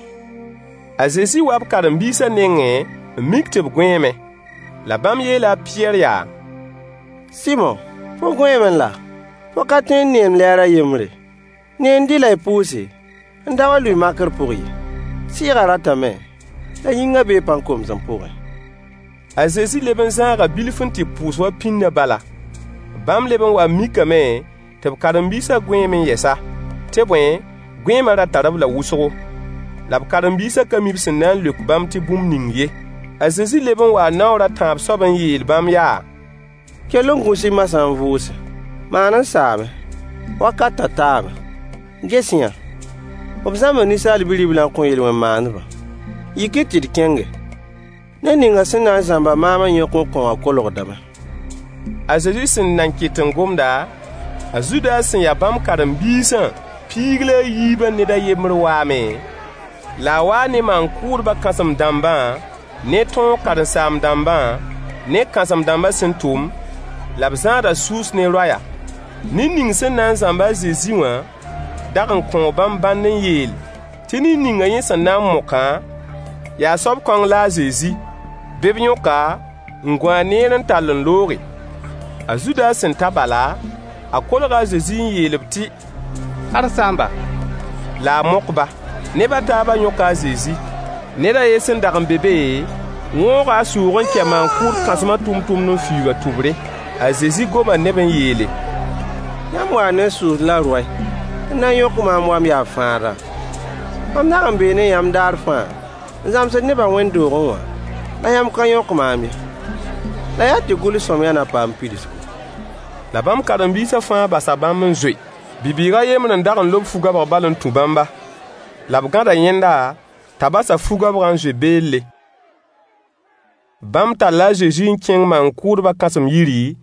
A Zezi waa b karen-biisã nengẽ n mik tɩ b gõeeme. La bãmb yeela a Pɩyɛɛr yaa: Sɩmo, fo gõeemẽ laa? Fo ka tõe n neem lɛɛr a yembre? Neend-y la y pʋʋse, n da wa lʋɩ makr pʋg ye. Sɩɩgã ratame, la yĩngã bee pãn-komsem pʋgẽ. A Zezi leb n zãaga bilf n tɩ pʋʋs wa pĩndã bala. Bãmb leb n wa n mikame tɩ b karen-biisã gõeeme n yɛsa. Tɩ bõe, gõeemã ra tar-b la wʋsgo. La b karen-biisã ka mi b sẽn na n leok bãmb tɩ bũmb ning ye. A Zezi leb n waa naoor a tãab soab n yeel bãmb yaa: Kell n gũs-y masã n vʋʋse. Maan n saame. Wakatã taame. Ges-yã, b zãmba Ninsaal Bi-riblã n kõ yel-wẽn-maandbã. Yik-y tɩ d kẽnge. Ned ning sẽn na n zãmba maam n yõk n kõ wã kolgdame. A Zezi sẽn nan ket n gomda, a Zudas sẽn ya bãmb karen-biisã piig la a yiibã ned a yembr waame, la a waa ne maan-kʋʋdbã kãsem-dãmbã ne tõog karen-saam-dãmbã ne kãsem-dãmbã sẽn tʋm, la b zãada sʋʋs ne roaya. Ned ning sẽn na n zãmb a Zezi wã dag n kõo bãmb bãnd n yeel tɩ ned ninga yẽ sẽn na n mokã, yaa soab kõng la a Zezi. Bɩ b yõk-a n gũ a neer n tall n looge. A Zudas sẽn ta bala, a kolga a Zezi n yeel-b tɩ: Karen-saamba! La a mok-ba. Neb a taabã yõka a Zezi. Ned a yen sẽn dag n be be, wõoga a sʋʋg n kɛ maan-kʋʋd kãsmã tʋmtʋmd n fiuug a tʋbre. A Zezi goma ne-b n yeele: Yãmb waa ne sʋʋs la roay n na n yõk maam wa m yaa fãadã? Mam dag n bee ne yãmb daar fãa n zãmsd nebã wẽnd-doogẽ wã, la yãmb ka yõk maam ye. La yaa tɩ gʋls-sõamyã na paam pidsgu. La bãmb karen-biisã fãa basa bãmb n zoe. Bi-bɩɩg a yembr n dag n lob fu-goabg bal n tũ bãmba. La b gãda yẽnda t'a bas a fu-goabgã n zoe beelle. Bãmb talla a Zezi n kẽng maan-kʋʋdbã kãsem-yiri,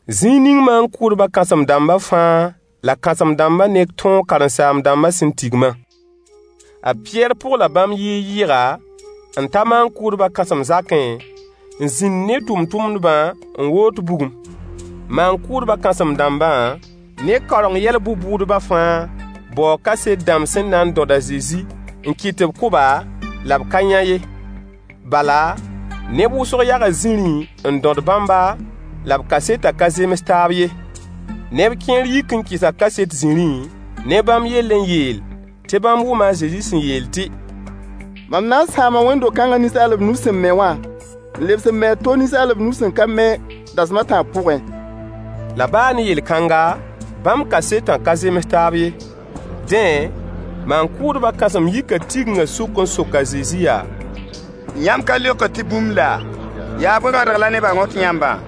zĩig ning maan-kʋʋdbã kãsem-dãmbã fãa la kãsem-dãmbã ne tõog karen-saam-dãmbã sẽn tigmã. A Pɩyɛɛr pʋgla bãmb yɩɩg-yɩɩga n ta maan-kʋʋdbã kãsem-zakẽ n zĩnd ne tʋmtʋmdbã n woot bugum. Maan-kʋʋdbã kãsem-dãmbã ne kaoreng yɛl bʋ-bʋʋdbã fãa baooga kaset dãmb sẽn na n dõd a Zezi n kɩt tɩ b kʋ-ba, la b ka yã ye. Bala, neb wʋsg yaga zĩrĩ n dõd bãmba, la b kasetã ka zems taab ye. Neb kẽer yik n kɩsa kaset zĩrĩ ne bãmb yell n yeel tɩ bãmb wʋma a Zezi sẽn yeel tɩ: Mam na n sãama wẽnd-do-kãngã ninsaalb nus sẽn me wã, n lebs n me a to ninsaalb nus sẽn ka me dasem a tãab pʋgẽ. La baa ne yel-kãnga, bãmb kasetã ka zems taab ye. Dẽ, maan-kʋʋdbã kãsem yika tigengã sʋk n sok a Zezi yaa: Yãmb ka leokd tɩ bũmb laa? Yaa bõe rõadg la nebã rõt yãmbã?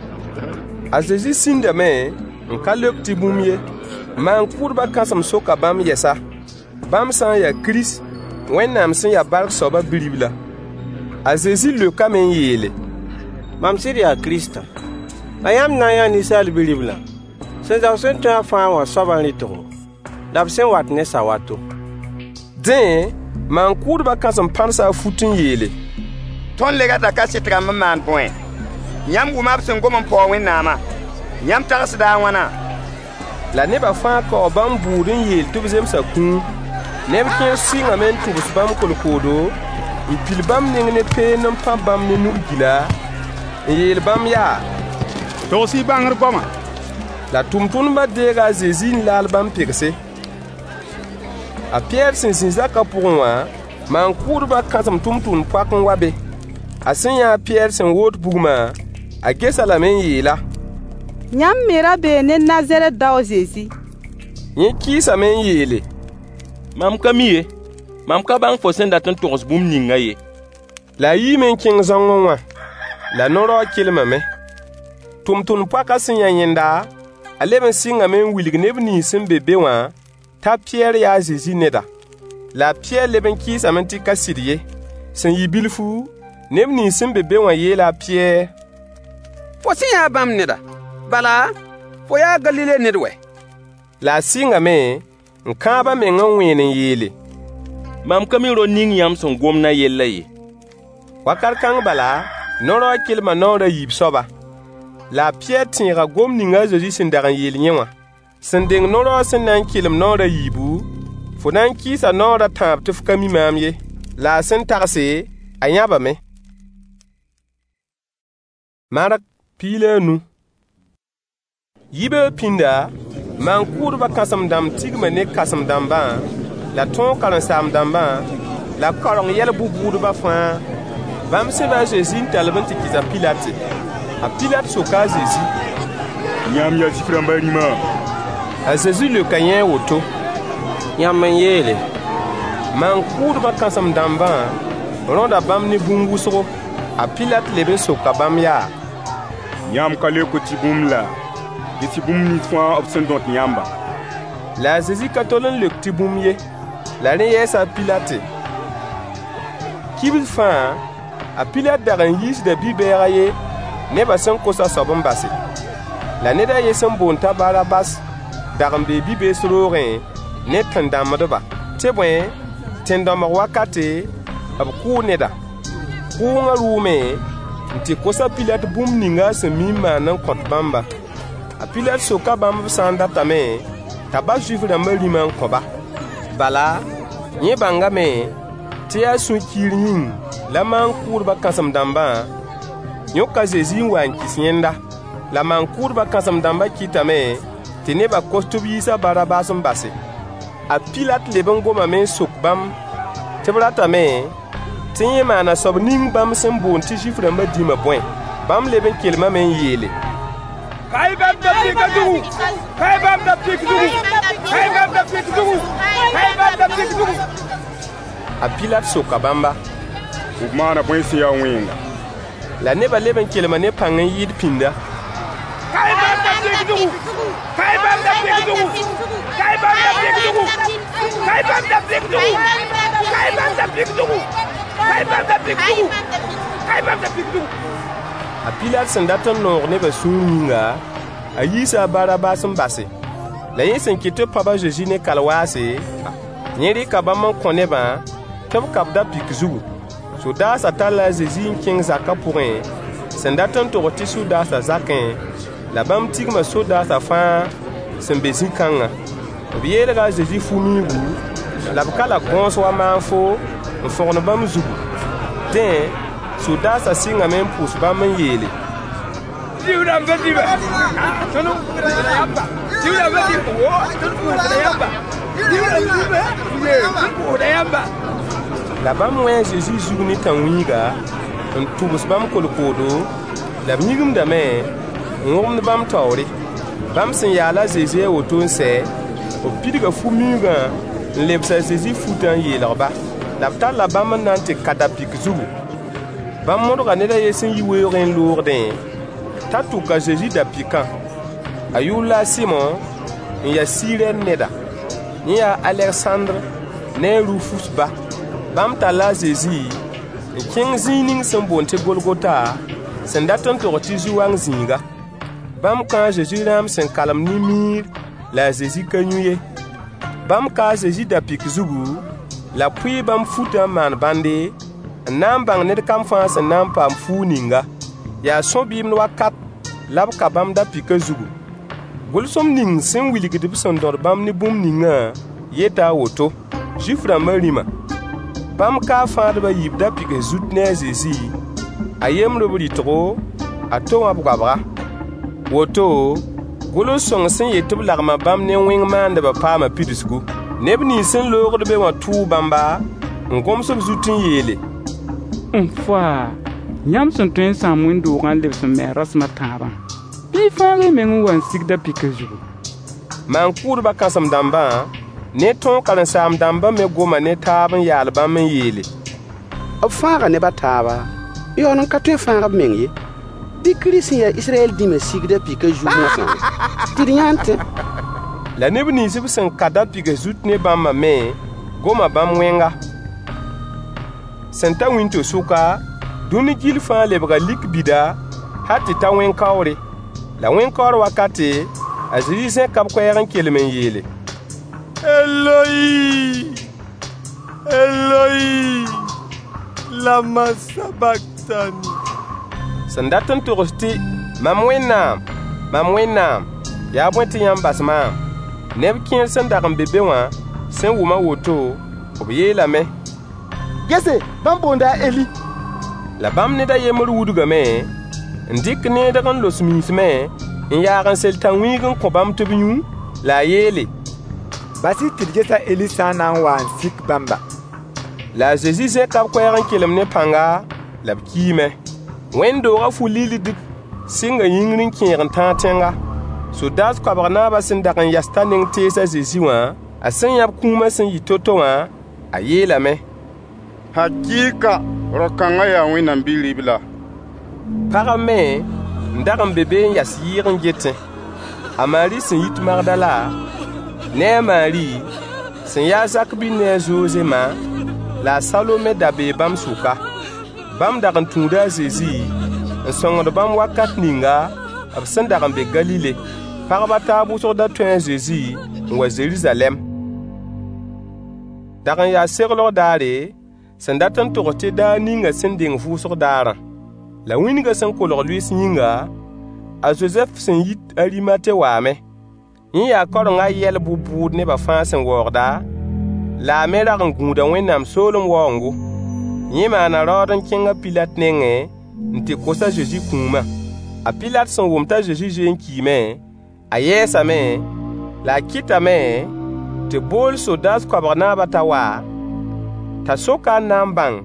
A Zezi sĩndame n ka leok tɩ bũmb ye. Maan-kʋʋdbã kãsem soka bãmb yɛsa, bãmb sã n yaa Kirist, Wẽnnaam sẽn ya bark soabã Bi-ribla. A Zezi leokame n yeele: Mam sɩd yaa Kiristã. La yãmb na n yãa Ninsaal Bi-riblã sẽn zao sẽn tõe a fãa wã soabã rɩtgo, la b sẽn wat ne sawato. Dẽ, maan-kʋʋdbã kãsem pãdsa a fut n yeele: Tõnd le rata kaset rãmb n maan bõe? Yãmb wʋma b sẽn gom n paoog Wẽnnaamã. Yãmb tagsda a wãna? La nebã fãa kaoo bãmb bʋʋd n yeel tɩ b zemsa kũum. Neb kẽer sɩngame n tʋbs bãmb kolkoodo, n pil bãmb neng ne peend n pãb bãmb ne nug-gila, n yeel bãmb yaa: Togs-y bãngr goama. La tʋmtʋmdbã deega a Zezi n laal bãmb pegse. A Pɩyɛɛr sẽn zĩ zakã pʋgẽ wã, maan-kʋʋdbã kãsem tʋmtʋmd-poak n wa be. A sẽn yã a Pɩyɛɛr sẽn woot bugmã, a ges-a lame n yeel-a: Yãmb me ra bee ne Nazarɛt dao a Zezi. Yẽ kɩɩsame n yeele: Mam ka mi ye, mam ka bãng fo sẽn dat n togs bũmb ningã ye. La a yiime n kẽng zãongẽ wã. La no-raoog kelmame. Tʋmtʋmd-poakã sẽn yã yẽnda, a leb n sɩngame n wilg neb nins sẽn be be wã t'a Pɩyɛɛr yaa a Zezi neda. La a Pɩyɛɛr leb n kɩɩsame tɩ ka sɩd ye. Sẽn yɩ bilfu, neb nins sẽn be be wã yeela a Pɩyɛɛr: Fo sẽ yãa bãmb neda. Bala, fo yaa Galile ned wɛ. La a sɩngame n kãab a meng n wẽen n yeele: Mam ka mi rao ning yãmb sẽn gomd a yellã ye. Wakat kãng bala, no-raoog kelma naoor a yiib soaba. La a Pɩyɛɛr tẽega gom ning a Zezi sẽn dag n yeel yẽ wã: Sẽn deng no-raoog sẽn na n kelem naoor a yiibu, fo na n kɩɩsa naoor a tãab tɩ f ka mi maam ye. La a sẽn tagse, a yãbame. Mark piig la a nu. Yibeoog pĩnda, maan-kʋʋdbã kãsem-dãmb tigma ne kãsem-dãmbã la tõog karen-saam-dãmbã la kaoreng yɛl bʋ-bʋʋdbã fãa. Bãmb sẽba a Zezi n tall-b n tɩ kɩs a Pilat. A Pilat soka a Zezi: Yãmb yaa Zuif-rãmbã rĩma? A Zezi leoka yẽ a woto: Yãmb n yeele. Maan-kʋʋdbã kãsem-dãmbã rõda bãmb ne bũmb wʋsgo. A Pilat leb n soka bãmb yaa: Yãmb ka leokd tɩ bũmb laa? Ges-y bũmb nins fãa b sẽn dõt yãmbã. La a Zezi ka tol n leok tɩ bũmb ye. La rẽ yɛɛsa a Pilate. Kibs fãa, a Pilat dag n yiisda bi-bɛɛg a ye nebã sẽn kos a soab n base. La ned a yen sẽn boond t'a Barabas dag n bee bi-bees roogẽ ne tẽn-dãmbdba. Tɩ bõe, tẽn-dãmbg wakate, b kʋʋ neda. Kʋʋngã rʋʋme n tɩ kos a Pilat bũmb ning a sẽn mi n maan n kõt bãmba. A Pilat soka bãmb b sã n datame t'a bas Zuif-rãmbã rĩmã n kõ-ba. Bala, yẽ bãngame tɩ yaa sũ-kiir yĩng la maan-kʋʋdbã kãsem-dãmbã yõk a Zezi n wa n kɩs yẽnda. La maan-kʋʋdbã kãsem-dãmbã kɩtame tɩ nebã kos tɩ b yiis a Barabas n base. A Pilat leb n gomame n sok bãmb tɩ b ratame tɩ yẽ maana soab ning bãmb sẽn boond tɩ Zuif-rãmbã dĩmã bõe? Bãmb leb n kelmame n yeele: Ka-y bãmb da-pɩkã zugu! Ka-y bãmb da-pɩk zugu! Ka-y bãmb da-pɩk zugu! Ka-y bãmb da-pɩk zugu! A Pilat soka bãmba: B maana bõe sẽn ya wẽnga? La nebã leb n kelma ne pãng n yɩɩd pĩnda: Ka-y bãmb da-pɩk zugu! Ka-y bãmb da-pɩk zugu! Ka-y bãmb da-pɩk zugu! Ka-y bãmb da-pɩk zugu! Ka-y bãmb da-pɩk zugu! Ka-y bãmb da-pɩk zugu! Ka-y bãmb da-pɩk zugu! A Pilat sẽn dat n noog nebã sũur yĩnga, a yiisa a Barabas n base. La yẽ sẽn kɩt tɩ b pãb a Zezi ne kalwaase, yẽ rɩka bãmb n kõ nebã tɩ b ka-b da-pɩk zugu. Sodaasã talla a Zezi n kẽng zakã pʋgẽ, sẽn dat n togs tɩ sodaasã zakẽ, la bãmb tigma sodaasã fãa sẽn be zĩ-kãngã. B yeelga a Zezi fu-miigu, La b kala gõos wa maanfo n fõgen bãmb zugu. Dẽ, sodaasã sɩngame n pʋʋs bãmb n yeele: Zuif-rãmbã dĩma, tõnd pʋʋsda yãmba. Zuif-rãmbã dĩma, wo, tõnd pʋʋsda yãmba. Zuif-rãmb dĩma, tõnd pʋʋsda yãmba. La bãmb wẽ a Zezi zug ne tãn-wĩiga, n tʋbs bãmb kolkoodo, la b yĩgimdame n wõgemd bãmb taoore. Bãmb sẽn yaal a Zezi a woto n sɛ, b pidga fu-miuugã n lebs a Zezi futã n yeelg-ba. La b talla bãmb n na n tɩ ka da-pɩk zugu. Bãmb modga ned a yen sẽn yi weoogẽ n loogdẽ, t'a tʋk a Zezi da-pɩkã. A yʋʋr la a Sɩmo, n ya Sirɛn neda. Yẽ yaa Alegsãndr ne a Rufus ba. Bãmb talla a Zezi n kẽng zĩig ning sẽn boond tɩ Golgota, sẽn dat n togs tɩ zu-wang zĩiga. Bãmb kãa a Zezi rãam sẽn kalem ne miir la a Zezi ka yũ ye. Bãmb kaa a Zezi da-pɩk zugu, la b pʋɩ bãmb futã n maan bãnde, n na n bãng ned kam fãa sẽn na n paam fuug ninga. Yaa sõ-bɩɩmd wakat la b ka bãmb da-pɩkã zugu. Gʋlsem ning sẽn wilgd b sẽn dõd bãmb ne bũmb ningã yeta a woto: Zuif-rãmbã rĩma. Bãmb kaa fãadb a yiib da-pɩgs zut ne a Zezi, a yembr b rɩtgo, a to wã b goabga. Woto, gʋls-sõng sẽn yet tɩ b lagma bãmb ne wẽng maandbã paama pidsgu. Neb nins sẽn loogd be wã tʋʋ bãmba n gõms b zut n yeele: N faa, yãmb sẽn tõe n sãam wẽnd-doogã n lebs n me a rasem a tãabã, bɩ y fãag y meng n wa n sig da-pɩkã zugu. Maan-kʋʋdbã kãsem-dãmbã ne tõog karen-saam-dãmbã me goma ne taab n yaal bãmb n yeele: B fãaga neb a taaba, n yaool n ka tõe n fãag b meng ye. Bɩ Kirist sẽn ya Israyɛl dĩmã sig da-pɩkã zug moasã, tɩ d yã n tẽ. La neb nins b sẽn ka da-pɩgs zut ne bãmbã me goma bãmb wẽnga. Sẽn ta wĩnto-sʋka, dũni gill fãa lebga lik bida hal tɩ ta wẽn-kaoore. La wẽn-kaoor wakate, a Zezi zẽka b koɛɛg n kelem n yeele: Eloi, Eloi, lama sabaktani. Sẽn dat n togs tɩ: Mam Wẽnnaam, mam Wẽnnaam, yaa bõe tɩ yãmb bas maam? Neb kẽer sẽn dag n be be wã sẽn wʋm a woto, b yeelame: Gese, bãmb boonda a Eli. La bãmb ned a yembr wudgame n dɩk needg n los miismẽ n yaag n sel tãn-wĩig n kõ bãmb tɩ b yũ, la a yeele: Bas-y tɩ d ges a Eli sã n na n wa n sik bãmba. La a Zezi zẽka b koɛɛg n kelem ne pãnga, la b kiime. Wẽnd-doogã fu-lildg sɩnga yĩngr n kẽeg n tãag tẽnga. Sodaas koabg naabã sẽn dag n yas t'a neng tees a Zezi wã, a sẽn yã b kũumã sẽn yɩ to-to wã, a yeelame: Hakɩɩka, rao-kãngã yaa Wẽnnaam Bi-ribla. Pagb me n dag n be be n yas yɩɩg n getẽ. A Maari sẽn yit Magdala, ne a Maari sẽn ya a Zak bi ne a Zoze ma, la a Salome da bee bãmb sʋka. Bãmb dag n tũuda a Zezi n sõngd bãmb wakat ninga b sẽn dag n be Galile. Pagb a taab wʋsg da tõe a Zezi n wa Zeruzalɛm. Dag n yaa seglg daare, sẽn dat n togs tɩ daar ninga sẽn deng vʋʋsg daarã. La wĩndgã sẽn kolg lʋɩɩs yĩnga, a Zozɛf sẽn yit Arimate waame. Yẽ yaa kaoreng a yɛl bʋ-bʋʋd nebã fãa sẽn waoogda, la a me rag n gũuda Wẽnnaam soolem waoongo. Yẽ maana raood n kẽng a Pilat nengẽ n tɩ kos a Zezi kũumã. A Pilat sẽn wʋm t'a Zezi zoe n kiime, a yɛɛsame, la a kɩtame tɩ b bool sodaas koabg naabã t'a wa, t'a sok-a n na n bãng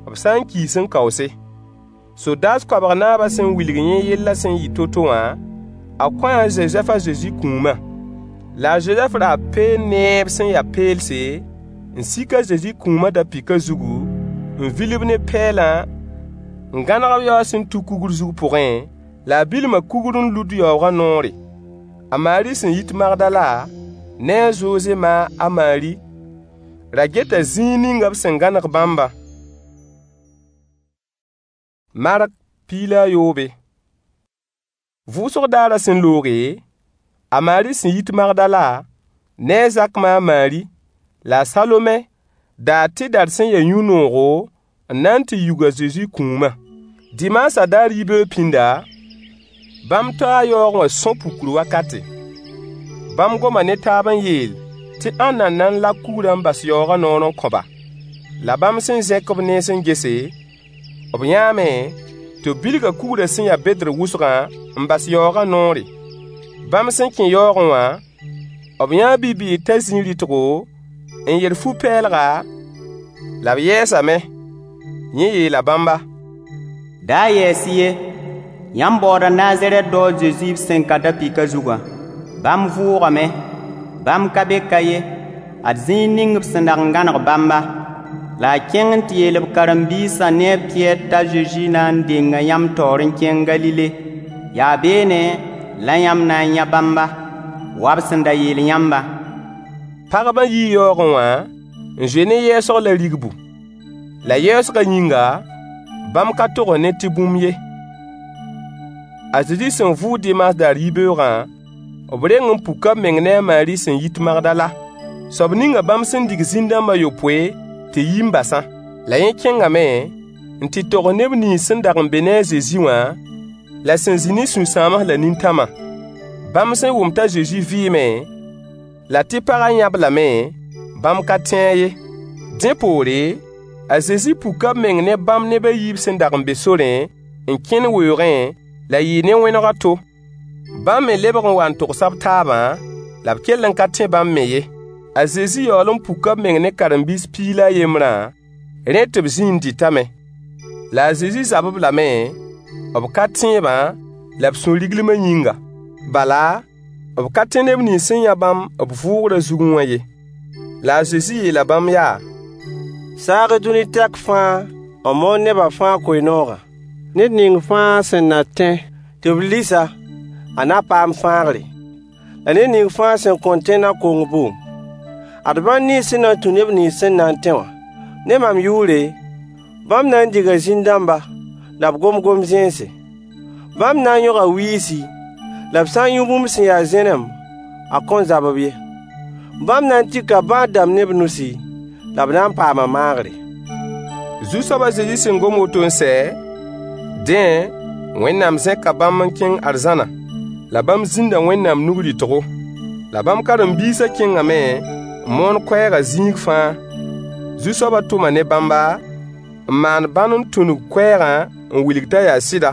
b sã n kiis n kaoose. Sodaas koabg naabã sẽn wilg yẽ yellã sẽn yɩ to-to wã, a kõa a Zozɛf a Zezi kũumã. La a Zozɛf raa peen neeb sẽn ya peelse, n sik a Zezi kũumã da-pɩkã zugu, n vil-b ne pɛɛlã, n gãneg b yaoog sẽn tu kugr zug pʋgẽ, la a bilma kugr n lud yaoogã noore. A Maari sẽn yit Magdala, ne a Zoze ma a Maari, ra geta zĩig ning b sẽn gãneg bãmbã. Mark piig la a yoobe. Vʋʋsg daarã sẽn looge, a Maari sẽn yit Magdala, ne a Zak ma a Maari, la a Salome daa tɩdar sẽn ya yũ-noogo n na n tɩ yug a Zezi kũumã. Dimaasã daar yibeoog pĩnda, bãmb taa yaoog wã sõ-pukur wakate. Bãmb goma ne taab n yeel: Tɩ ãnna n na n lak kugrã n bas yaoogã noor n kõ-ba? La bãmb sẽn zẽk b nens n gese, b yãame tɩ b bilga kugrã sẽn ya bedr wʋsgã n bas yaoogã noore. Bãmb sẽn kẽ yaoogẽ wã, b yãa bi-bɩɩg t'a zĩi rɩtgo, n yer fu-pɛɛlga, la b yɛɛsame. Yẽ yeela bãmba: Da yɛɛs-y ye, yãmb baooda Nazarɛt dao a Zezi b sẽn ka da-pɩkã zugã. Bãmb vʋʋgame. Bãmb ka be ka ye. Ad zĩig ning b sẽn dag n gãneg bãmba. La y kẽng n tɩ yeel b karen-biisã ne a Pɩyɛɛr t'a Zezi na n denga yãmb taoor n kẽng Galile. Yaa beene la yãmb na n yã bãmba, wa b sẽn da yeel yãmbã. Pagbã yii yaoogẽ wã n zoe ne yɛɛsg la rigbu. La yɛɛsgã yĩnga, bãmb ka togs ned tɩ bũmb ye. A Zezi sẽn vʋʋg dimaas daar yibeoogã, b reng n puka b meng ne a Maari sẽn yit Magdala, soab ninga bãmb sẽn dig zĩn-dãmb a yopoe tɩ yi n basã. La yẽ kẽngame n tɩ togs neb nins sẽn dag n be ne a Zezi wã, la sẽn zĩ ne sũ-sãams la nintãmã. Bãmb sẽn wʋm t'a Zezi vɩɩme, la tɩ pagã yã-b lame, bãmb ka tẽ-a ye. Dẽ poore, a Zezi puka b meng ne bãmb neb a yiib sẽn dag n be sorẽ n kẽnd weoogẽ, la yɩɩ ne wẽneg a to. Bãmb me lebg n wa n togsa b taabã, la b kell n ka tẽ bãmb me ye. A Zezi yaool n puka b meng ne karen-biis piig la a yembrã, rẽ tɩ b zĩ n dɩtame. La a Zezi zab-b lame, b ka tẽebã la b sũ-riglmã yĩnga. Bala, b ka tẽ neb nins sẽn yã bãmb b vʋʋgrã zugẽ wã ye. La a Zezi yeela bãmb yaa: Saag-y dũni tɛk fãa n moon nebã fãa koe-noogã. Ned ning fãa sẽn na tẽ tɩ b lis-a, a na paam fãagre. La ned ning fãa sẽn kõn tẽ na kong bʋʋm. Ad bãn nins sẽn na n tũ neb nins sẽn na n tẽ wã, ne mam yʋʋre, bãmb na n diga zĩn-dãmba, la b gom gom-zẽnse. Bãmb na n yõga wiisi, la b sã n yũ bũmb sẽn ya zẽnem, a kõn zab-b ye. Bãmb na n tika bãad-dãmb ne b nusi, la b na n paama maagre. Zu-soab a Zezi sẽn gom woto n sɛ, dẽ, Wẽnnaam zẽka bãmb n kẽng arzãna, la bãmb zĩnda Wẽnnaam nug-rɩtgo. La bãmb karen-biisã kẽngame n moon koɛɛgã zĩig fãa. Zu-soabã tʋma ne bãmba, n maan bãn n tũnug koɛɛgã n wilg t'a yaa sɩda.